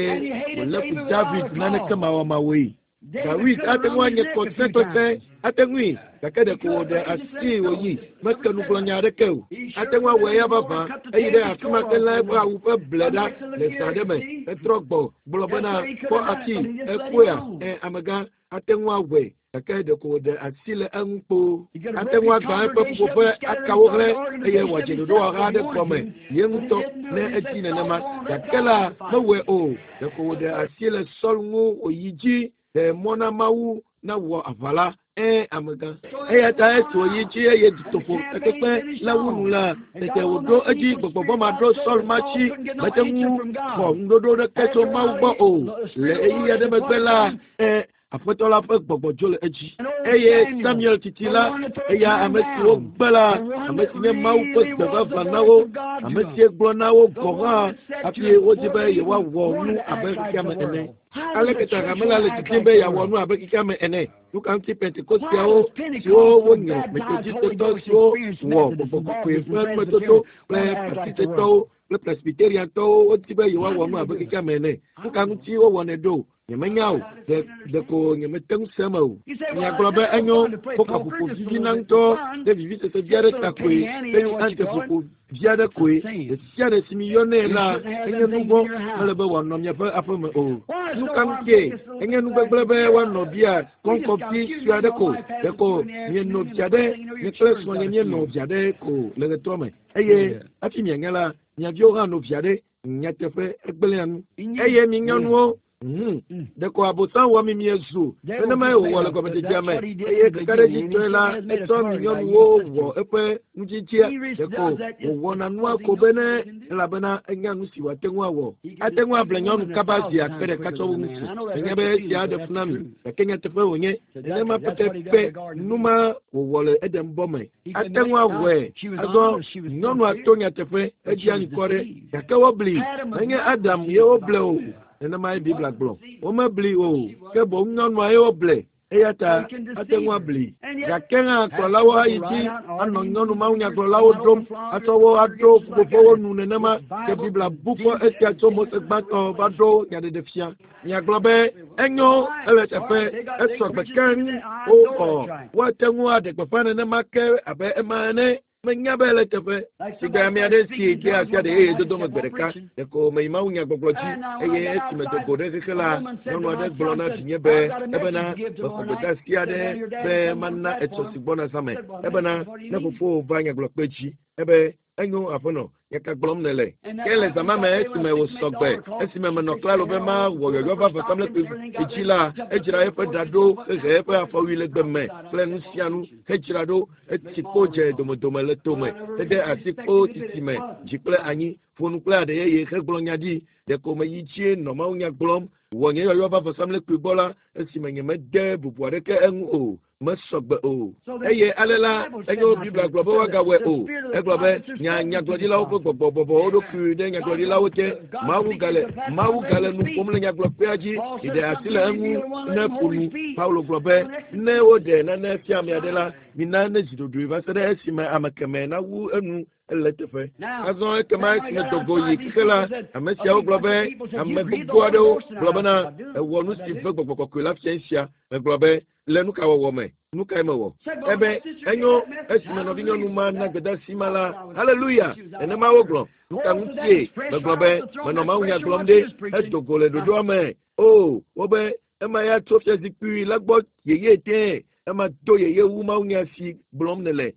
B: wòlé fu David naneke mawɔmawɔe. Dawid ate ŋu anye kɔsẽkɔsẽ ate ŋui gake ɖeko wòɖe asi wòyi meke nugblɔnya aɖeke o. Ate ŋu awɔe ya vavã eyi ɖe afi ma ke lé eƒe awu ƒe ble ɖa le zã ɖe me etrɔ gbɔ gblɔ bena kpɔ afi ekpɔea ɛ amegã ate ŋu awɔe gake ɖeko wòɖe asi le eŋu kpoo. Ate ŋu agbã eƒe ƒuƒoƒe akawo hlẽ eye wòadze ɖoɖowɔha aɖe gɔme ye ŋutɔ ne edzi nenema gake la mewɔe o. Ɖeko wòɖe asi le Saul ŋu wòyi dzi ɖe mɔ na Mawu nawɔ aʋa la ɛ amegã. Eya ta esi wòyi dzi eye dutoƒo takpekpe la wu nu la tete wòɖo edzi gbɔgbɔ vɔ̃ ma ɖo Saul ma tsi mete ŋu xɔ ŋuɖoɖo ɖeke tso Mawu gbɔ o. Le ɣeyiɣi aɖe megbe la ɛ Aƒetɔ la ƒe gbɔgbɔ dzo le edzi. Eye Samuel titi la, eya ame si wogbe la, ame si nye Mawu ƒe gbe vavã na wo, ame si gblɔ na wo gɔ̃ hã hafi wodzi be yewoawɔ nu abe xexeame ene. Aleke ta hame la le didim be yeawɔ nu abe xexeame ene? Nu ka ŋuti Pentekosteawo siwo wonyrɔ Metodistetɔ siwo wɔ gbɔgbɔ kɔkɔe ƒe numetoto kple Baptistetɔwo kple Presbyteriantɔwo wodi be yewoawɔ nu abe xexeame ene? Nu ka ŋuti wowɔnɛ ɖo? Nyemenya o, ɖe ɖeko nyemete ŋu se eme o. Miagblɔ be enyo poka ƒoƒo vivina ŋutɔ ɖe vivisese vi aɖe ta koe, penny ante ƒoƒo vi aɖe koe. Ɖe sia ɖe si miyɔnɛ la, enye nu vɔ̃ mele be wòanɔ miaƒe aƒeme o. Nu ka ŋutie? Enye nu gbegblẽ be woanɔ bia kɔŋkɔfi sue aɖe ko. Ɖeko mieno via ɖe, nye kple srɔ̃nye míeno via ɖe ko le ɣetrɔ me. Eye hafi mianya la, mia viwo hã no via ɖe. Nyateƒe egblẽa nu. Eye mi nyɔnuwo Ɖeko abosam wɔ mi miezu nenema wòwɔ le gɔmedzedzea me eye kakaɖedzitɔe la etsɔ mi nyɔnuwo wɔ eƒe nudzidzia ɖeko wòwɔna nua ko bene elabena enya nu si wòate ŋu awɔ. Ate ŋu able nyɔnu kaba zi akpe ɖeka tsɔ wu ŋutsu. Menye be esia aɖe fu na mi gake nyateƒe wònye nenema pɛpɛpɛ nu ma wòwɔ le Edenbɔ me. Ate ŋu awɔe azɔ nyɔnua to nyateƒe edzia ŋkɔ ɖe gake wobli menye Adam ye woble o. Nenema ye Biblia gblɔ. Womebli o ke boŋ nyɔnua ye woble. Eya ta ate ŋu abli. Gake hã kplɔlawo ayi dzi anɔ nyɔnu mawunyagblɔlawo ɖom atsɔ wo aɖo ƒuƒoƒowo nu nenema ke Biblia bu fɔ esia tso Mose gbãtɔ va ɖo nyaɖeɖefia. Miagblɔ be enyo ele teƒe esɔ gbe keŋ wowɔ woate ŋu aɖe gbeƒã nenema ke abe ema ene. Menya be ele teƒe. Sigbe ame aɖe si de asi aɖe eye dodo me gbe ɖeka ɖeko meyi mawunyagbɔgblɔ dzi eye esime do go ɖe xexe la nyɔnu aɖe gblɔ na vinye be ebena mexɔ gbedeasi aɖe be mana etsɔ si gbɔna zã me ebena ne fofowò va nyagblɔkpe dzi ebe enyo aƒenɔ nyaka gblɔm nele ke le zama me esime wòsɔ gbe esime menɔ klalo be mawɔ yɔyɔ va vɔsamlekpui dzi la edzra eƒe ɖa ɖo hehe eƒe afɔwui le gbe me kple nu sia nu hedzra ɖo etsi kpo dze domedome le tome hede asi kpo titi me dzi kple anyi ƒo nu kple aɖe yeye hegblɔ nya ɖi ɖeko meyi dzie nɔ mawunya gblɔm wɔ nye yɔyɔ va vɔsamlekpui gbɔ la esime nyemede bubu aɖeke eŋu o mesɔ gbe o eye ale la enyo Biblia gblɔ be woagawɔe o egblɔ be nya nyagblɔɖilawo ƒe gbɔgbɔ bɔbɔ wo ɖokui ɖe nyagblɔɖilawo te Mawu gale Mawu gale nu ƒom le nyagblɔkpea dzi ɖe asi le eŋu ne ƒo nu Paulo gblɔ be ne woɖe nane fia ame aɖe la mina ne zi ɖoɖoe va se ɖe esime ame kemɛ nawu enu ele teƒe. Azɔ ekema esime dogo yi xexe la ame siawo gblɔ be ame gbogbo aɖewo gblɔ bena ewɔ nu si ve gbɔgbɔ kɔkɔe la fia sia megblɔ be le nu ka wɔwɔ me nu kae mewɔ ebe enyo esime nɔvinyɔnu ma na gbedeasi ma la haleluya nenema wogblɔ nu ka ŋutie megblɔ be menɔ mawunya gblɔm ɖe edo go le ɖoɖoa me o wobe ema ya tso fiazikpui la gbɔ yeye tẽ ema do yeye wu mawunya si gblɔm nele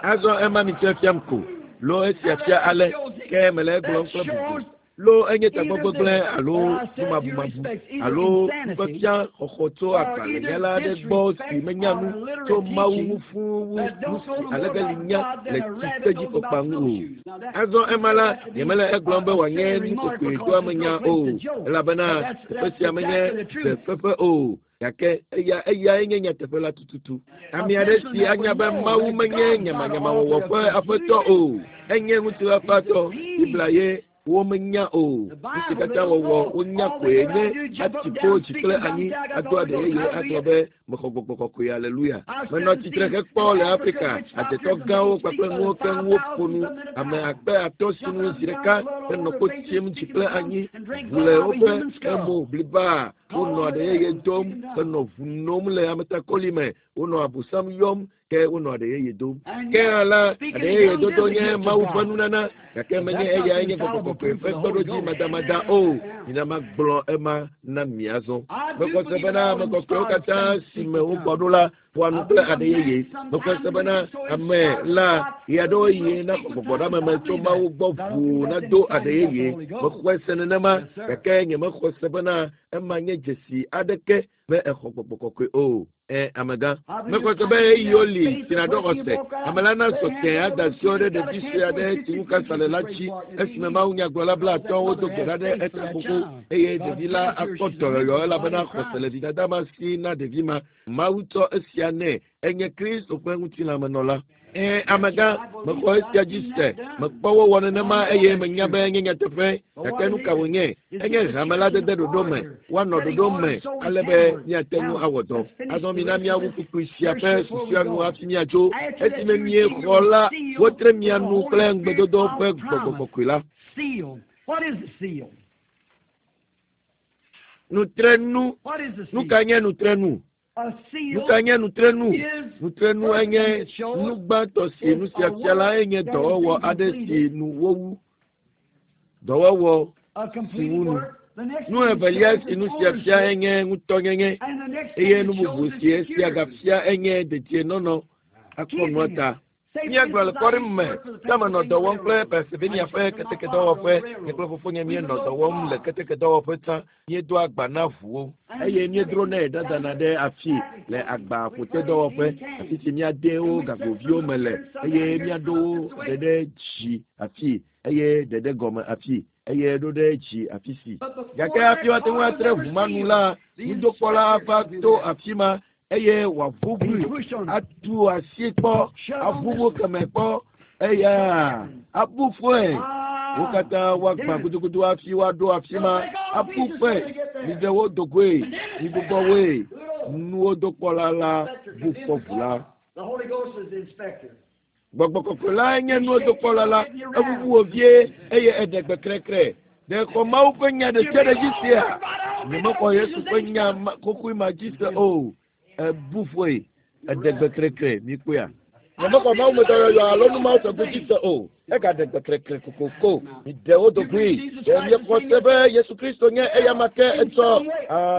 B: azɔ ema mi tsɛ fiam ko lo esia fia ale ke mele egblɔm kple bubu lo enye tagbɔgbegblẽ alo numabumabu alo nufiafia xɔxɔ tso agbalẽnyala aɖe gbɔ si menya nu tso Mawu ŋu fũu wu nu si alegeli nya le tsitedzikɔkpa ŋu o. Azɔ ema la nyemele egblɔm be wòanye nukokoedoamenya o elabena teƒe sia menye dzeƒeƒe o gake eya eyae nye nyateƒe la tututu. Ame aɖe si anya be Mawu menye nyamanyamawɔwɔ ƒe aƒetɔ o enye ŋutifafatɔ Biblia ye womenya o nu si katã wɔwɔ wonya koe nye ati kpo dzi kple anyi ado aɖe yeye agblɔ be mexɔ gbɔgbɔ kɔkɔe aleluya. Menɔ tsitre hekpɔ le Afrika adzetɔ gãwo kpakple nuwo keŋ woƒo nu ame akpe atɔ̃ sinu zi ɖeka henɔ kpo tsim dzi kple anyi ʋu le woƒe emo bliba wonɔ aɖe yeye dom henɔ ʋu nom le ametakoli me wonɔ abosam yɔm ke wonɔ aɖe yeye dom. Ke hã la aɖe yeye dodo nye Mawu ƒe nunana gake menye eyae nye gbɔgbɔ kɔkɔe ƒe kpeɖodzi madamada o. Mina magblɔ ema na mi azɔ. Mexɔ se bena ame kɔkɔewo katã si me wogbɔ ɖo la ƒoa nu kple aɖe yeye. Mexɔ se bena ame la ɣeaɖewo yi na gbɔgbɔɖameme tso Mawu gbɔ ʋuu nado aɖe yeye. Mexɔe se nenema gake nyemexɔ se bena ema nye dzesi aɖeke be exɔ gbɔgbɔ kɔkɔe o. Ɛ amegã. Mexɔ se be ɣeyiɣiwo li si nàɖo xɔse. Ame la nasɔ tẽ ada asiwo ɖe ɖevi sue aɖe si ŋu kansa le la dzi esime mawunyagblɔla blaatɔ̃wo do gbe ɖa ɖe eta xoxo eye ɖevi la akpɔ dɔyɔyɔ elabena xɔse le vidada ma si na ɖevi ma. Mawu tsɔ esia nɛ enye Kristo ƒe ŋutilãmenɔla. Ɛ amegã mexɔ esia dzi se mekpɔ wowɔ nenema eye menya be enye nyateƒe gake nu ka wònye enye hame la dede ɖoɖo me woanɔ ɖoɖo me ale be míate ŋu awɔ dɔ. Azɔ mina míawu kpukpui sia ƒe susua nu hafi míatso esime miexɔ la wotre mia nu kple ŋugbedodo ƒe gbɔgbɔ kɔkɔe la.
A: Seal. What is the seal?
B: Nutrenu.
A: What is the
B: Nu
A: seal?
B: ka nye nutrenu?
A: A seal
B: Nu ka nye nutrenu?
A: is
B: Nutrenu enye nu gbãtɔ si nu sia fia la enye dɔwɔwɔ aɖe si nu wowu. Dɔwɔwɔ
A: a complete
B: wu nu.
A: work. The next
B: Nu
A: thing it
B: evelia
A: shows
B: si
A: is
B: nu sia fia
A: ownership.
B: enye ŋutɔnyenye
A: And the next thing
B: eye
A: it
B: nu
A: shows
B: bubu
A: is
B: si esia
A: security.
B: gafia enye dedienɔnɔ akpɔ nua ta. Míagblɔ le kɔɖi me ke menɔ dɔ wɔm kple Pennsylvania ƒe ketekedɔwɔƒe. Nye kple fofonye míenɔ dɔ wɔm le ketekedɔwɔƒe tsã. Míedoa agba na ʋuwo eye míedronɛ ɖadana ɖe afi le agbaƒotedɔwɔƒe, afi si míade wo gagoviwo me le eye míaɖo wo ɖe ɖe dzi afi eye ɖe ɖe gɔme afi eye ɖo ɖe dzi afi si. Gake hafi woate ŋu atre ʋu ma nu la, nudokpɔla ava to afi ma eye wòaʋuʋui, atu asi kpɔ, aʋuʋu keme kpɔ, eya abu fɔe. Wo katã woagbã gudugudu hafi woaɖo afi ma, abu fɔe. Miɖe wo dogoe, migbugbɔ woe. Nuwo dokpɔla la bu fɔ ʋu la. Gbɔgbɔ kɔkɔe la nye nuwo dokpɔla la, eʋuʋu wo vie eye eɖe gbe krekre. Ɖe xɔ Mawu ƒe nya ɖe sia ɖe dzi sea? Nyemexɔ Yesu ƒe nya xoxoe ma dzi se o. Ebu fɔe, eɖe gbe krekre, mikpɔea? Nyemexɔ Mawu me dɔyɔyɔ alo nu mawo tɔgbi dzi se o. Egaɖe gbe krekre kokoko. Miɖe wo dogoe. Ɖe miexɔ se be Yesu Kristo nye eyama ke etsɔ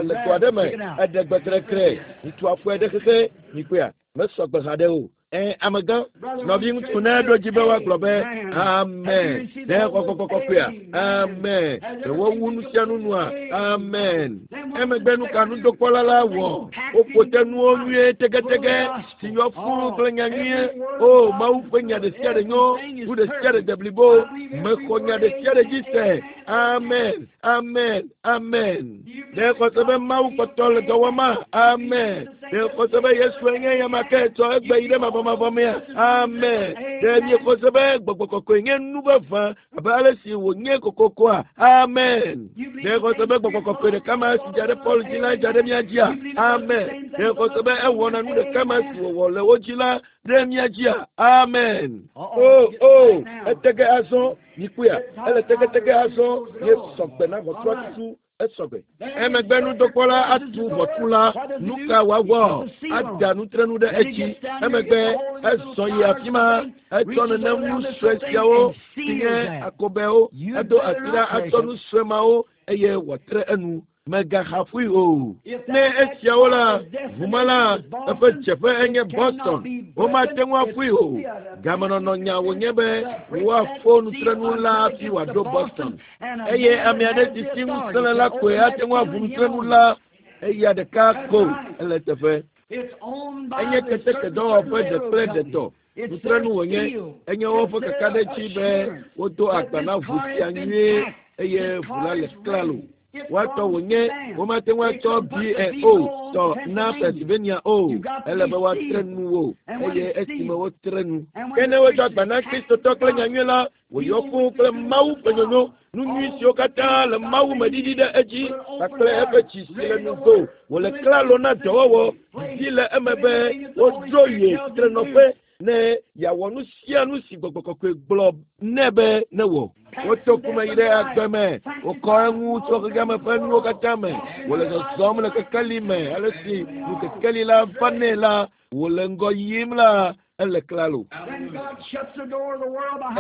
B: le to aɖe me. Eɖe gbe krekre. Mitu afɔe ɖe xexe. Mikpɔea? Mesɔ gbe haɖe o. Ɛ amegã, nɔviŋutsu ne ɖo dzi be woagblɔ be amen. Ɖe xɔ kɔkɔea? Amen. Ɖe wowu nu sia nu nua? Amen. Emegbe nu ka nudokpɔla la wɔ? Woƒo te nuwo nyuie tegetege si yɔ fũu kple nya nyuie. O Mawu ƒe nya ɖe sia ɖe nyo, nu ɖe sia ɖe de blibo. Mexɔ nya ɖe sia ɖe dzi se. Amen. Amen. Amen. Ɖe xɔse be Mawu kpɔtɔ le dɔ wɔma? Amen. Ɖe xɔse be Yesu nye eyama ke tsɔ egbe yi ɖe mavɔmavɔ mea? Amen. Ɖe miexɔse be gbɔgbɔ kɔkɔe nye nu vavã abe ale si wònye kokokoa? Amen. Ɖe xɔse be gbɔgbɔ kɔkɔe ɖeka ma si dza ɖe Paul dzi la dza ɖe mía dzia? Amen. Ɖe xɔse be ewɔna nu ɖeka ma si wòwɔ le wo dzi la ɖe mía dzia? Amen. O o etege azɔ mikpɔea? Ele tegetege azɔ ye sɔgbe na ʋɔtrua tutu. Esɔgbe. Emegbe nudokpɔla atu ʋɔtru la, nu ka wòawɔ? Ada nutrenu ɖe edzi. Emegbe ezɔ yi afi ma, etsɔ nenem nu sue siawo si nye akobɛwo, edo asi ɖa atsɔ nu sue mawo eye wòatre enu. Megaxa ƒui o. Ne esiawo la, ʋuma la, eƒe dzeƒe enye Boston. Womate ŋu aƒui o. Gamenɔnɔ nya wònye be woafo nutrenu la hafi wòaɖo Boston. Eye ame aɖe si si ŋusẽ le la koe ate ŋu aʋu nutrenu la. Eya ɖeka ko ele teƒe. Enye ketekedɔwɔƒe ɖe kple ɖetɔ. Nutrenu wònye. Enye woƒe kakaɖedzi be wodo agba na ʋu sia nyuie eye ʋu la le klalo. Woatɔ wònye womate ŋu atsɔ B and O tɔ na Pennsylvania o. Ele be woatre nu wo eye esime wotre nu. Ke ne wotsɔ agba na Kristotɔ kple nyanyui la, wòyɔ fũu kple Mawu ƒe nyonyo, nu nyui siwo katã le Mawu me ɖiɖi ɖe edzi kpakple eƒe tsi si le nugo. Wòle klalo na dɔwɔwɔ didi le eme be wodro ye titrenɔƒe ne yeawɔ nu sia nu si gbɔgbɔ kɔkɔe gblɔ nɛ be newɔ. Woto kume yi ɖe agbe me, wokɔ eŋu tso xexeame ƒe nuwo katã me. Wòle zɔzɔm le kekeli me, ale si nu kekeli la va nɛ la, wòle ŋgɔ yim la, ele klalo.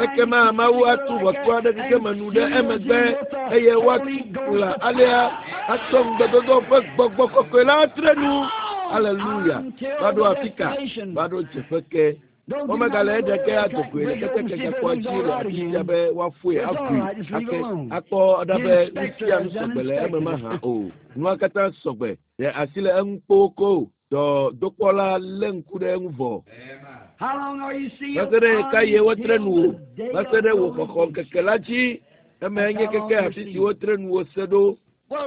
B: Ekema Mawu atu ʋɔtru aɖe xexeme nu ɖe emegbe eye woatu kplã alea atsɔ ŋugbedodo ƒe gbɔgbɔ kɔkɔe la atre nu. Aleluya. Va ɖo afi ka? Va ɖo dzeƒe ke. Womegale eɖe ke adogoe le ketekegakpɔa dzi le afi sia be woafoe aʋui ake akpɔ ɖa be nu sia nu sɔgbe le eme mahã o. Nua katã sɔgbe. Ɖe asi le eŋu kpokpo. Dɔ dokpɔla lé ŋku ɖe eŋu vɔ. Va se ɖe ɣeka ye wotre nu wò? Va se ɖe wò xɔxɔ ŋkeke la dzi. Eme nye keke afi si wotre nu wò se ɖo.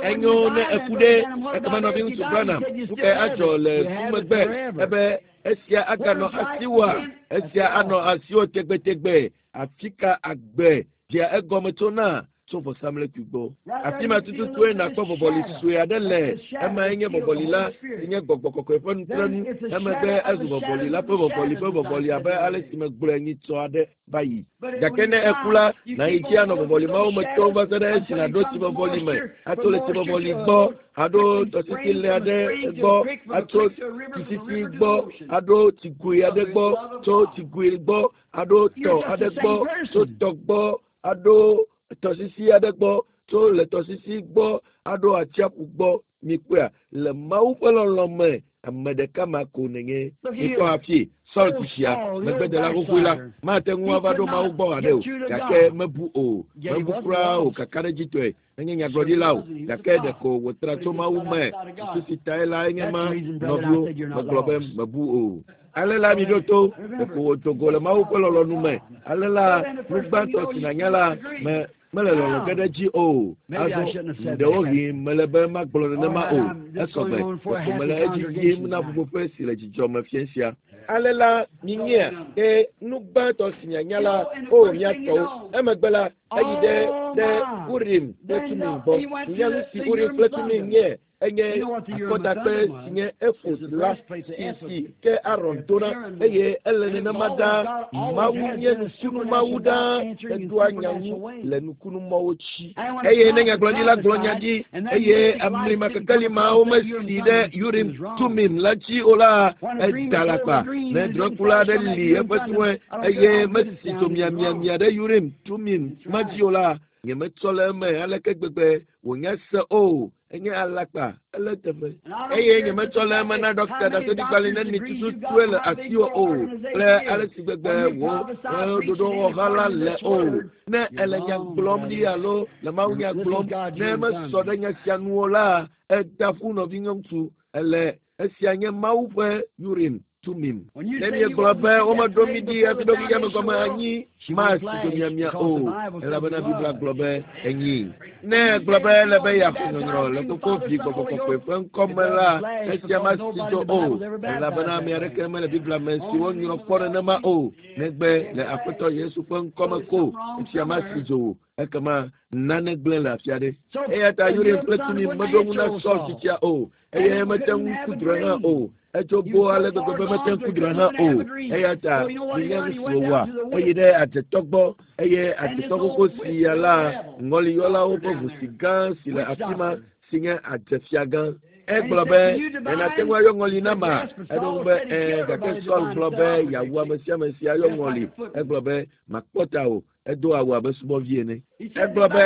B: Enyo ne eku ɖe ekema nɔviŋutsu Branham nu kae adzɔ le ku megbe? Ebe esia aganɔ asiwòa? Esia anɔ asiwò tegbetegbe. Afi ka agbe dzea egɔme tsona? Tso vɔsamlekpui gbɔ. Afi ma tututue nakpɔ vɔvɔli sue aɖe le. Emae nye vɔvɔli la si nye gbɔgbɔ kɔkɔe ƒe nutrenu. Emegbe ezu vɔvɔli la ƒe vɔvɔli ƒe vɔvɔli abe ale si megblɔe nyitsɔ aɖe va yi. Gake ne eku la, nàyi dzi anɔ vɔvɔli mawo me tom va se ɖe esi nàɖo tsivɔvɔli me, atso le tsivɔvɔli gbɔ, aɖo tɔsisi le aɖe gbɔ, atso tsisisi gbɔ, aɖo tsigoe aɖe gbɔ, tso tsigoe gbɔ, aɖo tɔ aɖe gbɔ, tso tɔ gbɔ, aɖo tɔsisi aɖe gbɔ, tso le tɔsisi gbɔ, aɖo atsiaƒu gbɔ. Mikpɔea? Le Mawu ƒe lɔlɔ me Ame ɖeka ma ko nènye. Mikpɔ hafi Saul tsitsia megbedela xoxoe la mate ŋu ava ɖo Mawu gbɔ haɖe o, gake mebu o, mebu kura o kakaɖedzitɔe. Menye nyagblɔɖila o, gake ɖeko wòtra tso Mawu me. Susu si tae la enye ma, nɔviwo, megblɔ be mebu o. Ale la mi ɖo to, ɖeko wòdo go le Mawu ƒe lɔlɔ̃nu me. Ale la nu gbãtɔ si nànya la me mele lɔlɔ̃ ge ɖe dzi o. Azɔ ɖewohĩ mele be magblɔ nenema o. Esɔgbe ɖeko mele edzi yim na ƒuƒoƒe si le dzidzɔ me fia sia. Ale la minyea ke nu gbãtɔ si mianya la o miatɔwo. Emegbe la eyi ɖe ɖe Urim kple Tumim gbɔ. Minya nu si Urim kple Tumim nye. Enye akɔdakpe si nye efod la si si ke Aron dona eye ele nenema ɖaa. Mawu nye nukunu Mawu ɖaa edoa nya ŋu le nukunumɔwo dzi. Eye ne nyagblɔɖila gblɔ nya ɖi eye amlimakekeli mawo mesi ɖe Urim Tumim la dzi o la, eda alakpa. Ne drɔ̃ekula aɖe li eƒe drɔ̃e eye mesi dzo miamiamia ɖe Urim Tumim ma dzi o la, nyemetsɔ le eme aleke gbegbe wònya se o. Enye alakpa, ele teƒe. Eye nyemetsɔ le eme na ɖɔkita ɖaseɖigbalẽ neni tututue le asiwò o, kple ale si gbegbe wò ɖoɖowɔha la le o. Ne ele nya gblɔm ɖi alo le Mawu nya gblɔm, ne mesɔ ɖe nya sia nu o la, eda ƒu nɔvinyɔŋutsu. Ele esia nye Mawu ƒe Urim Tumim. Ne miegblɔ be womeɖo mi ɖi hafi ɖo xexeame gɔme anyi, masi dzo miamia o, elabena Biblia gblɔ be enyi. Ne egblɔ be ele be yeaxɔ nyɔnyrɔ le koko vi gbɔgbɔ kɔkɔe ƒe ŋkɔme la, esia masi dzo o, elabena ame aɖeke mele Biblia me si wonyrɔ kpɔ nenema o, negbe le Aƒetɔ Yesu ƒe ŋkɔme ko, esia masi dzo o. Ekema nane gblẽ le afi aɖe. Eya ta Urim kple Tumim meɖo ŋu na Saul tsitsia o, eye mete ŋu ku drɔ̃e hã o. Etso bo ale gbegbe be mete ŋu ku drɔ̃e hã o. Eya ta minya nu si wòwɔa, eyi ɖe adzetɔ gbɔ eye adzetɔ xoxo sia la ŋɔliyɔlawo ƒe ʋu si gã si le afi ma si nye adzefiagã. Egblɔ be nenate ŋu ayɔ ŋɔli na ma. Eɖo ŋu be ɛɛ, gake Saul gblɔ be yeawu ame sia ame si ayɔ ŋɔli. Egblɔ be makpɔ ta o. Edo awu abe subɔvi ene. Egblɔ be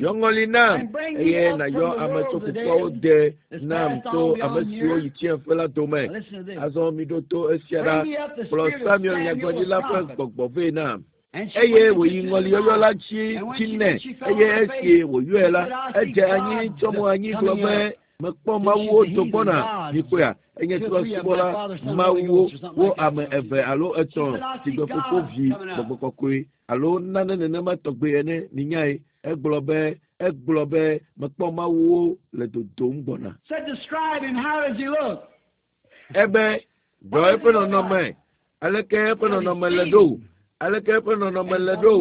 B: yɔ ŋɔli nam eye nàyɔ ame tso kukuawo de nam tso ame siwo yi tsiẽƒe la dome. Azɔ miɖo to esia ɖa. Kplɔ Samuel nyagblɔɖila ƒe gbɔgbɔ vɛ nam. Eye wòyi ŋɔliyɔyɔ la dzi dzi nɛ eye esi wòyɔe la, edze anyi tsɔ mo anyi gblɔ be mekpɔ Mawuwo do gbɔna. Mikpɔea, enye trɔ̃subɔla Mawuwo wo ame eve alo etɔ̃ si gbe fofo vi gbɔgbɔ kɔkɔe alo nane nenema tɔgbe ene. Minyae. Egblɔ be egblɔ be mekpɔ Mawuwo le dodom gbɔna.
A: Said, describe him. How does he look?
B: Ebe gblɔ eƒe nɔnɔme. Aleke eƒe nɔnɔme le ɖo? Aleke eƒe nɔnɔme le ɖo?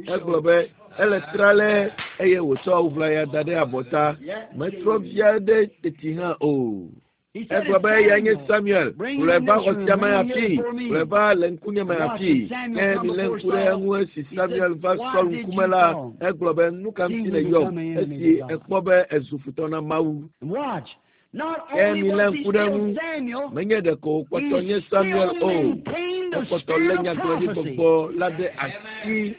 B: Egblɔ be ele tralɛ eye wòtsɔ awu ʋlaya da ɖe abɔta. Metrɔ vi aɖe teti hã o.
A: He said,
B: Egblɔ be
A: "It's
B: eya nye
A: Samuel.
B: Samuel.
A: Bring
B: Kplɔe
A: him
B: va
A: in this
B: xɔ sia
A: room.
B: me
A: Bring him
B: hafi.
A: here before me.
B: Kplɔe va le ŋkunye me
A: Watch
B: hafi.
A: when Samuel
B: Ke
A: come
B: milé
A: before
B: ŋku ɖe
A: Saul.
B: eŋu esi
A: He
B: Samuel
A: said,
B: va
A: Why
B: Saul
A: did
B: ŋkume
A: you
B: la,
A: call?
B: egblɔ be nu ka
A: He
B: ŋuti
A: would
B: nèyɔm
A: become an enemy
B: esi
A: to God.
B: ekpɔ be ezu futɔ na Mawu.
A: And watch. Not
B: Ke
A: only
B: milé
A: was he
B: ŋku ɖe
A: still
B: eŋu.
A: Samuel,
B: Menye ɖeko wòkpɔtɔ
A: he
B: nye Samuel
A: still
B: o.
A: maintained the
B: Ekpɔtɔ lé
A: spirit of
B: nyagblɔɖi
A: prophecy.
B: gbɔgbɔ la ɖe asi.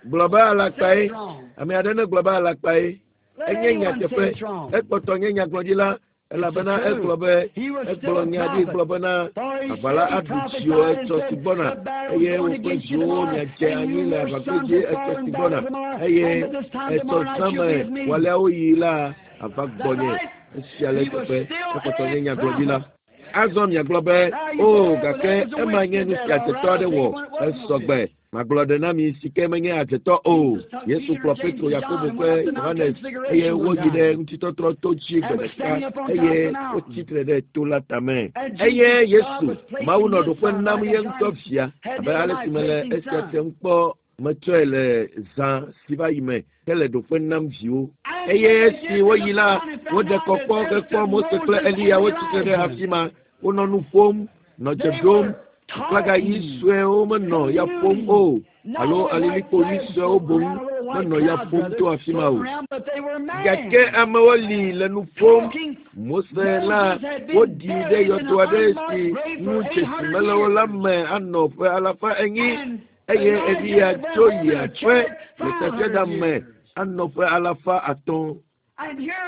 B: Gblɔ be alakpae.
A: Say it's wrong.
B: Ame aɖe ne gblɔ be alakpae.
A: Let
B: Enye
A: anyone say
B: nyateƒe.
A: it's wrong.
B: Ekpɔtɔ nye nyagblɔɖila elabena
A: It's the
B: egblɔ
A: truth.
B: be
A: He was still
B: egblɔ
A: a
B: nya ɖi
A: prophet.
B: gblɔ bena
A: For he
B: aʋala
A: said, he
B: aɖu dziwò
A: prophesied and
B: etsɔ si
A: said,
B: gbɔna
A: the battle's
B: eye
A: going
B: wò kple
A: against you
B: viwòwo
A: tomorrow,
B: miadze
A: and
B: anyi
A: you
B: le
A: your
B: aʋagbedzi
A: sons will
B: etsɔ
A: fall
B: si
A: in
B: gbɔna
A: battle tomorrow,
B: eye
A: and by this time
B: etsɔ
A: tomorrow night
B: zã
A: you'll
B: me
A: be with me.
B: wòaleawo yi la ava
A: Is that
B: gbɔnye.
A: right?
B: Esia le
A: He was
B: teƒe.
A: still
B: Ekpɔtɔ
A: a
B: nye nyagblɔɖila.
A: prophet.
B: Azɔ miagblɔ be
A: Now you
B: o
A: say, well,
B: gake
A: that was a
B: ema
A: witch
B: nye
A: did
B: nu
A: that,
B: si
A: all
B: adzetɔ
A: right. I'll
B: aɖe
A: take
B: wɔ.
A: one that wasn't no
B: Esɔgbe.
A: witch.
B: Magblɔ ɖe na mi si ke menye adzetɔ o.
A: Jesus took
B: Yesu
A: Peter,
B: kplɔ
A: James,
B: Petro,
A: and John
B: Yakobo
A: and went up
B: kple
A: the Mount
B: Yohanes eye
A: Transfiguration one
B: woyi ɖe
A: time
B: ŋutitɔtrɔ to dzi
A: and
B: gbe
A: was
B: ɖeka
A: standing up on top of
B: eye
A: the mountain.
B: wotsi tre ɖe to la tame.
A: And
B: Eye
A: Jesus, God
B: Yesu,
A: was
B: Mawu
A: placing
B: nɔ
A: his
B: ɖoƒe
A: son
B: nam
A: like
B: ye
A: I
B: ŋutɔ
A: tried
B: via
A: had
B: abe
A: the other
B: ale si
A: night,
B: mele
A: placing
B: esia
A: son.
B: tem kpɔ metsɔe le zã si va yi me hele ɖoƒe nam viwo.
A: And
B: Eye
A: when they
B: esi
A: did to
B: woyi
A: the
B: la,
A: town and found
B: woɖe
A: out that
B: kɔkpɔ
A: there
B: hekpɔ
A: stood
B: Mose kple
A: Moses and
B: Eliya wotsi tre ɖe
A: Elijah.
B: afi ma. Wonɔ nu ƒom, nɔ dze
A: They
B: ɖom.
A: were
B: Aflaga ɣi
A: talking,
B: suewo menɔ ya ƒom
A: communing,
B: o
A: not
B: alo
A: only white
B: alilikpo ɣi
A: flags
B: suewo
A: floating
B: boŋ
A: around, a little white
B: menɔ ya
A: cloud,
B: ƒom
A: brother,
B: to afi ma o.
A: floating around, but they were
B: Gake
A: man.
B: amewo li le nu ƒom.
A: Talking.
B: Mose la
A: Moses had been
B: woɖii ɖe
A: buried in
B: yɔdo
A: an
B: aɖe
A: unmarked
B: si
A: grave
B: ŋu
A: for
B: dzesi
A: eight hundred
B: mele o la
A: years.
B: me anɔ ƒe alafa enyi
A: And
B: eye
A: Elijah
B: Eliya
A: had went
B: tso
A: home
B: yi
A: in a
B: aƒe
A: chariot
B: le
A: five hundred
B: tasiaɖam me
A: years.
B: anɔ ƒe alafa atɔ̃.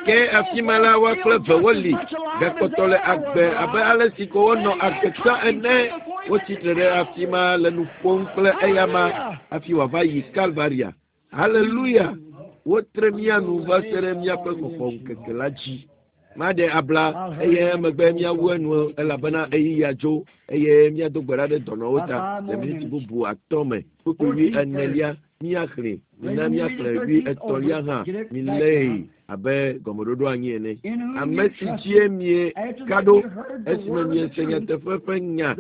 B: Ke afi ma la woa kple eve woli gakpɔtɔ le agbe abe ale si ko wonɔ agbe tsã ene. Wotsi tre ɖe afi ma le nu ƒom kple eyama hafi wòava yi Kalvaria. Haleluya! Wotre mía nu va se ɖe míaƒe xɔxɔ ŋkeke la dzi. Maɖe abla eye emegbe míawu enu elabena ɣeyiɣia dzo eye míado gbe ɖa ɖe dɔnɔwo ta le miniti bubu atɔ̃ me. Kpukpui wui enelia míaxlẽ, mina míaxlẽ wui etɔ̃lia hã milée abe gɔmeɖoɖo anyi ene. Ame si dzie mieka ɖo esime miese nyateƒe ƒe nya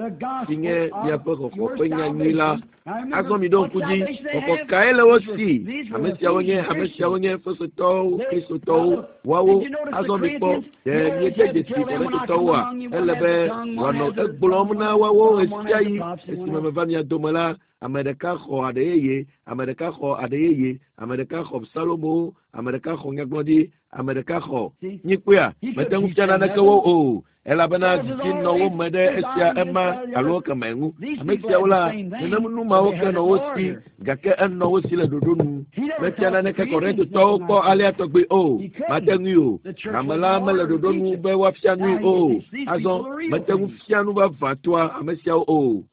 B: si nye miaƒe xɔxɔ ƒe nya nyui la. Azɔ miɖo ŋku dzi, xɔxɔ kae le wo si? Ame siawo nye ame siawo nye Efesotɔwo, Kristotɔwo, woawo. Azɔ mikpɔ, ɖe miede dzesi Korintotɔwoa? Ele be wòanɔ egblɔm na woawo ɣesiaɣi esime meva mia dome la, ame ɖeka xɔ aɖe yeye, ame ɖeka xɔ aɖe yeye, ame ɖeka xɔ Salomo, ame ɖeka xɔ nyagblɔɖi, ame ɖeka xɔ. Nyikpɔea, mete ŋu fia naneke wo o. Elabena dzidzi nɔ wo me ɖe esia ema alo keme ŋu. Ame siawo la, nenem nu mawo ke nɔ wo si, gake enɔ wo si le ɖoɖo nu. Mefia naneke Korintotɔwo kpɔ alea tɔgbi o. Mate ŋui o. Hame la mele ɖoɖo nu be woafia nui o. Azɔ mete ŋu fia nu vavãtɔa ame siawo o.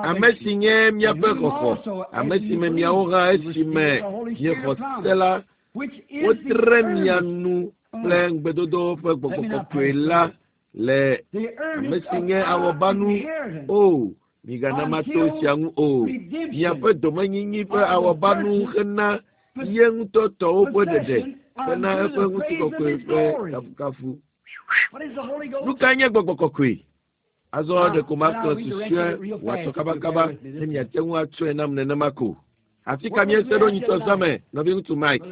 B: Ame si nye míaƒe xɔxɔ, ame si me miawo hã esime miexɔ se la, wotre mia nu kple ŋugbedodo ƒe gbɔgbɔ kɔkɔe la le ame si nye awɔbanu o. Migana mato esia ŋu o. Miaƒe domenyinyi ƒe awɔbanu hena ye ŋutɔ tɔwo ƒe ɖeɖe hena eƒe ŋutikɔkɔe ƒe kafukafu. Nu kae nye gbɔgbɔ kɔkɔe? Azɔ ɖeko maxlẽ susɔe wòatsɔ kabakaba ne miate ŋu atsɔe nam nenema ko. Afi ka míese ɖo nyitsɔ zã me, nɔviŋutsu Mike?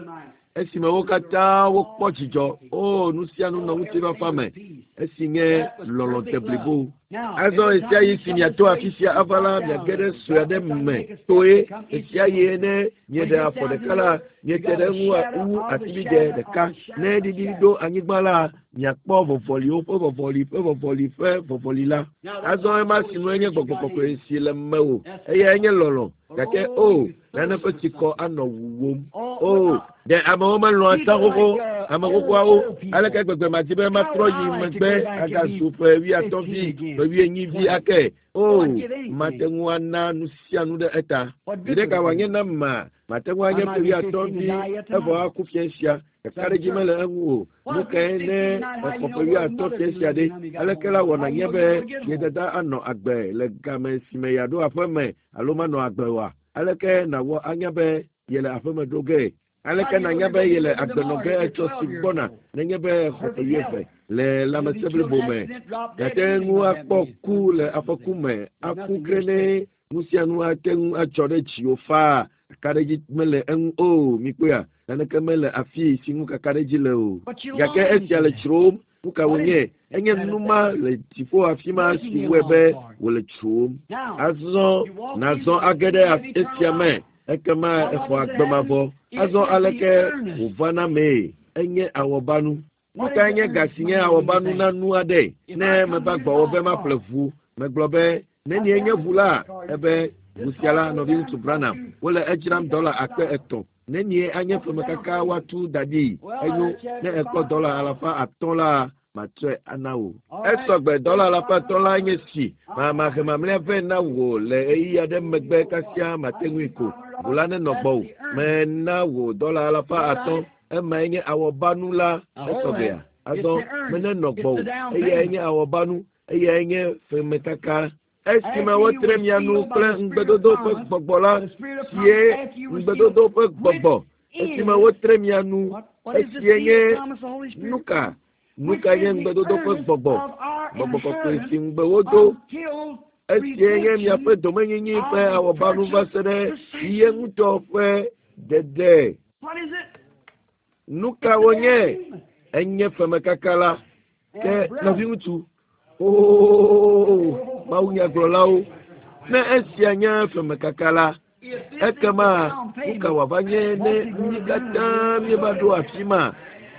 B: Esime wo katã wokpɔ dzidzɔ, o nu sia nu nɔ ŋutifafa me, esi nye lɔlɔ̃ deblibo. Azɔ ɣesiaɣi si miato afi sia ava la, miage ɖe sue aɖe me toe. Ɣesiaɣi ne mieɖe afɔ ɖeka la, miete ɖe eŋu wu atibidɛ ɖeka. Ne ɖiɖi ɖo anyigba la, miakpɔ vɔvɔliwo ƒe vɔvɔli ƒe vɔvɔli ƒe vɔvɔli la. Azɔ ema si nue nye gbɔgbɔ kɔkɔe si le mewò, eyae nye lɔlɔ̃. Gake o, nane ƒe tsikɔ anɔ wuwòm. O, ɖe amewo melɔ̃a tsã xoxo, ame xoxoawo. Aleke gbegbe madi be matrɔ yi megbe agazu ƒe wuiatɔ̃ vi, ƒe wuienyi vi ake. O, mate ŋu ana nu sia nu ɖe eta. Viɖe ka wòanye nam ma? Mate ŋu anye ƒe wuiatɔ̃ vi evɔ aku fia sia. Kakaɖedzi mele eŋu o. Nu kae ne exɔ ƒe wuiatɔ̃ fia sia ɖe? Aleke la wɔna nye be ye dada anɔ agbe le game si me yeaɖo aƒe me alo manɔ agbe oa? Aleke nàwɔ anya be yele aƒeme ɖo ge? Aleke nànya be yele agbe nɔ ge etsɔ si gbɔna nenye be exɔ ƒe wuieve le lãmesẽ blibo me? Gate ŋu akpɔ ku le afɔku me, aku ge ne nu sia nu ate ŋu atsɔ ɖe dziwò faa. Kakaɖedzi mele eŋu o. Mikpɔea, naneke mele afi si ŋu kakaɖedzi le o. Gake esia le dzrom. Nu ka wònye? Enye nu ma le dziƒo afi ma si wɔe be wòle dzrom. Azɔ nàzɔ age ɖe esia me, ekema exɔ agbe mavɔ. Azɔ aleke wòvana mee? Enye awɔbanu. Nu kae nye ga si nye awɔbanu na nu aɖe? Ne meva gbɔwò be maƒle ʋu, megblɔ be nenie nye ʋu la? Ebe ʋu sia la, nɔviŋutsu Branham, wole edzram dɔla akpe etɔ̃. Nenie anye ƒemekaka woatu da ɖi? Enyo, ne ekpɔ dɔla alafa atɔ̃ la, matsɔe ana wò. Esɔgbe dɔla alafa atɔ̃ la nye si. Mahe mamlɛa vɛ na wò le ɣeyiɣi aɖe megbe kasia mate ŋui ko. Ʋu la nenɔ gbɔwò. Mena wò dɔla alafa atɔ̃. Emae nye awɔbanu la. Esɔgbea. Azɔ menenɔ gbɔwò. Eyae nye awɔbanu. Eyae nye ƒemekaka. Esime wotre mia nu kple ŋugbedodo ƒe gbɔgbɔ la, sie ŋugbedodo ƒe gbɔgbɔ. Esime wotre mia nu, esie nye nu ka? Nu ka nye ŋugbedodo ƒe gbɔgbɔ? Gbɔgbɔ kɔkɔe si ŋugbe wodo. Esie nye miaƒe domenyinyi ƒe awɔbanu va se ɖe ye ŋutɔ ƒe dede. Nu ka wònye? Enye ƒemekaka la. Ke nɔviŋutsu, ooo, mawunyagblɔlawo, ne esia nye ƒemekaka la, ekema nu ka wòava nye ne mí katã míeva ɖo afi ma?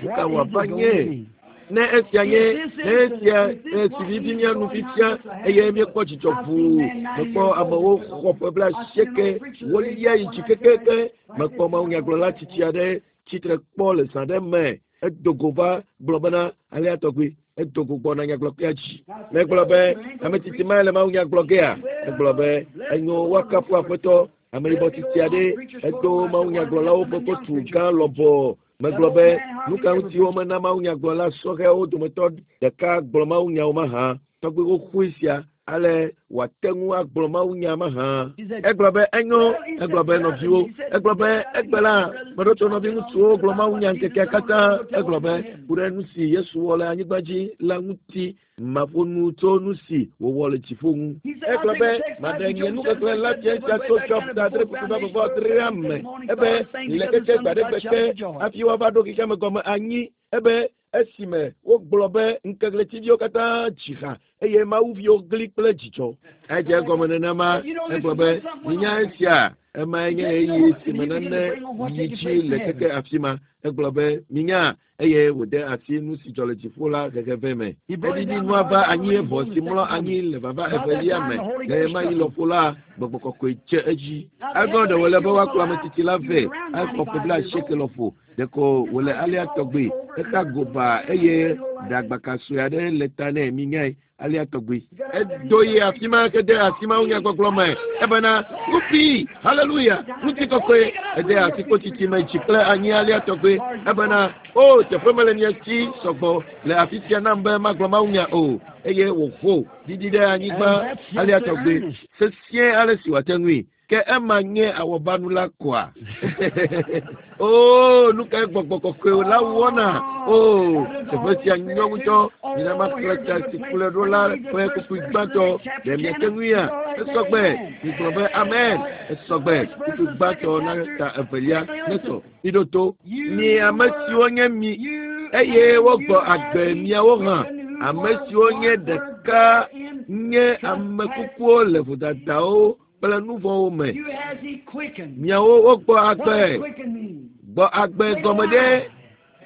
B: Nu ka wòava nye? Ne esia nye, ne esia si vivi mía nu fifia eye míekpɔ dzidzɔ ʋuu, mekpɔ amewo xɔ ƒe bla asieke, wolia yi dzi kekeke, mekpɔ mawunyagblɔla tsitsi aɖe tsitre kpɔ le zã ɖe me. Edo go va gblɔ bena alea tɔgbi edo go gbɔna nyagblɔkpea dzi. Megblɔ be ame tsitsi ma le Mawu nya gblɔ gea? Egblɔ be enyo woakafu Aƒetɔ. Ameyibɔ tsitsi aɖe edo Mawu nyagblɔlawo ƒe kotu gã lɔbɔ. Megblɔ be nu ka ŋuti womena Mawu nyagblɔla sɔhɛwo dometɔ ɖeka gblɔ Mawu nyawo mahã? Tɔgbi xoxoe sia ale wòate ŋu agblɔ Mawu nya mahã. Egblɔ be enyo, egblɔ be nɔviwo, egblɔ be egbe la meɖo to nɔviŋutsuwo gblɔ Mawu nya ŋkekea katã. Egblɔ be ku ɖe nu si Yesu wɔ le anyigba dzi la ŋuti maƒo nu tso nu si wòwɔ le dziƒo ŋu. Egblɔ be maɖe nye nuxexlẽ la fia sia tso Job ta adre kpukpui vavɔ adrea me. Ebe le keke gbe aɖe gbe ke hafi woava ɖo xexeame gɔme anyi. Ebe esime wogblɔ be ŋkeɣletiviwo katã dzi ha eye mawuviwo gli kple dzidzɔ. Edze egɔme nenema. Egblɔ be minya esia emae nye ɣeyiɣi si me nane yi dzi le keke afi ma. Egblɔ be minya eye wòde asi nu si dzɔ le dziƒo la hehe vɛ me. Eɖiɖi nua va anyi evɔ si mlɔ anyi le vava evelia me. Le ɣemaɣi lɔƒo la, gbɔgbɔ kɔkɔe dze edzi. Azɔ ɖe wòle be woakplɔ ame tsitsi la vɛ exɔ ƒe blaasieke lɔƒo. Ɖeko wòle alea tɔgbi. Exa goba eye ɖagbaka sue aɖe le ta nɛ minyae alea tɔgbi. Edo yi afi ma ke de asi Mawu nyagbɔgblɔ me. Ebena ŋuti haleluya ŋutikɔkɔe. Ede asi kpotsitsi me dzi kple anyi alea tɔgbi. Ebena o teƒe mele mia si sɔgbɔ le afi sia nam be magblɔ Mawu nya o. Eye wòho ɖiɖi ɖe anyigba alea tɔgbi sesie ale si wòate ŋui. Ke ema nye awɔbanu la koa? O, nu kae gbɔgbɔ kɔkɔe la wɔna? O, teƒe sia nyɔ ŋutɔ. Mina maxlẽ ta si kplɔe ɖo la ƒe kpukpui gbãtɔ. Ɖe miate ŋuia? Esɔgbe. Migblɔ be amen. Esɔgbe. Kpukpui gbãtɔ na ta evelia nesɔ. Miɖo to. Mi ame siwo nye mi eye wogbɔ agbe miawo hã. Ame siwo nye ɖeka nye ame kukuwo le vodadawo kple nu vɔ̃wo me. Miawo wogbɔ agbe. Gbɔ agbe gɔme ɖe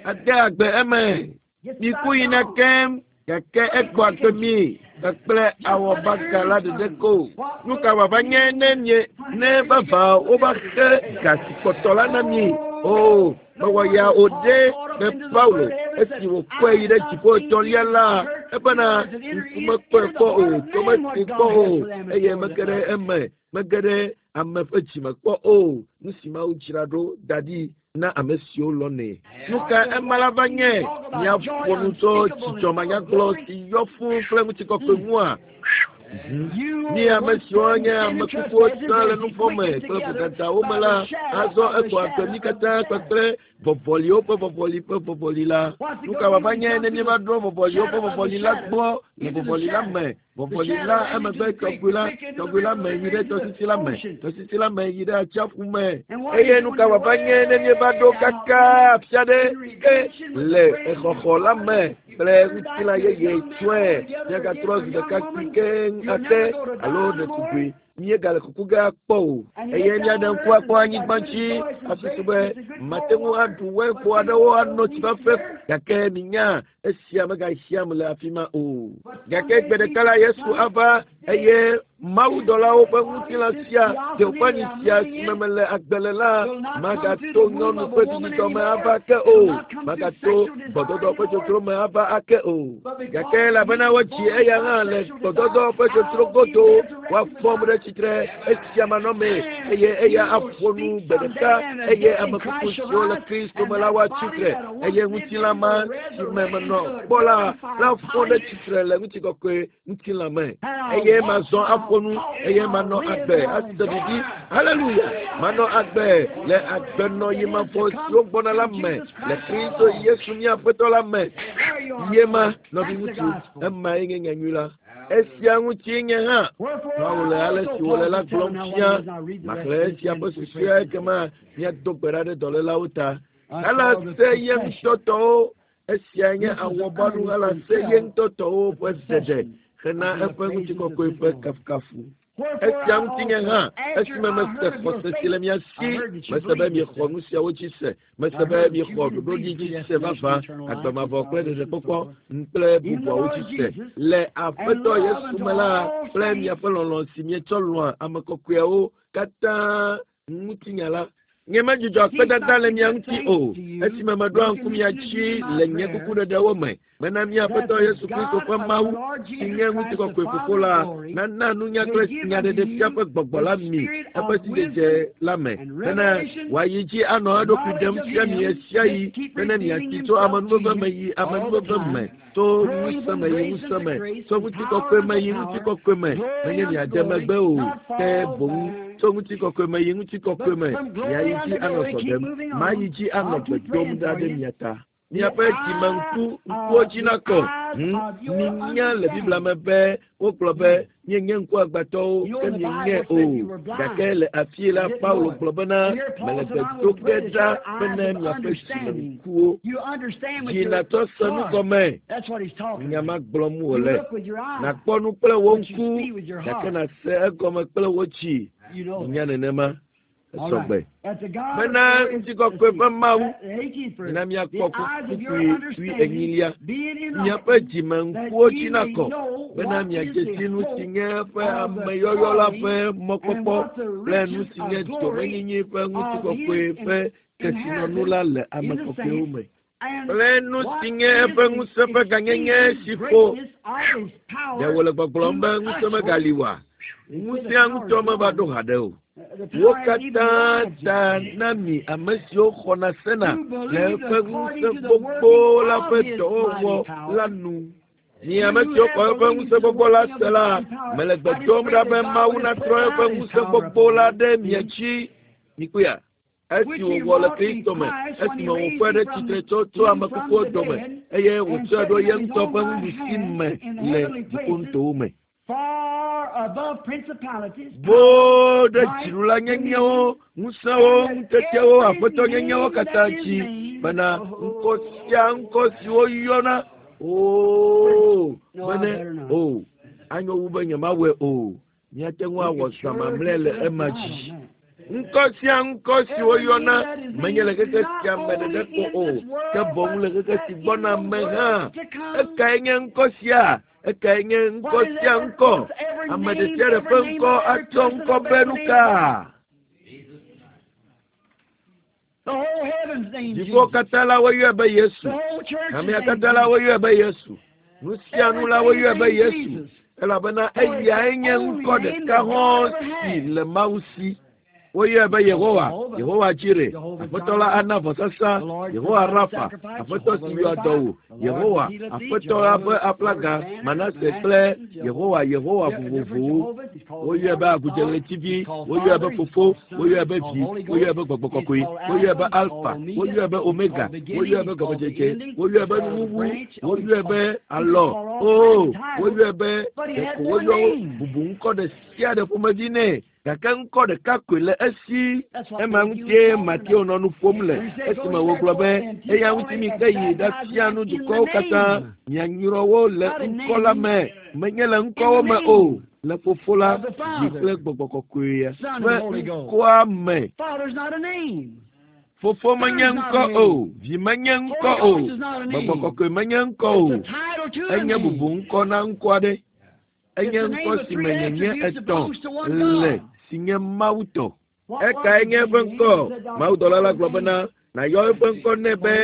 B: ade agbe eme. Miku yina keŋ gake egbɔ agbe mi kpakple awɔbaga la ɖeɖe ko. Nu ka wòava nye ne mie ne vavã wova xe ga si kpɔtɔ la na mi? O, mewɔ ya o ɖe be Paulo esi wòkɔe yi ɖe dziƒo etɔ̃lia la, ebena ŋku mekpɔe kpɔ o, to mesi kpɔ o, eye mege ɖe eme, mege ɖe ame ƒe dzime kpɔ o. Nu si Mawu dzra ɖo da ɖi na ame siwo lɔ̃nɛ. Nu ka ema la va nye? Miaƒo nu tso dzidzɔ manyagblɔ si yɔ fũu kple ŋutikɔkɔe ŋua? Mi ame siwo nye ame kukuwo tsã le nu vɔ̃ me kple vodadawo me la, azɔ egbɔ agbe mí katã kpakple vɔvɔliwo ƒe vɔvɔli ƒe vɔvɔli la. Nu ka wòava nye ne míeva ɖo vɔvɔliwo ƒe vɔvɔli la gbɔ le vɔvɔli la me? Vɔvɔli la emegbe tɔgbi la, tɔgbi la me yi ɖe tɔsisi la me, tɔsisi la me yi ɖe atsiaƒu me. Eye nu ka wòava nye ne míeva ɖo kaka afi aɖe ke le exɔxɔ la me kple ŋutilã yeye tsɔe míagatrɔ zi ɖeka kpui keŋ ake alo ɖetugbui míegale kuku ge akpɔ o. Eye míaɖe ŋku akpɔ anyigba dzi asusu be mate ŋu aɖu wɛnkpo aɖewo ano tsi fafɛ gake minya esia megahiãm le afi ma o. Gake gbe ɖeka la Yesu ava eye mawudɔlawo ƒe ŋutilã sia teoƒani sia si me mele agbe le la magato nyɔnu ƒe vidzidɔ me ava ke o, magato gbɔdɔdɔ ƒe dzodzro me ava ake o. Gake elabena wodzi eya hã le gbɔdɔdɔ ƒe dzodzro godo, woafɔm ɖe tsitre esia manɔmee eye eya aƒo nu gbe ɖeka eye ame kuku siwo le Kristo me la woatsi tre eye ŋutilã ma si me menɔ kpɔ la la fɔ ɖe tsitre le ŋutikɔkɔe ŋutilã me eye mazɔ aƒo nu eye manɔ agbe ase vivi. Haleluya! Manɔ agbe le agbenɔyi mavɔ siwo gbɔna la me le Kristo Yesu mía Aƒetɔ la me. Ye ma nɔviŋutsu, emae nye nyanyui la. Esia ŋuti nye hã Paulo le ale si wòle la gblɔm fia. Maxlẽ esia ƒe susɔea ekema míado gbe ɖa ɖe dɔlélawo ta. Helase ye ŋutɔ tɔwo. Esia nye awɔbanu helase ye ŋutɔ tɔwo ƒe ɖeɖe hena eƒe ŋutikɔkɔe ƒe kafukafu. Esia ŋuti nye hã esime mese xɔse si le mia si, mese be miexɔ nu siawo dzi se, mese be miexɔ ɖoɖoɖi dzi se vavã, agbe mavɔ kple ɖeɖekpɔkpɔ kple bubuawo dzi se. Le Aƒetɔ Yesu me la kple miaƒe lɔlɔ̃ si mietsɔ lɔ̃a ame kɔkɔeawo katã ŋutinya la, Nye medzudzɔ akpedada le mia ŋuti o esime meɖoa ŋku mia dzi le nye kukuɖeɖewo me bena mía Aƒetɔ Yesu Kristo ƒe Mawu si nye ŋutikɔkɔe Fofo la nana nunya kple nyaɖeɖefia ƒe gbɔgbɔ la mi eƒe sidzedze la me bena wòayi dzi anɔ eɖokui ɖem fia mi ɣesiaɣi bene miatsi tso amenuveve me yi amenuveve me tso ŋusẽ me yi ŋusẽ me tso ŋutikɔkɔe me yi ŋutikɔkɔe me menye miade megbe o ke boŋ tso ŋutikɔkɔe me yi ŋutikɔkɔe me miayi dzi anɔ sɔ ɖem mayi dzi anɔ gbe dom ɖa ɖe mia ta. Miaƒe dzimeŋku ŋkuwo dzi nakɔ. Hmm? Minya le Biblia me be wogblɔ be míenye ŋkuagbãtɔwo ke mienye o. Gake le afi la Paulo gblɔ bena mele gbe do ge ɖa bene miaƒe dzimeŋkuwo dzi natsɔ se nu gɔme. Nya ma gblɔm wòle. Nàkpɔ nu kple wò ŋku gake nàse egɔme kple wò dzi. Nya nenema. Esɔgbe. Bena ŋutikɔkɔe ƒe Mawu na míakpɔ kpukpui wui enyilia. Miaƒe dzimeŋkuwo dzi nakɔ bena miadze si nu si nye eƒe ameyɔyɔ la ƒe mɔkpɔkpɔ kple nu si nye domenyinyi ƒe ŋutikɔkɔe ƒe kesinɔnu la le ame kɔkɔewo me. Kple nu si nye eƒe ŋusẽ ƒe gãnyenye si ƒo. Ɖe wòle gbɔgblɔm be ŋusẽ megali oa? Ŋusẽa ŋutɔ meva ɖo haɖe o. Wo katã ta na mi ame siwo xɔna sena le eƒe ŋusẽ gbogbo la ƒe dɔwɔwɔ la nu. Mi ame siwo xɔ eƒe ŋusẽ gbogbo la se la, mele gbe dom ɖa be Mawu natrɔ eƒe ŋusẽ gbogbo la ɖe mia dzi. Mikpɔea? Esi wòwɔ le Kristo me, esime wòfɔe ɖe tsitre tso tso ame kukuwo dome eye wòtsɔe ɖo ye ŋutɔ ƒe nuɖusi me le dziƒonutowo me. Boo ɖe dziɖulanyenyewo, ŋusẽwo, ŋutetewo, aƒetɔnyenyewo katã dzi bena ŋkɔ sia ŋkɔ si woyɔna oo bene o anyo wu be nyemawɔe o. Míate ŋu awɔ zã mamlɛ le ema dzi. Ŋkɔ sia ŋkɔ si woyɔna menye le xexe sia me ɖeɖe ko o ke boŋ le xexe si gbɔna me hã. Ekae nye ŋkɔ sia? Ekae nye ŋkɔ sia ŋkɔ? Ame ɖe sia ɖe ƒe ŋkɔ atsɔ ŋkɔ be nu ka? Dziƒo katã la woyɔe be Yesu. Hamea katã la woyɔe be Yesu. Nu sia nu la woyɔe be Yesu. Elabena eyae nye ŋkɔ ɖeka hɔ̃ si le Mawu si. Woyɔe be Yehowa, Yehowa Jire, Aƒetɔ la ana vɔsasa, Yehowa Rafa, Aƒetɔ si yɔa dɔ wò, Yehowa, Aƒetɔ la ƒe aflaga, Manase kple Yehowa, Yehowa vovovowo. Woyɔe be agudzeɣletivi, woyɔe be Fofo, woyɔe be Vi, woyɔe be Gbɔgbɔ Kɔkɔe, woyɔe be Alfa, woyɔe be Omega, woyɔe be Gɔmedzedze, woyɔe be Nuwuwu, woyɔe be Alɔ, oo, woyɔe be ɖeko woyɔ bubu ŋkɔ ɖe sia ɖe ƒomevi nɛ. Gake ŋkɔ ɖeka koe le esi. Ema ŋutie Mateo nɔ nu ƒom le esime wògblɔ be eya ŋuti mi ke yi ɖafia nu dukɔwo katã mianyrɔ wo le ŋkɔ la me menye le ŋkɔwo me o le Fofo la dzi kple Gbɔgbɔ Kɔkɔea ƒe ŋkɔa me. Fofo menye ŋkɔ o, Vi menye ŋkɔ o, Gbɔgbɔ Kɔkɔe menye ŋkɔ o. Enye bubu ŋkɔ na ŋkɔ aɖe. Enye ŋkɔ si me nyenye etɔ̃ le si nye Mawu tɔ. Ekae nye eƒe ŋkɔ? Mawudɔla la gblɔ bena nàyɔ eƒe ŋkɔ nɛ be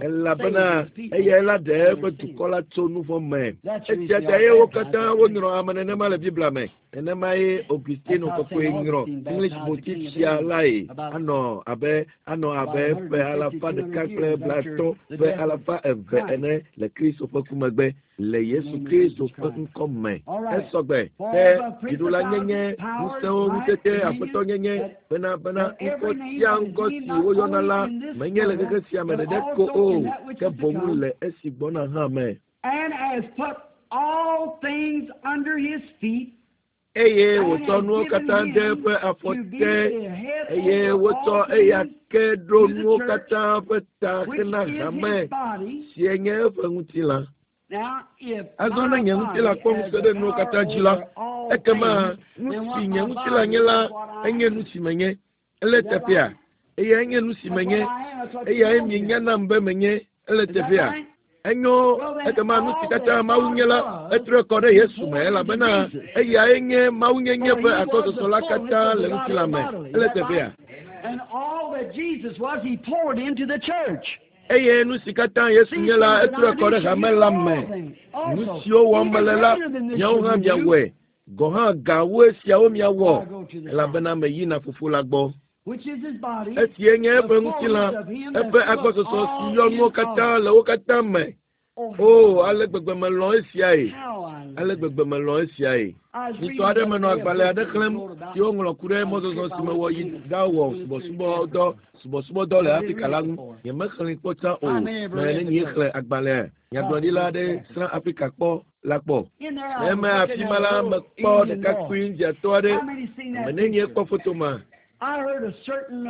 B: elabena eyae la ɖe eƒe dukɔ la tso nu vɔ̃ me. Esia ta ye wo katã wonyrɔ ame nenema le Biblia me. Nenema ye Augustino kɔkɔe nyrɔ English botitsia lae anɔ abe anɔ abe ƒe alafa ɖeka kple blaetɔ̃ ƒe alafa eve ene le Kristo ƒe ku megbe le Yesu Kristo ƒe ŋkɔ me. Esɔgbe ke dziɖulanyenye, ŋusẽwo, ŋutete, aƒetɔnyenye bena bena ŋkɔ sia ŋkɔ si woyɔna la menye le xexe sia me ɖeɖe ko o ke boŋ le esi gbɔna hã me.
A: And has put all things under his feet.
B: Eye wòtsɔ nuwo katã de eƒe afɔ te eye wotsɔ eya ke ɖo nuwo katã ƒe ta hena hame si nye eƒe ŋutilã. Azɔ ne nye ŋutilã kpɔ ŋusẽ ɖe nuwo katã dzi la, ekema nu si nye ŋutilã nye la enye nu si menye. Ele teƒea? Eya enye nu si menye. Eyae mienya nam be menye. Ele teƒea? Enyo ekema nu si katã Mawu nye la etrɔe kɔ ɖe Yesu me elabena eyae nye Mawunyenye ƒe akɔsɔsɔ la katã le ŋutilã me. Ele teƒea? Eye nu si katã Yesu nye la, etrɔe kɔ ɖe hame la me. Nu siwo wɔm mele la, miawo hã miawɔe. Gɔ̃ hã gawoe siawo miawɔ, elabena meyina Fofo la gbɔ. Esie nye eƒe ŋutilã, eƒe agbɔsɔsɔ si yɔ nuwo katã le wo katã me. O, ale gbegbe melɔ̃ esiae. Ale gbegbe melɔ̃ esiae. Nyitɔ aɖe menɔ agbalẽ aɖe xlẽm si woŋlɔ ku ɖe mɔzɔzɔ si mewɔ yi ɖawɔ subɔsubɔdɔ subɔsubɔdɔ le Afrika la ŋu. Nyemexlẽe kpɔ tsã o. Me ne nyee xlẽ agbalẽa. Nyagblɔɖila aɖe srã Afrika kpɔ la kpɔ. Le eme afi ma la, mekpɔ ɖekakpui Indiatɔ aɖe. Ame nenie kpɔ foto ma?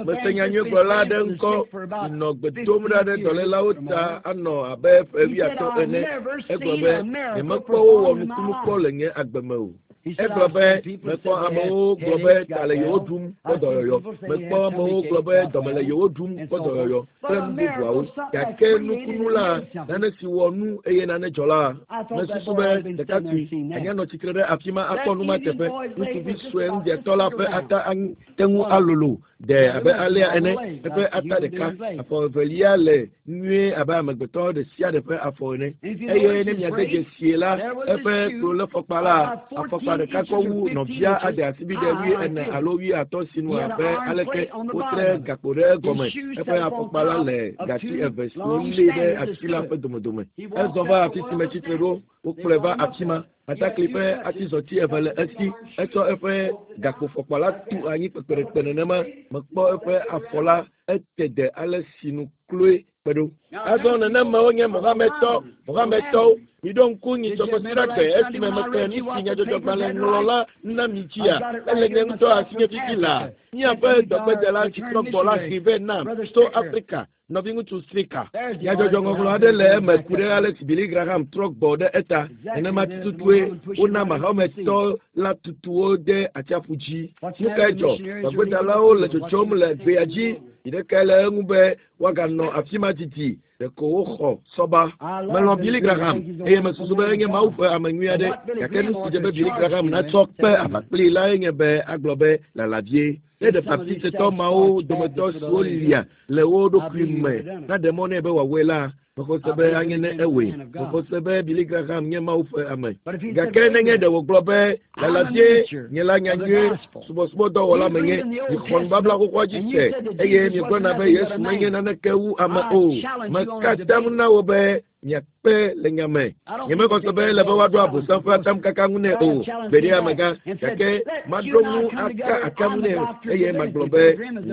B: Mese nyanyuigblɔla aɖe ŋkɔ si nɔ gbe dom ɖa ɖe dɔlélawo ta anɔ abe ƒe wuiatɔ̃ ene. Egblɔ be, nyemekpɔ wowɔ nukunu kpɔ le nye agbe me o. Egblɔ be, mekpɔ amewo gblɔ be ta le yewo ɖum kpɔ dɔyɔyɔ. Mekpɔ amewo gblɔ be dɔme le yewo ɖum kpɔ dɔyɔyɔ kple nu bubuawo. Gake nukunu la, nane si wɔ nu eye nane dzɔ la, mesusu be ɖekakpui anya nɔ tsitre ɖe afi ma akpɔ nu ma teƒe. Ŋutsuvi sue ŋdiatɔ la ƒe ata te ŋu alolo ɖe abe alea ene. Eƒe ata ɖeka, afɔ evelia le nyuie abe amegbetɔ ɖe sia ɖe ƒe afɔ ene. Eye ne miade dzesie la, eƒe kplolefɔkpa la, afɔkpa ɖeka kɔ wu nɔvia ade asibide wuiene alo wuiatɔ̃ sinu abe aleke wotre gakpo ɖe egɔme. Eƒe afɔkpa la le gati eve siwo lée ɖe ati la ƒe domedome. Ezɔ va afi si metsitre ɖo, wokplɔe va afi ma. Atakli ƒe atizɔti eve le esi. Etsɔ eƒe gakpofɔkpa la tu anyi kpekpeɖekpe nenema. Mekpɔ eƒe afɔ la ete de ale si nu kloe kpe ɖo. Azɔ nenema wonye Mohamedtɔ, Mohamedtɔwo. Miɖo ŋku nyitsɔkɔsiɖagbe esime mexlẽ nu si nyadzɔdzɔgbalẽ ŋlɔla na mi dzia. Ele nye ŋutɔ asinye fifi laa. Míaƒe dɔgbedela si trɔ gbɔ la hee vɛ nam tso Afrika. Nɔviŋutsu Strika. Nyadzɔdzɔŋɔŋlɔ aɖe le eme ku ɖe ale si Billy Graham trɔ gbɔ ɖe eta. Nenema tututue wona Mahometɔ la tutuwo de atsiaƒu dzi. Nu kae dzɔ? Dɔgbedalawo le tsotsom le gbea dzi. Yi ɖekae le eŋu be woaganɔ afi ma didi. Ɖeko woxɔ sɔba. Melɔ̃ Billy Graham eye mesusu be enye Mawu ƒe ame nyui aɖe. Gake nu si dze be Billy Graham natsɔ kpe aʋa kplii lae nye be agblɔ be lalabie. Ne ɖe Baptistetɔ mawo dometɔ siwo lia le wo ɖokui me naɖe mɔ nɛ be wòawɔe la, mexɔ se be anye ne ewɔe. Mexɔ se be Billy Graham nye Mawu ƒe ame. Gake nenye ɖe wògblɔ be lalabie nye la nyanyui subɔsubɔdɔwɔla menye, mixɔ nubabla xoxoa dzi se eye miegblɔna be Yesu menye naneke wu ame o. Meka atam na wo be miakpe le nya me. Nyemexɔ se be ele be woaɖo Abosam ƒe atamkaka ŋu nɛ o. Gbeɖe amegã, gake maɖo ŋu aka atam nɛ eye magblɔ be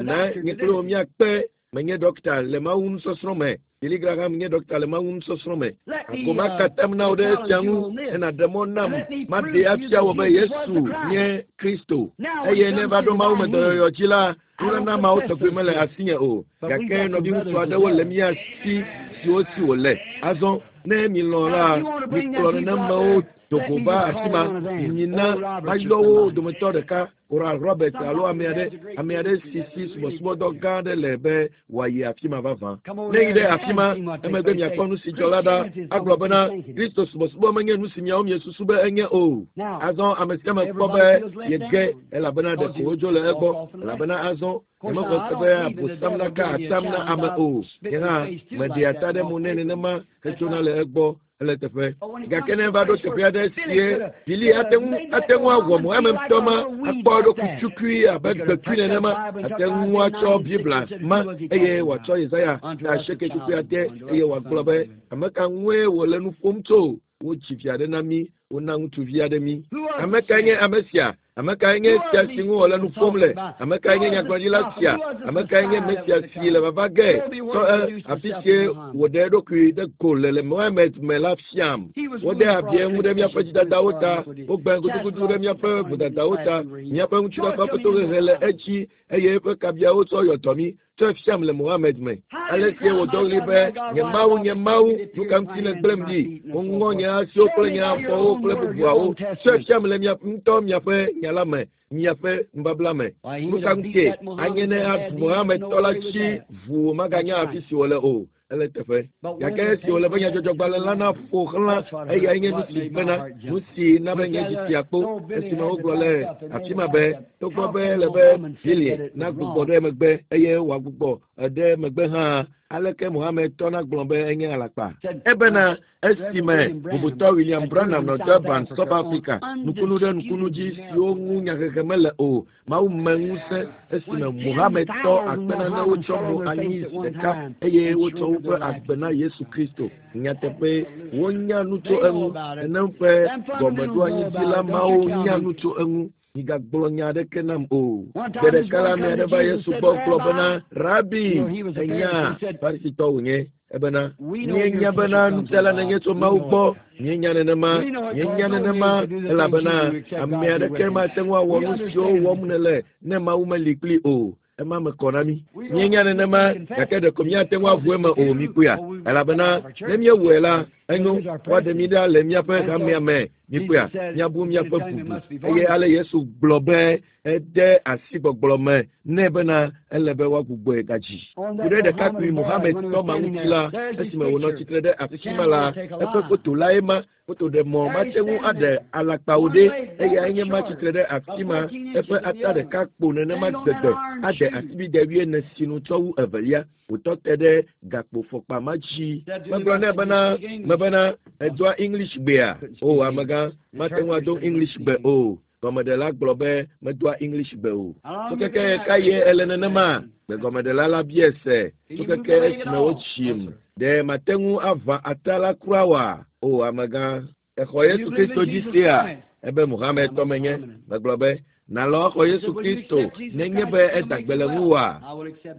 B: na nye kple wò míakpe. Menye ɖɔkita le Mawu nusɔsrɔ̃ me. Billy Graham nye ɖɔkita le Mawu nusɔsrɔ̃ me. Ako maka atam na wò ɖe esia ŋu ne nàɖe mɔ nam maɖee afia wò be Yesu nye Kristo. Eye ne va ɖo Mawu me dɔyɔyɔ dzi la, nunana mawo tɔgbi mele asinye o. Gake nɔviŋutsu aɖewo le mía si siwo si wòle. Azɔ ne milɔ̃ la, mikplɔ nenemawo dogo va afi ma. Mina mayɔ wo dometɔ ɖeka, Oral Roberts alo ame aɖe, ame aɖe si si subɔsubɔdɔ gã aɖe le be wòayi afi ma vavã. Ne yi ɖe afi ma, emegbe miakpɔ nu si dzɔ la ɖa. Agblɔ bena Kristo subɔsubɔ menye nu si miawo miesusu be enye o. Azɔ ame sia ame kpɔ be yege elabena ɖeko wodzo le egbɔ. Elabena azɔ nyemexɔ se be Abosam naka atam na ame o. Nye hã meɖea ata ɖe mo nɛ nenema hetsona le egbɔ ele teƒe. Gake ne va ɖo teƒe aɖe sie Billy ate ŋu ate ŋu awɔ Mohamedtɔ ma akpɔ eɖokui tsukui abe gbekui nenema. Ate ŋu atsɔ Biblia ma eye wòatsɔ Yesaya ta asieke tukui ade eye wòagblɔ be ame ka ŋue wòle nu ƒom tso. Wodzi vi aɖe na mí, wona ŋutsuvi aɖe mí. Ame kae nye ame sia? Ame kae nye sia si ŋu wòle nu ƒom le? Ame kae nye nyagblɔɖila sia? Ame kae nye Mesia si le vava ge? Tsɔ e afi sie wòɖe eɖokui ɖe go le le Mohammed me la fiam. Wode abi eŋu ɖe míaƒe dzidadawo ta. Wogbe gudugudu ɖe míaƒe vodadawo ta. Míaƒe ŋutifafa ƒe tohehe le edzi eye eƒe kabiawo tsɔ yɔ dɔ mí. Tsɔe fiam le Mohammed me. Ale sie wòdɔ ɣli be, nye Mawu, nye Mawu, nu ka ŋuti nègblẽm ɖi? Woŋɔ nye asiwo kple nye afɔwo kple bubuawo. Tsɔe fiam le mia ŋutɔ miaƒe nya la me, miaƒe nubabla me. Nu ka ŋutie anye ne aɖu Mohamedtɔ la dzi ʋuu maganya afi si wòle o. Ele teƒe. Gake esi wòle be nyadzɔdzɔgbalẽ la naƒo xlã eyae nye nu si bena nu si na be nye dzi tia kpo esime wogblɔ le afi ma be togbɔ be ele be Billy nagbugbɔ ɖe megbe eye wòagbugbɔ ɖe megbe hã aleke Mohammed tɔ nagblɔ be enye alakpa. Ebena esime bubutɔ William Branham nɔ Durban, South Africa, nukunu ɖe nukunu dzi siwo ŋu nyahehe mele o, Mawu me ŋusẽ esime Mohammed tɔ akpe nanewo tsɔ mo anyi zi ɖeka eye wotsɔ woƒe agbe na Yesu Kristo. Nyateƒe wonya nu tso eŋu. Nenem ƒe gɔmeɖoanyidila mawo nya nu tso eŋu. Migagblɔ nya aɖeke nam o. Gbe ɖeka la, ame aɖe va Yesu gbɔ gblɔ bena, Rabi, enya Farisitɔ wònye. Ebena, míenya bena nufiala nenye tso Mawu gbɔ. Míenya nenema, míenya nenema, elabena ame aɖeke mate ŋu awɔ nu siwo wɔm nèle ne Mawu meli kpli o. Ema me kɔ na mí. Míenya nenema, gake ɖeko míate ŋu aʋu eme o míkpɔea. Elabena ne míewɔe la, enyo woaɖe mí ɖa le míaƒe hamea me. Míkpɔea, míabu míaƒe bubu. Eye ale Yesu gblɔ be ede asi gbɔgblɔ me nɛ bena ele be woagbugbɔe gadzi. Ku ɖe ɖekakpui Mohammed tɔ ma ŋuti la, esime wònɔ tsitre ɖe afi ma la, eƒe foto lae ma. Foto ɖe mɔ mate ŋu aɖe alakpawo ɖe eyae nye ma tsitre ɖe afi ma eƒe ata ɖeka kpo nenema gbegbe ade asibide wuiene sinu tsɔ wu evelia wòtɔ te ɖe gakpofɔkpa ma dzi. Megblɔ nɛ bena mebena edoa English gbea o amegã mate ŋu ado English gbe o. Gɔmeɖela gblɔ be medoa English gbe o. Tso keke ka ye ele nenema? Gbegɔmeɖela la bia se tso keke esime wotsim. Ɖe mate ŋu aʋã ata la kura oa? O amegã, exɔ Yesu Kristo dzi sea? Ebe Mohammed tɔ menye. Megblɔ be nalɔ axɔ Yesu Kristo nenye be eda gbe le ŋuwòa?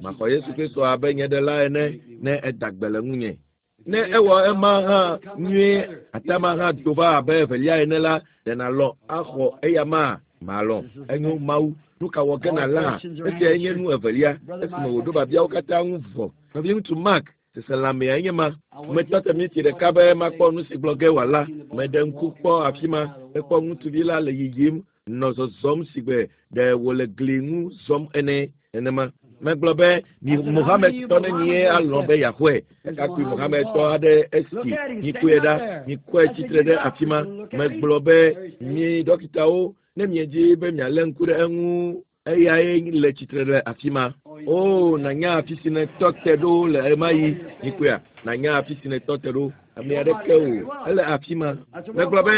B: Maxɔ Yesu Kristo abe nye ɖela ene ne eda gbe le ŋunye. Ne ewɔ ema hã nyuie atama hã do va abe evelia ene la, ɖe nalɔ axɔ eya ma? Malɔ. Enyo Mawu. Nu ka wɔ ge nàla? Esiae nye nu evelia esime wòɖo biabiawo katã ŋu vɔ. Nɔviŋutsu Mark seselãmea nye ma. Metɔ te minti ɖeka be makpɔ nu si gblɔ ge wòala. Meɖe ŋku kpɔ afi ma. Mekpɔ ŋutsuvi la le yiyim nɔ zɔzɔm sigbe ɖe wòle gli ŋu zɔm ene nenema. Megblɔ be mi Mohammed tɔ nenie alɔ̃ be yeaxɔe. Ɖekakpui Mohammed tɔ aɖe esi mikpɔe ɖa, mikɔe tsitre ɖe afi ma. Megblɔ be mi dɔkitawo ne miedzi be mialé ŋku ɖe eŋu eyae le tsitre ɖe afi ma. O nanya afi si nètɔ te ɖo le ɣemaɣi mikpɔea nanya afi si nètɔ te ɖo. Ame aɖeke o ele afi ma. Megblɔ be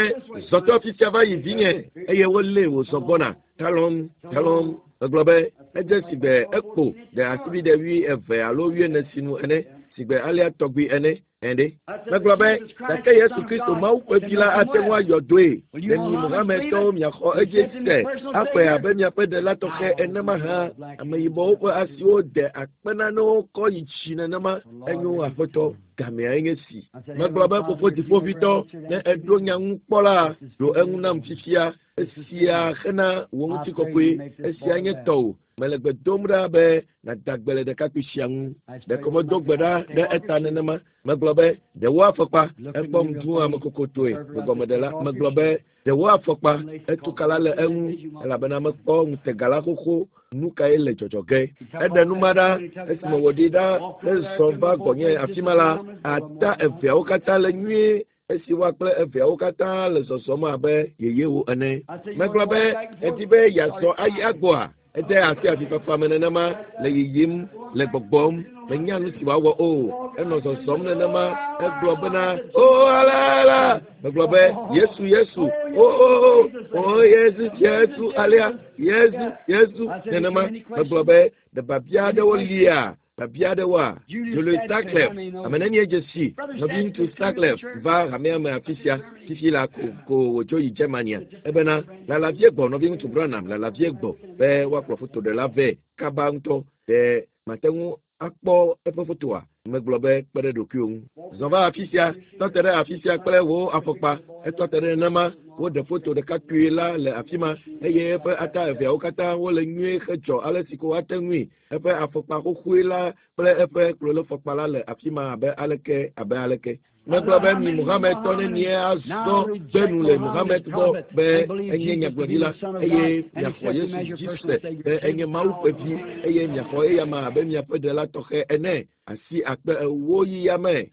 B: zɔtɔ afi sia va yi vinye eye wolée wòzɔ gbɔna talɔm talɔm. Megblɔ be edze sigbe ekpo ɖe asibide wui eve alo wuiene sinu ene sigbe alea tɔgbi ene ene. Megblɔ be gake Yesu Kristo Mawu ƒe vi la ate ŋu ayɔ dɔe. Ɖe mi Mohamedtɔwo miaxɔ edzi se axɔe abe miaƒe ɖela tɔxɛ ene mahã. Ameyibɔwo ƒe asiwo de akpe nanewo kɔ yi dzi nenema. Enyo aƒetɔ gameae nye si. Megblɔ be fofo dziƒoʋĩtɔ ne eɖo nya ŋu kpɔ la, ɖo eŋu nam fifia. Esia hena wò ŋutikɔkɔe. Esia nye tɔwò. Mele gbe dom ɖa be nàda gbe le ɖekakpui sia ŋu. Ɖeko medo gbe ɖa ɖe eta nenema. Megblɔ be ɖe wò afɔkpa. Ekpɔm dũ amekokotoe. Gbegɔmeɖela megblɔ be ɖe wò afɔkpa. Etukala le eŋu elabena mekpɔ ŋutega la xoxo. Nu kae le dzɔdzɔ ge? Eɖe nu ma ɖa esime wòɖi ɖa hezɔ va gbɔnye afi ma la, ata eveawo katã le nyuie esi woa kple eveawo katã le zɔzɔm abe yeyewo ene. Megblɔ be edi be yeazɔ ayi agbɔa? Ede asi avifafa me nenema le yiyim le gbɔgbɔm. Menya nu si wòawɔ o. Enɔ zɔzɔm nenema. Egblɔ bena o ala ala. Megblɔ be Yesu Yesu o o o o Yesu Yesu alea Yesu Yesu nenema. Megblɔ be ɖe biabia aɖewo lia biabia aɖewoa? Julius Staklef, ame nenie dze si nɔviŋutsu Staklef va hamea me afi sia fifi la ko ko wòdzo yi Germania. Ebena lala vie gbɔ nɔviŋutsu Branham lala vie gbɔ be woakplɔ fotoɖela vɛ kaba ŋutɔ. Ɖe mate ŋu akpɔ eƒe fotoa? Megblɔ be kpe ɖe ɖokuiwò ŋu. Zɔ va afi sia, tɔ te ɖe afi sia kple wò afɔkpa. Etɔ te ɖe nenema. Woɖe foto ɖekakpui la le afi ma eye eƒe ata eveawo katã wole nyuie hedzɔ ale si ko woate ŋui. Eƒe afɔkpa xoxoe la kple eƒe klolofɔkpa la le afi ma abe aleke abe aleke. Megblɔ be mi Mohammed tɔ nenie azɔ gbe nu le Mohammed gbɔ be enye nyagblɔɖila eye miaxɔ Yesu dzi se be enye Mawu ƒe vi eye miaxɔ eyama abe miaƒe ɖela tɔxɛ ene. Asi akpe ewo yi yame.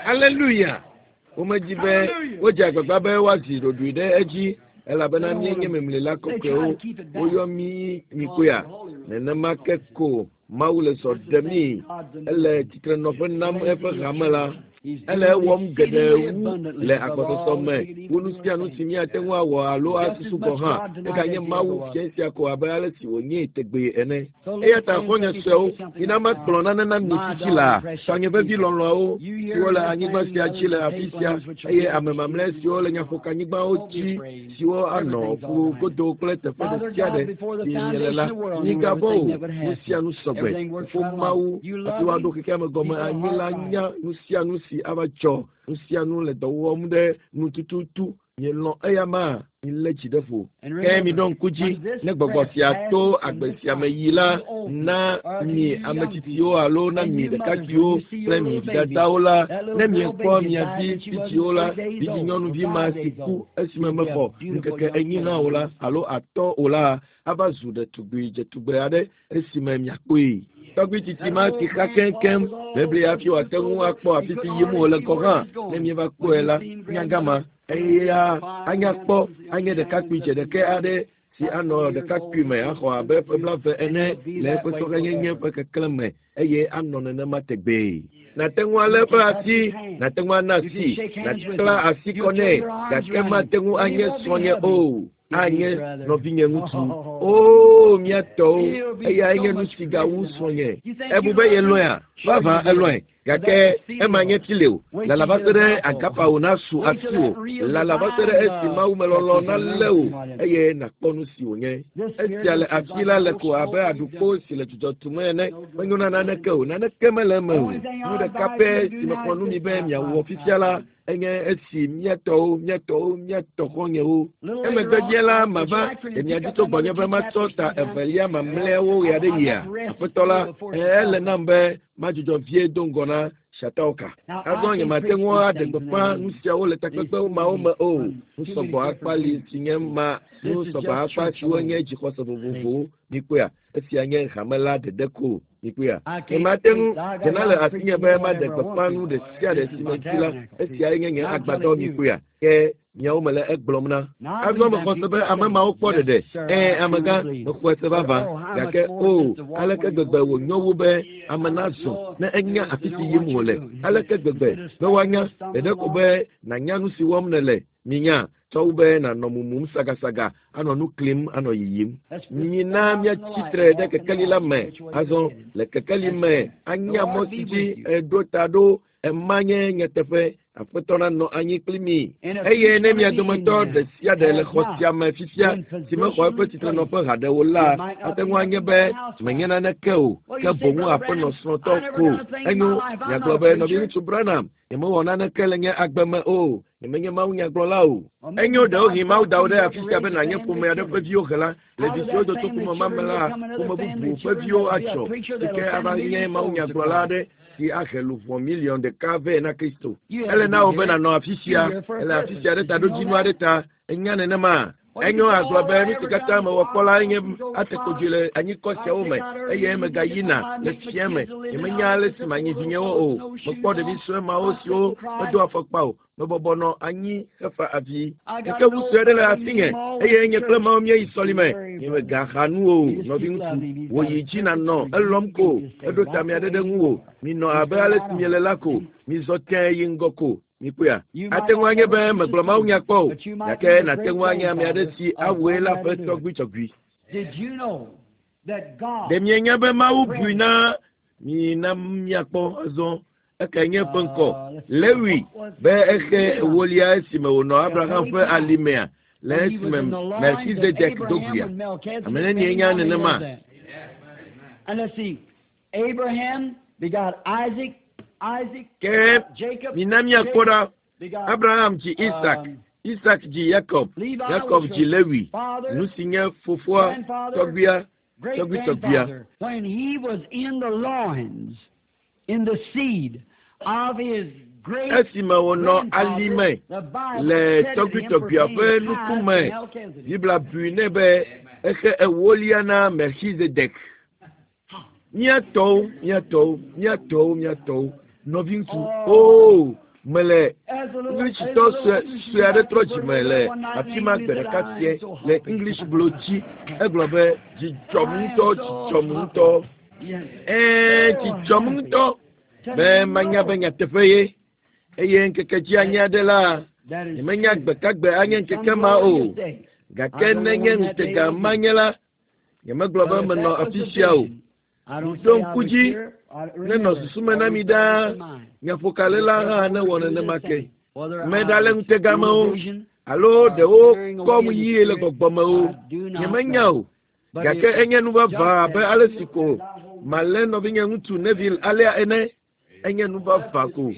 B: Aleluya. Womedzi be wodze agbagba be woazi ɖoɖoe ɖe edzi elabena míenye memlela kɔkɔewo. Woyɔ mí nyikoea. Nenema ke ko Mawu le zɔ ɖem mí. Ele tsitrenɔƒe nam eƒe hame la. Ele ewɔm geɖe wu le agbɔsɔsɔ me wu nu sia nu si míate ŋu awɔ alo asusu gɔ̃ hã. Eganye Mawu fia sia ko abe ale si wònyee tegbee ene. Eya ta xɔ̃nye suewo, mina makplɔ nane na mi fifi laa. Tɔnye vevi lɔlɔ̃awo siwo le anyigba sia dzi le afi sia eye ame mamlɛ siwo le nyaƒokanyigbawo dzi siwo anɔ ƒu godo kple teƒe ɖe sia ɖe si miele la, migavɔ̃ o. Nu sia nu sɔgbe. Fofo Mawu hafi woaɖo xexea me gɔme anyi la nya nu sia nu si ava dzɔ. Nu sia nu le dɔ wɔm ɖe nu tututu. Mielɔ̃ eya ma, milé dzi ɖe ƒo. Ke miɖo ŋku dzi ne gbɔgbɔ sia to agbe sia me yi la na mi ame tsitsiwo alo na mi ɖekakpuiwo kple mi vidadawo la, ne miekpɔ mia vi vidziwo la, vidzinyɔnuvi ma si ku esime mexɔ ŋkeke enyi hã o la alo atɔ̃ o la, ava zu ɖetugbui dzetugbe aɖe esime miakpɔe. Tɔgbui tsitsi ma si xa keŋkeŋ bebli hafi wòate ŋu akpɔ afi si yim wòle gɔ̃ hã. Ne mieva kpɔe la, nyagama eya anya kpɔ anye ɖekakpui dzeɖekɛ aɖe si anɔ ɖekakpui me axɔ abe ƒe blaeve ene le eƒe sɔhɛnyenye ƒe keklẽ me eye anɔ nenema tegbee. Nàte ŋu alé eƒe asi, nàte ŋu ana asi, nàkpla asi kɔ nɛ, gake mate ŋu anye srɔ̃nye o. Anye nɔvinye ŋutsu. Oo, mía tɔwo, eyae nye nu si gawu srɔ̃nye. Ebu be yelɔ̃ea? Vavã elɔ̃e. Gake ema nye tsi le o. Lala va se ɖe agapawo nasu asiwò. Lala va se ɖe esi mawumelɔlɔ̃ nalé wò eye nàkpɔ nu si wònye. Esia le afi la le ko abe aɖukpo si le dzudzɔ tum ene. Menyo na naneke o. Naneke mele eme o. Nu ɖeka pɛ si mexɔ nu mi be miawɔ fifia la enye esi mía tɔwo, mía tɔwo, mía tɔ xɔ̃nyewo. Emegbe vie la mava ɖe mia dzi tso gbɔnye be matsɔ ta evelia mamlɛawo ɣe aɖe yia. Aƒetɔ la, ele nam be madzudzɔ vie do ŋgɔ na Shatauka. Azɔ nyemate ŋu aɖe gbeƒã nu siawo le takpekpe mawo me o. Nu sɔgbɔ akpa li si nye ma, nu sɔgbɔ akpa siwo nye dzixɔse vovovowo. Mikpɔea, esia nye hame la ɖeɖe ko. Mikpɔea, nyemate ŋu dzena le asinye be maɖe gbeƒã nu ɖe sia ɖe si medzi la. Esiae nye nye agbadɔ. Mikpɔea, ke miawo mele egblɔm na. Azɔ mexɔ se be ame mawo kpɔ ɖeɖe. Ɛ̃, amegã, mexɔe se vavã. Gake o, aleke gbegbe wònyo wu be ame nazɔ ne enya afi si yim wòle. Aleke gbegbe be woanya ɖeɖe ko be nànya nu si wɔm nèle. Minya tsɔ wu be nànɔ mumum sagasaga, anɔ nu klim, anɔ yiyim. Mina míatsi tre ɖe kekeli la me. Azɔ le kekeli me anya mɔ si dzi eɖo ta ɖo. Ema nye nyateƒe. Aƒetɔ nanɔ anyi kpli mi. Eye ne mia dometɔ ɖe sia ɖe le xɔ sia me fifia si mexɔ eƒe tsitrenɔƒe haɖe o la, ate ŋu anye be menye naneke o, ke boŋ aƒenɔ srɔ̃tɔ ko. Enyo, miagblɔ be nɔviŋutsu Branham, nyemewɔ naneke le nye agbe me o. Nyemenye mawunyagblɔla o. Enyo ɖewohĩ Mawu da wò ɖe afi sia be nànye ƒome aɖe ƒe viwo hela. Le vi siwo do tso ƒome ma me la, ƒome bubu ƒe viwo adzɔ si ke ava nye mawunyagblɔla aɖe si ahe luʋɔ miliɔn ɖeka vɛ na Kristo. Ele na wò be nànɔ afi sia. Ele afi sia ɖe taɖodzinu aɖe ta. Enya nenema. Enyo agblɔ be nu si katã mewɔ kpɔ la nye ate kodzoe le anyikɔ siawo me eye megayina le fia me. Nyemenya ale si manyi vinyewo o. Mekpɔ ɖevi sue mawo siwo medo afɔkpa o. Mebɔbɔ nɔ anyi hefa avi. Gake ŋu sue aɖe le asinye eye nye kple Mawu míeyi sɔlime. Nyemegaxa nu o, nɔviŋutsu. Wò yi dzi nànɔ elɔm ko. Eɖo tame aɖe ɖe ŋuwò. Minɔ abe ale si miele la ko. Mizɔ tẽe yi ŋgɔ ko. Mikpɔea, ate ŋu anye be megblɔ mawunya kpɔ o, gake nàte ŋu anye ame aɖe si awɔe la ƒe tɔgbuitsɔgbui. Ɖe mienya be Mawu bui na mi na miakpɔ azɔ ekae nye eƒe ŋkɔ Lewi be exe ewolia esime wònɔ Abraham ƒe alimea le esime Melchizedek do goea. Ame nenie nya nenema? Ke mina míakpɔ ɖa. Abraham dzi Isak, Isak dzi Yakob, Yakob dzi Lewi, nu si nye fofoa, tɔgbuia, tɔgbuitɔgbuia. Esime wònɔ alime le tɔgbuitɔgbuia ƒe nukume, Biblia bui nɛ be exe ewolia na Melchizedek. Míatɔwo, míatɔwo, míatɔwo, míatɔwo, nɔviŋutsu. Oo, mele Englishitɔ sue sue aɖe trɔ dzime le afi ma gbe ɖeka sie le English blo dzi. Egblɔ be dzidzɔm ŋutɔ, dzidzɔm ŋutɔ. Ɛɛ, dzidzɔm ŋutɔ be manya be nyateƒe ye. Eye ŋkeke dzi anye aɖe la, nyemenya gbekagbe anye ŋkeke ma o. Gake nenye ŋutega manye la, nyemegblɔ be menɔ afi sia o. Ɖo ŋku dzi nenɔ susu me na mi ɖaa. Nyaƒokalela hã newɔ nenema ke. Meɖale ŋutega me o, alo ɖewo kɔm yie le gbɔgbɔ me o. Nyemenya o. Gake enye nu vavã abe ale si ko malé nɔvinye ŋutsu Neville alea ene. Enye nu vavã ko.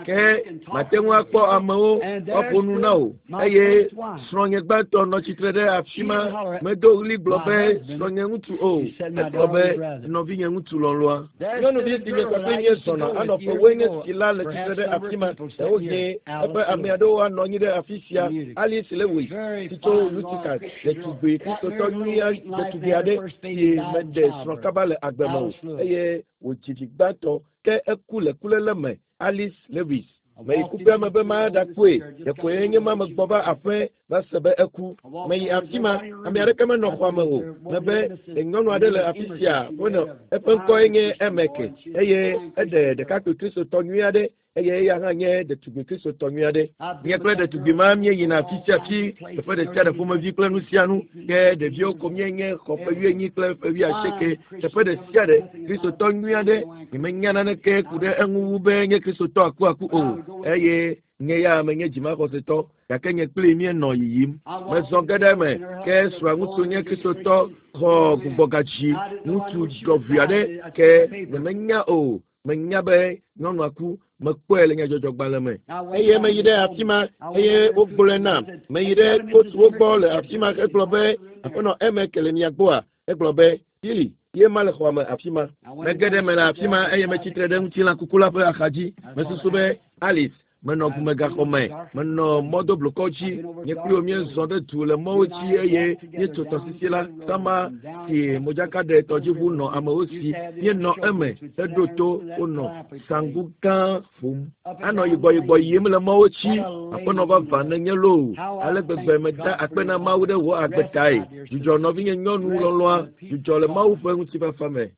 B: Ke mate ŋu akpɔ amewo woaƒo nu na wò. Eye srɔ̃nye gbãtɔ nɔ tsitre ɖe afi ma. Medo ɣli gblɔ be srɔ̃nye ŋutsu o. Egblɔ be nɔvinye ŋutsu lɔlɔ̃a. Nyɔnuvi si nye kpakple nye zɔna anɔ ƒewoe nye si la le tsitre ɖe afi ma. Ɖewohĩ eƒe ame aɖewo anɔ anyi ɖe afi sia. Alice Lewis si tso Utica, ɖetugbui kristotɔ nyui ɖetugbui aɖe si meɖe srɔ̃ kaba le agbe me o eye wòdzi vi gbãtɔ ke eku le kuléle me. Alice Lewis. Meyi kuƒea me be maɖakpɔe. Ɖekoe nye ma megbɔ va aƒe va se be eku. Meyi afi ma, ame aɖeke menɔ xɔa me o. Mebe nyɔnu aɖe le afi sia wonɔ eƒe ŋkɔe nye Emeke eye eɖe ɖekakpui kristotɔ nyui aɖe eye eya hã nye ɖetugbui kristotɔ nyui aɖe. Nye kple ɖetugbui ma míeyina afi sia afi, teƒe ɖe sia ɖe ƒomevi kple nu sia nu. Ke ɖeviwo ko míenye xɔ ƒe wuienyi kple ƒe wuiasieke. Teƒe ɖe sia ɖe kristotɔ nyui aɖe. Nyemenya naneke ku ɖe eŋu wu be nye kristotɔ akuaku o. Eye nye ya menye dzimaxɔsetɔ gake nye kpli míenɔ yiyim. Mezɔ ge ɖe eme ke srɔ̃a ŋutsu nye kristotɔ xɔ gbugbɔgadzi ŋutsu ɖɔʋui aɖe ke nyemenya o. Menya be nyɔnua ku. Mekpɔe le nyadzɔdzɔgbalẽ me. Eye meyi ɖe afi ma eye wogblɔe nam. Meyi ɖe kotuwo gbɔ le afi ma hegblɔ be aƒenɔ Emeke le mia gbɔa? Egblɔ be Billy ye ma le xɔa me afi ma. Mege ɖe eme le afi ma eye metsitre ɖe ŋutilã kuku la ƒe axadzi. Mesusu be Alice menɔ ʋumegaxɔ me, menɔ mɔdoblukɔ dzi. Nye kpli wo míezɔ ɖe du le mɔwo dzi eye míetso tɔsisi la sama si modzakaɖetɔdziʋu nɔ amewo si. Míenɔ eme heɖo to wonɔ sanku gã ƒom. Anɔ yibɔyibɔ yim le mɔwo dzi. Aƒenɔ vavã nenye loo. Ale gbegbe meda akpe na Mawu ɖe wò agbe tae. Dzudzɔ nɔvinye nyɔnu lɔlɔ̃a, dzudzɔ le Mawu ƒe ŋutifafa me.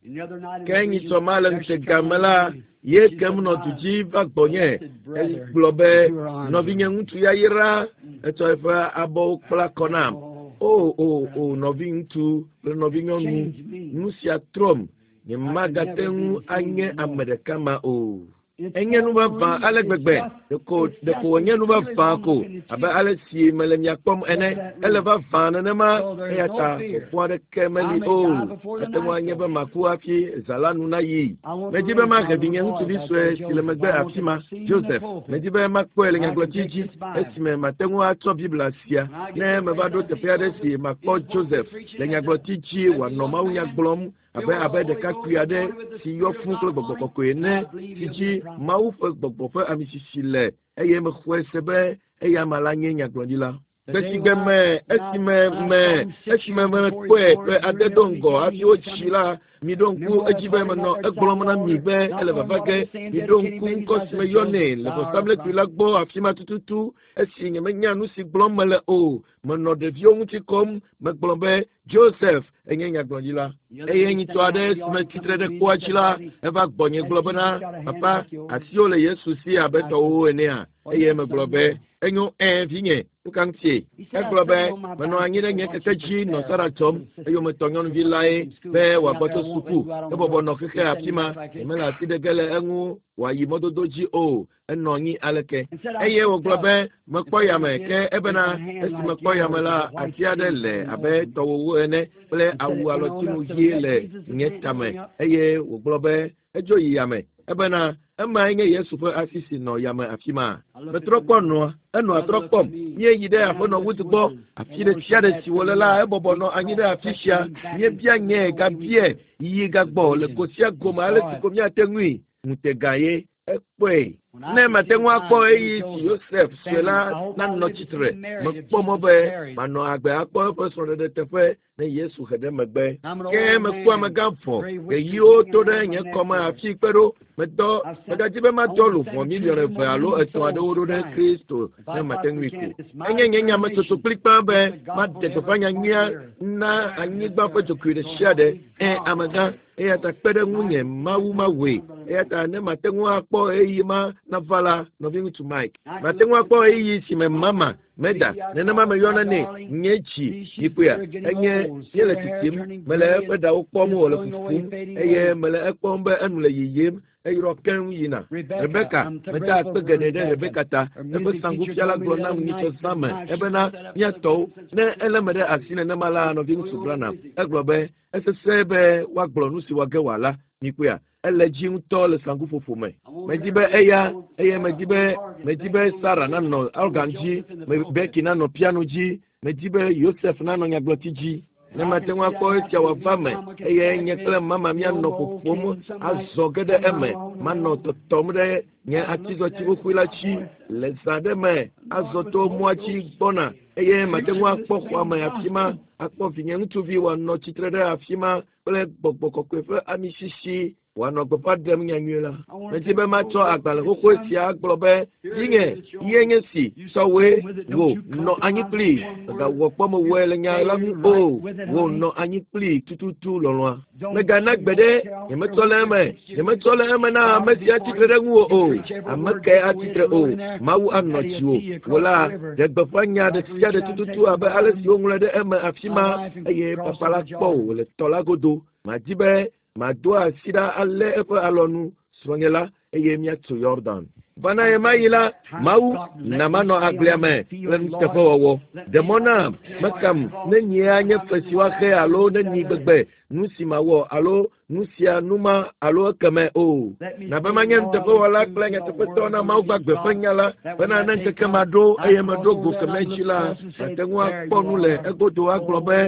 B: Ke nyitsɔ ma le ŋutega me la, ye kem nɔ du dzi va gbɔnye. Egblɔ be nɔvinye ŋutsu yayra etsɔ eƒe abɔwo kpla kɔ nam. O o o nɔviŋutsu kple nɔvinyɔnu, nu sia trɔm. Nyemagate ŋu anye ame ɖeka ma o. Enye nu vavã ale gbegbe. Ɖeko ɖeko wònye nu vavã ko abe ale si mele mia kpɔm ene. Ele vavã nenema eya ta vɔvɔ̃ aɖeke meli o. Ate ŋu anye be maku hafi zã la nu nayi. Medi be mahe vinye ŋutsuvi sue si le megbe afi ma, Joseph. Medi be makpɔe le nyagblɔɖi dzi esime mate ŋu atsɔ Biblia sia. Ne meva ɖo teƒe aɖe si makpɔ Joseph le nyagblɔɖi dzi wòanɔ mawunya gblɔm abe abe ɖekakpui aɖe si yɔ fũu kple gbɔgbɔ kɔkɔe ene si dzi Mawu ƒe gbɔgbɔ ƒe amisisi le eye mexɔe se be eya ama la nye nyagblɔɖila. Gbe si gbe me esime me esime mekpɔe ƒe ade do ŋgɔ hafi wotsi la, miɖo ŋku edzi be menɔ egblɔm na mi be ele vava ge. Miɖo ŋku ŋkɔ si meyɔnɛ le vɔsamlekpui la gbɔ afi ma tututu esi nyemenya nu si gblɔm mele o. Menɔ ɖeviwo ŋuti kɔm. Megblɔ be Joseph enye nyagblɔɖila. Eye nyitɔ aɖe si metsitre ɖe kpoa dzi la, eva gbɔnye gblɔ bena, papa, asiwò le Yesu si abe tɔwò enea? Eye megblɔ be, enyo ɛ vinye, nu ka ŋutie? Egblɔ be, menɔ anyi ɖe nye keke dzi nɔ Sara tsɔm eyometɔ nyɔnuvi lae be wòagbɔ tso suku. Ebɔbɔ nɔ xexe afi ma, nyemele asi ɖe ge le eŋu wòayi mɔdodo dzi o. Enɔ anyi aleke. Eye wògblɔ be mekpɔ yame ke ebena esi mekpɔ yame la, asi aɖe le abe tɔwòwo ene kple awu alɔtinu ɣi le nye tame. Eye wògblɔ be edzo yi yame. Ebena emae nye Yesu ƒe asi si nɔ yame afi ma. Metrɔ kpɔ nɔa, enɔa trɔ kpɔm. Míeyi ɖe aƒenɔ Wood gbɔ. Afi ɖe sia ɖe si wòle la, ebɔbɔ nɔ anyi ɖe afi sia. Míebia nye gabia yiyi gagbɔ le go sia gome ale si ko míate ŋui. Ŋutega ye. Kpɔe. Ne mate ŋu akpɔ ɣeyiɣi si Yosef sue la nanɔ tsitre, mekpɔ mɔ be manɔ agbe akpɔ eƒe srɔ̃ɖeɖe teƒe ne Yesu he ɖe megbe. Ke mekpɔ amegã vɔ, ɣeyiɣiwo to ɖe nye kɔme hafi kpe ɖo. Medɔ, megadzi be madɔ luʋɔ miliɔn eve alo etɔ̃ aɖewo ɖo ɖe Kristo ne mate ŋui ko. Enye nye nyametsotso kplikpaa be maɖe gbeƒã nyanyuia na anyigba ƒe dzogoe ɖe sia ɖe. Ẽ, amegã, eya ta kpe ɖe ŋunye Mawu mawɔe. Eya ta ne mate ŋu akpɔ ɣeyiɣi ma nava la, nɔviŋutsu Mike, mate ŋu akpɔ ɣeyiɣi si me mama meda nenema meyɔna nɛ nye dzi yikpea enye míele tsitsim mele eƒe ɖawo kpɔm wòle fufum eye mele ekpɔm be enu le yiyim eyrɔ keŋ yina. Rebeka, meda akpe geɖe ɖe Rebeka ta. Eƒe saŋkufiala gblɔ nam nyitsɔ zã me ebena míatɔwo ne ele me ɖe asi nenema la nɔviŋutsu Branham. Egblɔ be esesẽ be woagblɔ nu si wòage wòala. Mikpɔea? Ele dzi ŋutɔ le saŋkuƒoƒo me. Medzi be eya eye medzi be medzi be Sarah nanɔ organ dzi, Becky nanɔ piano dzi, medzi be Yosef nanɔ nyagblɔti dzi. Ne mate ŋu akpɔ esia wòava me eye nye kple mama míanɔ ƒoƒom azɔ ge ɖe eme, manɔ tɔtɔm ɖe nye atizɔti xoxoe la dzi le zã ɖe me azɔ to mɔa dzi gbɔna eye mate ŋu akpɔ xɔa me afi ma akpɔ vinye ŋutsuvi wòanɔ tsitre ɖe afi ma kple gbɔgbɔ kɔkɔe ƒe amisisi wòanɔ gbeƒã ɖem nyanyui la. Medzi be matsɔ agbalẽ xoxoe sia agblɔ be vinye ye nye si sɔwoe wò nɔ anyi kplii mègawɔ kpɔ mewɔe le nya la ŋu o wò nɔ anyi kplii tututu lɔlɔ̃a. Mègana gbe ɖe nyemetsɔ le eme nyemetsɔ le eme na ame si atsitre ɖe ŋuwò o ame kae atsitre o Mawu anɔ dziwò wò la ɖe gbeƒã nya ɖe sia ɖe tututu abe ale si woŋlɔe ɖe eme afi ma eye papa la kpɔ wò le tɔ la godo. Madi be mado asi ɖa alé eƒe alɔnu srɔ̃nye la eye míatso Yordan. Vana ɣemaɣi la, Mawu na manɔ agblea me kple nuteƒewɔwɔ. Ɖe mɔ nam mekam ne nyea nye fe si woaxe alo ne nyi gbegbe nu si mawɔ alo nu sia nu ma alo ekeme o. Na be manye nuteƒewɔla kple nyateƒetɔ na Mawu gbagbe ƒe nya la bena ne ŋkeke ma ɖo eye meɖo go keme dzi la, mate ŋu akpɔ nu le egodo agblɔ be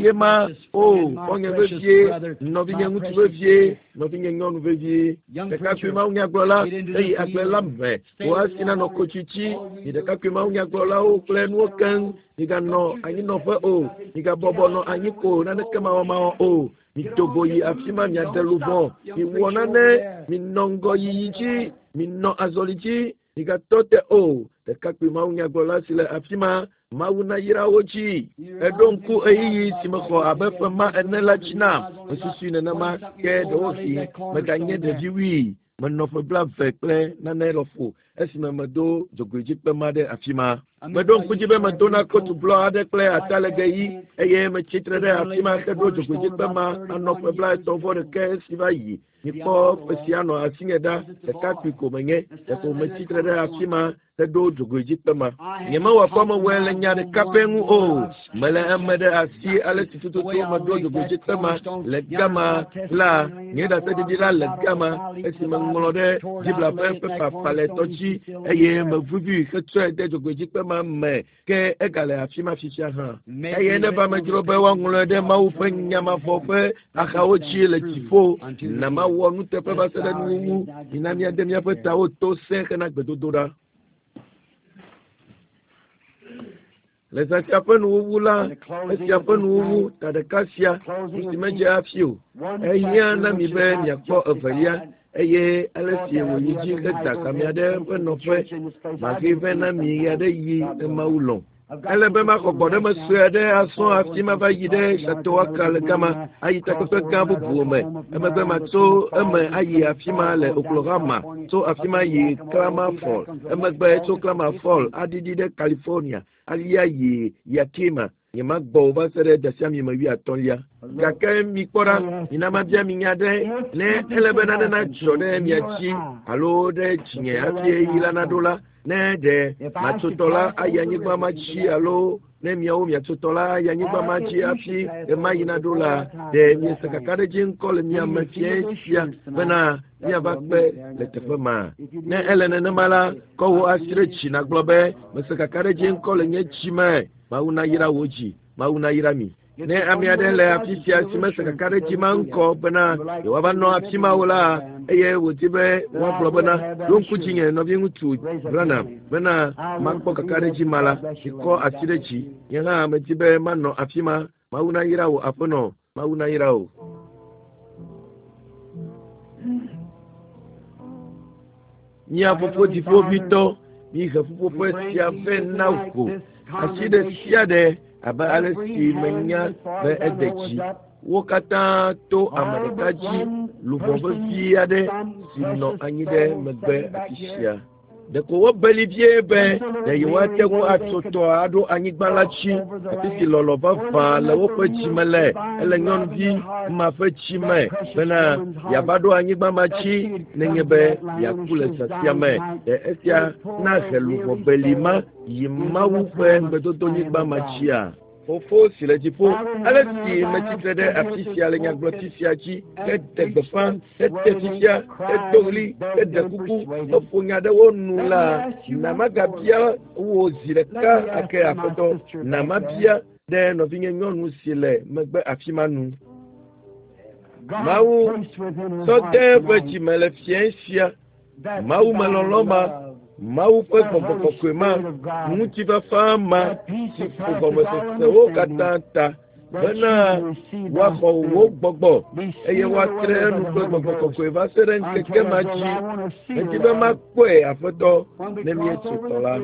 B: ye ma o xɔ̃nye vevie, nɔvinye ŋutsu vevie, nɔvinye nyɔnu vevie. Ɖekakpui mawunyagblɔla eyi agble la me wò asi nanɔ kotsitsi mi ɖekakpui mawunyagblɔlawo kple nuwo keŋ miganɔ anyinɔƒe o migabɔbɔ nɔ anyi ko naneke mawɔmawɔ o mido go yi afi ma miaɖe luʋɔ miwɔ nane minɔ ŋgɔyiyi dzi minɔ azɔli dzi migatɔ te o ɖekakpui mawunyagblɔla si le afi ma Mawu nayra wo dzi. Eɖo ŋku ɣeyiɣi si mexɔ abe ƒe ma ene la dzi nam. Mesusui nenema ke ɖewohĩ meganye ɖevi wui. Menɔ ƒe blaeve kple nane lɔƒo esime medo dzogoedzikpe ma ɖe afi ma. Meɖo ŋku dzi be medona kotu blɔ aɖe kple atalegbe ɣi eye metsi tre ɖe afi ma heɖo dzogoedzikpe ma anɔ ƒe blaetɔ̃ vɔ ɖeke esi va yi. Mikpɔ ƒe sia nɔ asinye ɖa ɖekakpui ko menye ɖeko metsi tre ɖe afi ma heɖo dzogoedzikpe ma. Nyemewɔ kpɔ mewɔe le nya ɖeka pɛ ŋu o. Mele eme ɖe asi ale si tututu meɖo dzogoedzikpe ma le gama la nye ɖaseɖiɖi la le gama esi meŋlɔ ɖe Biblia ƒe pepa falɛtɔ dzi eye mevuvui hetsɔe de dzogoedzikpe ma me ke egale afi ma fifia hã. Eye neva medzro be woaŋlɔe ɖe Mawu ƒe nyamavɔ ƒe axawo dzi le dziƒo. Na mawɔ nuteƒe va se ɖe nuwuwu. Mina míade míaƒe tawo to sẽ hena gbedodoɖa. Le zã sia ƒe nuwuwu la, esia ƒe nuwuwu ta ɖeka sia nu si medze hafi o. Ehiã na mi be miakpɔ evelia eye ale si wòyi dzi heda kamea ɖe eƒe nɔƒe mahe vɛ na mi ɣeaɖeɣi ne Mawu lɔ̃. Ele be maxɔ gbɔɖeme sue aɖe asɔ hafi mava yi ɖe Chautauqua le gama ayi takpekpe gã bubu me. Emegbe matso eme ayi afi ma le Oklahoma, tso afi ma yi Klamath Falls, emegbe tso Klamath Falls aɖiɖi ɖe California alia yi Yakima. Nyemagbɔ o va se ɖe dasiami me wuiatɔ̃lia. Gake mikpɔ ɖa, mina mabia mi nya ɖe ne ele be nane nadzɔ ɖe mia dzi alo ɖe dzinye hafi ɣeyiɣi la naɖo la, ne ɖe matsotɔ la ayi anyigba ma dzi alo ne miawo miatsotɔ la ayi anyigba ma dzi hafi ɣemaɣi naɖo la, ɖe miese kakaɖedzi ŋkɔ le mia me fiẽ sia bena míava kpe le teƒe ma. Ne ele nenema la, kɔ wò asi ɖe dzi nàgblɔ be mese kakaɖedzi ŋkɔ le nye dzi me. Mawu nayra wò dzi, Mawu nayra mi. Ne ame aɖe le afi sia si mese kaka ɖe dzi ma ŋkɔ bena yewoava nɔ afi ma o la, eye wòdi be woagblɔ bena ɖo ŋku dzinye nɔviŋutsu Branham bena makpɔ kaka ɖe dzi ma la, mikɔ asi ɖe dzi. Nye hã medi be manɔ afi ma. Mawu nayra wò aƒenɔ, Mawu nayra wò. Mía fofo dziƒoʋĩtɔ, mihe ƒuƒoƒe sia vɛ na wò. Asi ɖe sia ɖe abe ale si menya be ede dzi. Wo katã to ame ɖeka dzi luʋɔ vevi aɖe si nɔ anyi ɖe megbe afi sia. Ɖeko wobeli vie be ɖe yewoate ŋu atso tɔa aɖo anyigba la dzi, afi si lɔlɔ vavã le woƒe dzime le. Ele nyɔnuvi ma ƒe dzime bena yeava ɖo anyigba ma dzi nenye be yeaku le zã sia me. Ɖe esia nahe luʋɔ beli ma yi Mawu ƒe ŋugbedodonyigba ma dzia? Fofo si le dziƒo, ale si metsitre ɖe afi sia le nyagblɔti sia dzi, heɖe gbeƒã, hete fifia, hedo ɣli, heɖe kuku, heƒo nya ɖe wo nu la, na magabia wò zi ɖeka ake aƒetɔ, na mabia ɖe nɔvinye nyɔnu si le megbe afi ma nu. Mawu sɔ de eƒe dzime le fiẽ sia, Mawu melɔlɔ ma, Mawu ƒe gbɔgbɔ kɔkɔe ma, ŋutifafa ma si ƒo gɔmesesewo katã ta bena woaxɔ wò gbɔgbɔ eye woatre enu kple gbɔgbɔ kɔkɔe va se ɖe ŋkeke ma dzi. Medi be makpɔe aƒetɔ ne míetso tɔ la.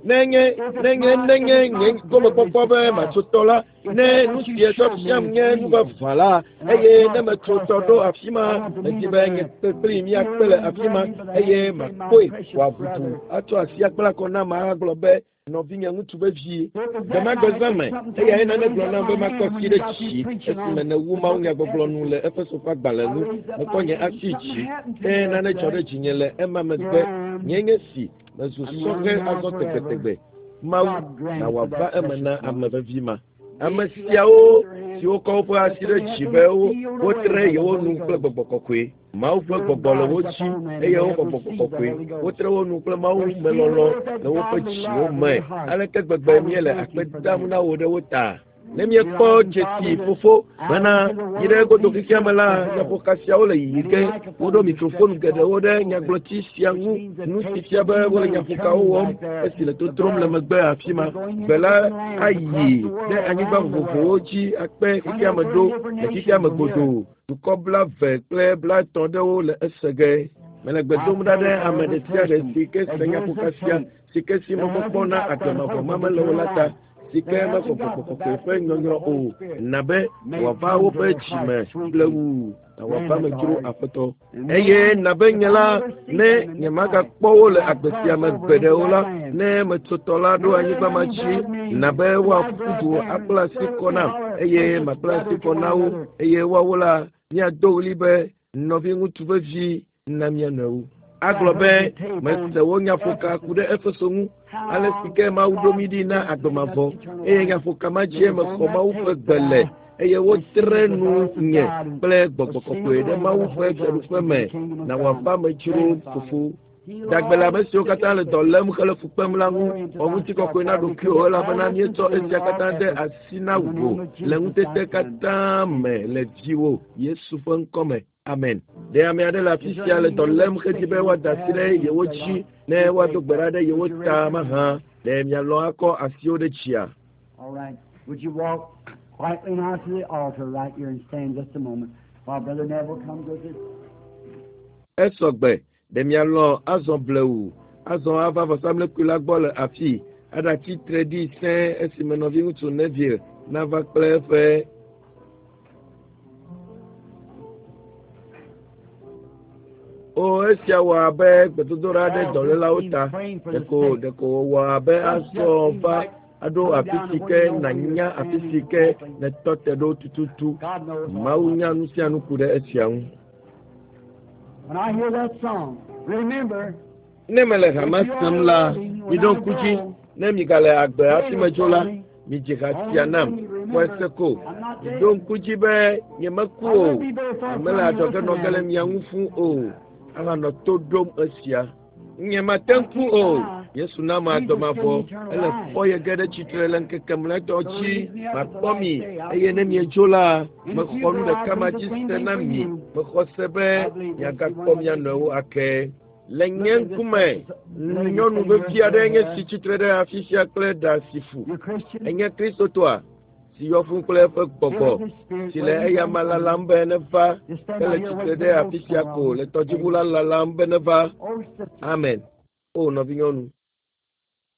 B: Nenye nenye nenye nye gomekpɔkpɔ be matso tɔ la, ne nu si etsɔ fiam nye nu vavã la, eye ne metso tɔ ɖo afi ma, medi be nye kpekpli míakpe le afi ma eye makpɔe wòaʋuʋu atsɔ asi akpla kɔ nam agblɔ be nɔvinye ŋutsu vevi. Gbemagbe zã me, eyae nane gblɔ nam be makɔ asi ɖe dzi esime nèwu mawunyagbɔgblɔ nu le Efeso ƒe agbalẽ ŋu. Mekɔ nye asi dzi, ke nane dzɔ ɖe dzinye le ema megbe. Nye nye si mezu sɔhɛ azɔ tegbetegbe. Mawu na wòava eme na ame vevi ma. Ame siawo siwo kɔ woƒe asi ɖe dzi be wotre yewo nu kple gbɔgbɔ kɔkɔe. Mawu ƒe gbɔgbɔ le wo dzi eye woxɔ gbɔgbɔ kɔkɔe. Wotre wo nu kple Mawu melɔlɔ le woƒe dziwo me. Aleke gbegbe míele akpe dam na wò ɖe wo ta? Ne míekpɔ dzesi fofo bena yi ɖe godo xexea me la, nyaƒoka siawo le yiyi ge. Woɖo mikrofon geɖewo ɖe nyagblɔti sia ŋu, nu si fia be wole nyaƒokawo wɔm esi le totrom le megbe afi ma. Gbe la ayi ɖe anyigba vovovowo dzi akpe xexea me ɖo le xexea me godoo. Dukɔ blaeve kple blaetɔ̃ ɖewo le ese ge. Mele gbe dom ɖa ɖe ame ɖe sia ɖe si ke se nyaƒoka sia, si ke si mɔkpɔkpɔ na agbe mavɔ ma mele o la ta, si ke mexɔ gbɔgbɔ kɔkɔe ƒe nyɔnyrɔ o, na be wòava woƒe dzime blewu, na wòava me dzro aƒetɔ. Eye na be nye la, ne nyemagakpɔ wo le agbe sia me gbeɖe o la, ne metso tɔ la ɖo anyigba ma dzi, na be woaƒu du akpla asi kɔ nam, eye makpla asi kɔ na wo, eye woawo la, míado ɣli be nɔviŋutsu vevi na mía nɔewo. Agblɔ be mese wo nyaƒoka ku ɖe Efeso ŋu, ale si ke Mawu ɖo mí ɖi na agbe mavɔ, eye nyaƒoka ma dzie mexɔ Mawu ƒe gbe le, eye wotre nu nye kple gbɔgbɔ kɔkɔe ɖe Mawu ƒe fiaɖuƒe me, na wòava me dzro fofo. Dagbe le ame siwo katã le dɔ lém hele fu kpem la ŋu, xɔ ŋutikɔkɔe na ɖokuiwò elabena míetsɔ esia katã de asi na wò le ŋutete katã me le viwò Yesu ƒe ŋkɔ me. Amen. Ɖe ame aɖe le afi sia le dɔ lém hedi be woada asi ɖe yewo dzi ne woado gbe ɖa ɖe yewo ta mahã? Ɖe mialɔ̃ akɔ asiwo ɖe dzia?
A: All right. Would you walk quietly now to the altar right here and stand just a moment while Brother Neville comes with his
B: Esɔgbe. Ɖe mialɔ̃ azɔ blewu, azɔ ava vɔsamlekpui la gbɔ le afii, aɖatsi tre ɖi sẽe esime nɔviŋutsu Neville nava kple eƒe O esia wɔ abe gbedodoɖa ɖe dɔlélawo ta. Ɖeko ɖeko wòwɔ abe azɔ va aɖo afi si ke nànya afi si ke nètɔ te ɖo tututu. Mawu nya nu sia nu ku ɖe esia ŋu.
A: When I hear that song, remember,
B: Ne mele hama sem la, miɖo ŋku dzi, ne migale agbe hafi medzo la, midzi ha sia nam, xɔe se ko. Miɖo ŋku dzi be nyemeku o, mele adzɔge nɔ ge le mia ŋu fũu o, ahanɔ to ɖom esia. Nyemate ŋu ku o, Yesu na ame adɔmavɔ ele fɔ ye ge ɖe tsitre le ŋkeke mlɔetɔ dzi makpɔ mi eye ne miedzo la mexɔ nu ɖeka ma dzi se na mi mexɔ se be miagakpɔ mia nɔewo ake le nye ŋkume nyɔnu vevi aɖe nye si tsitre ɖe afi sia kple ɖa si fu enye kristotɔa si yɔ fũ kple eƒe gbɔgbɔ si le eyama lalam be neva ele tsitre ɖe afi sia ko le tɔdziʋu la lalam be neva amen o nɔvinyɔnu.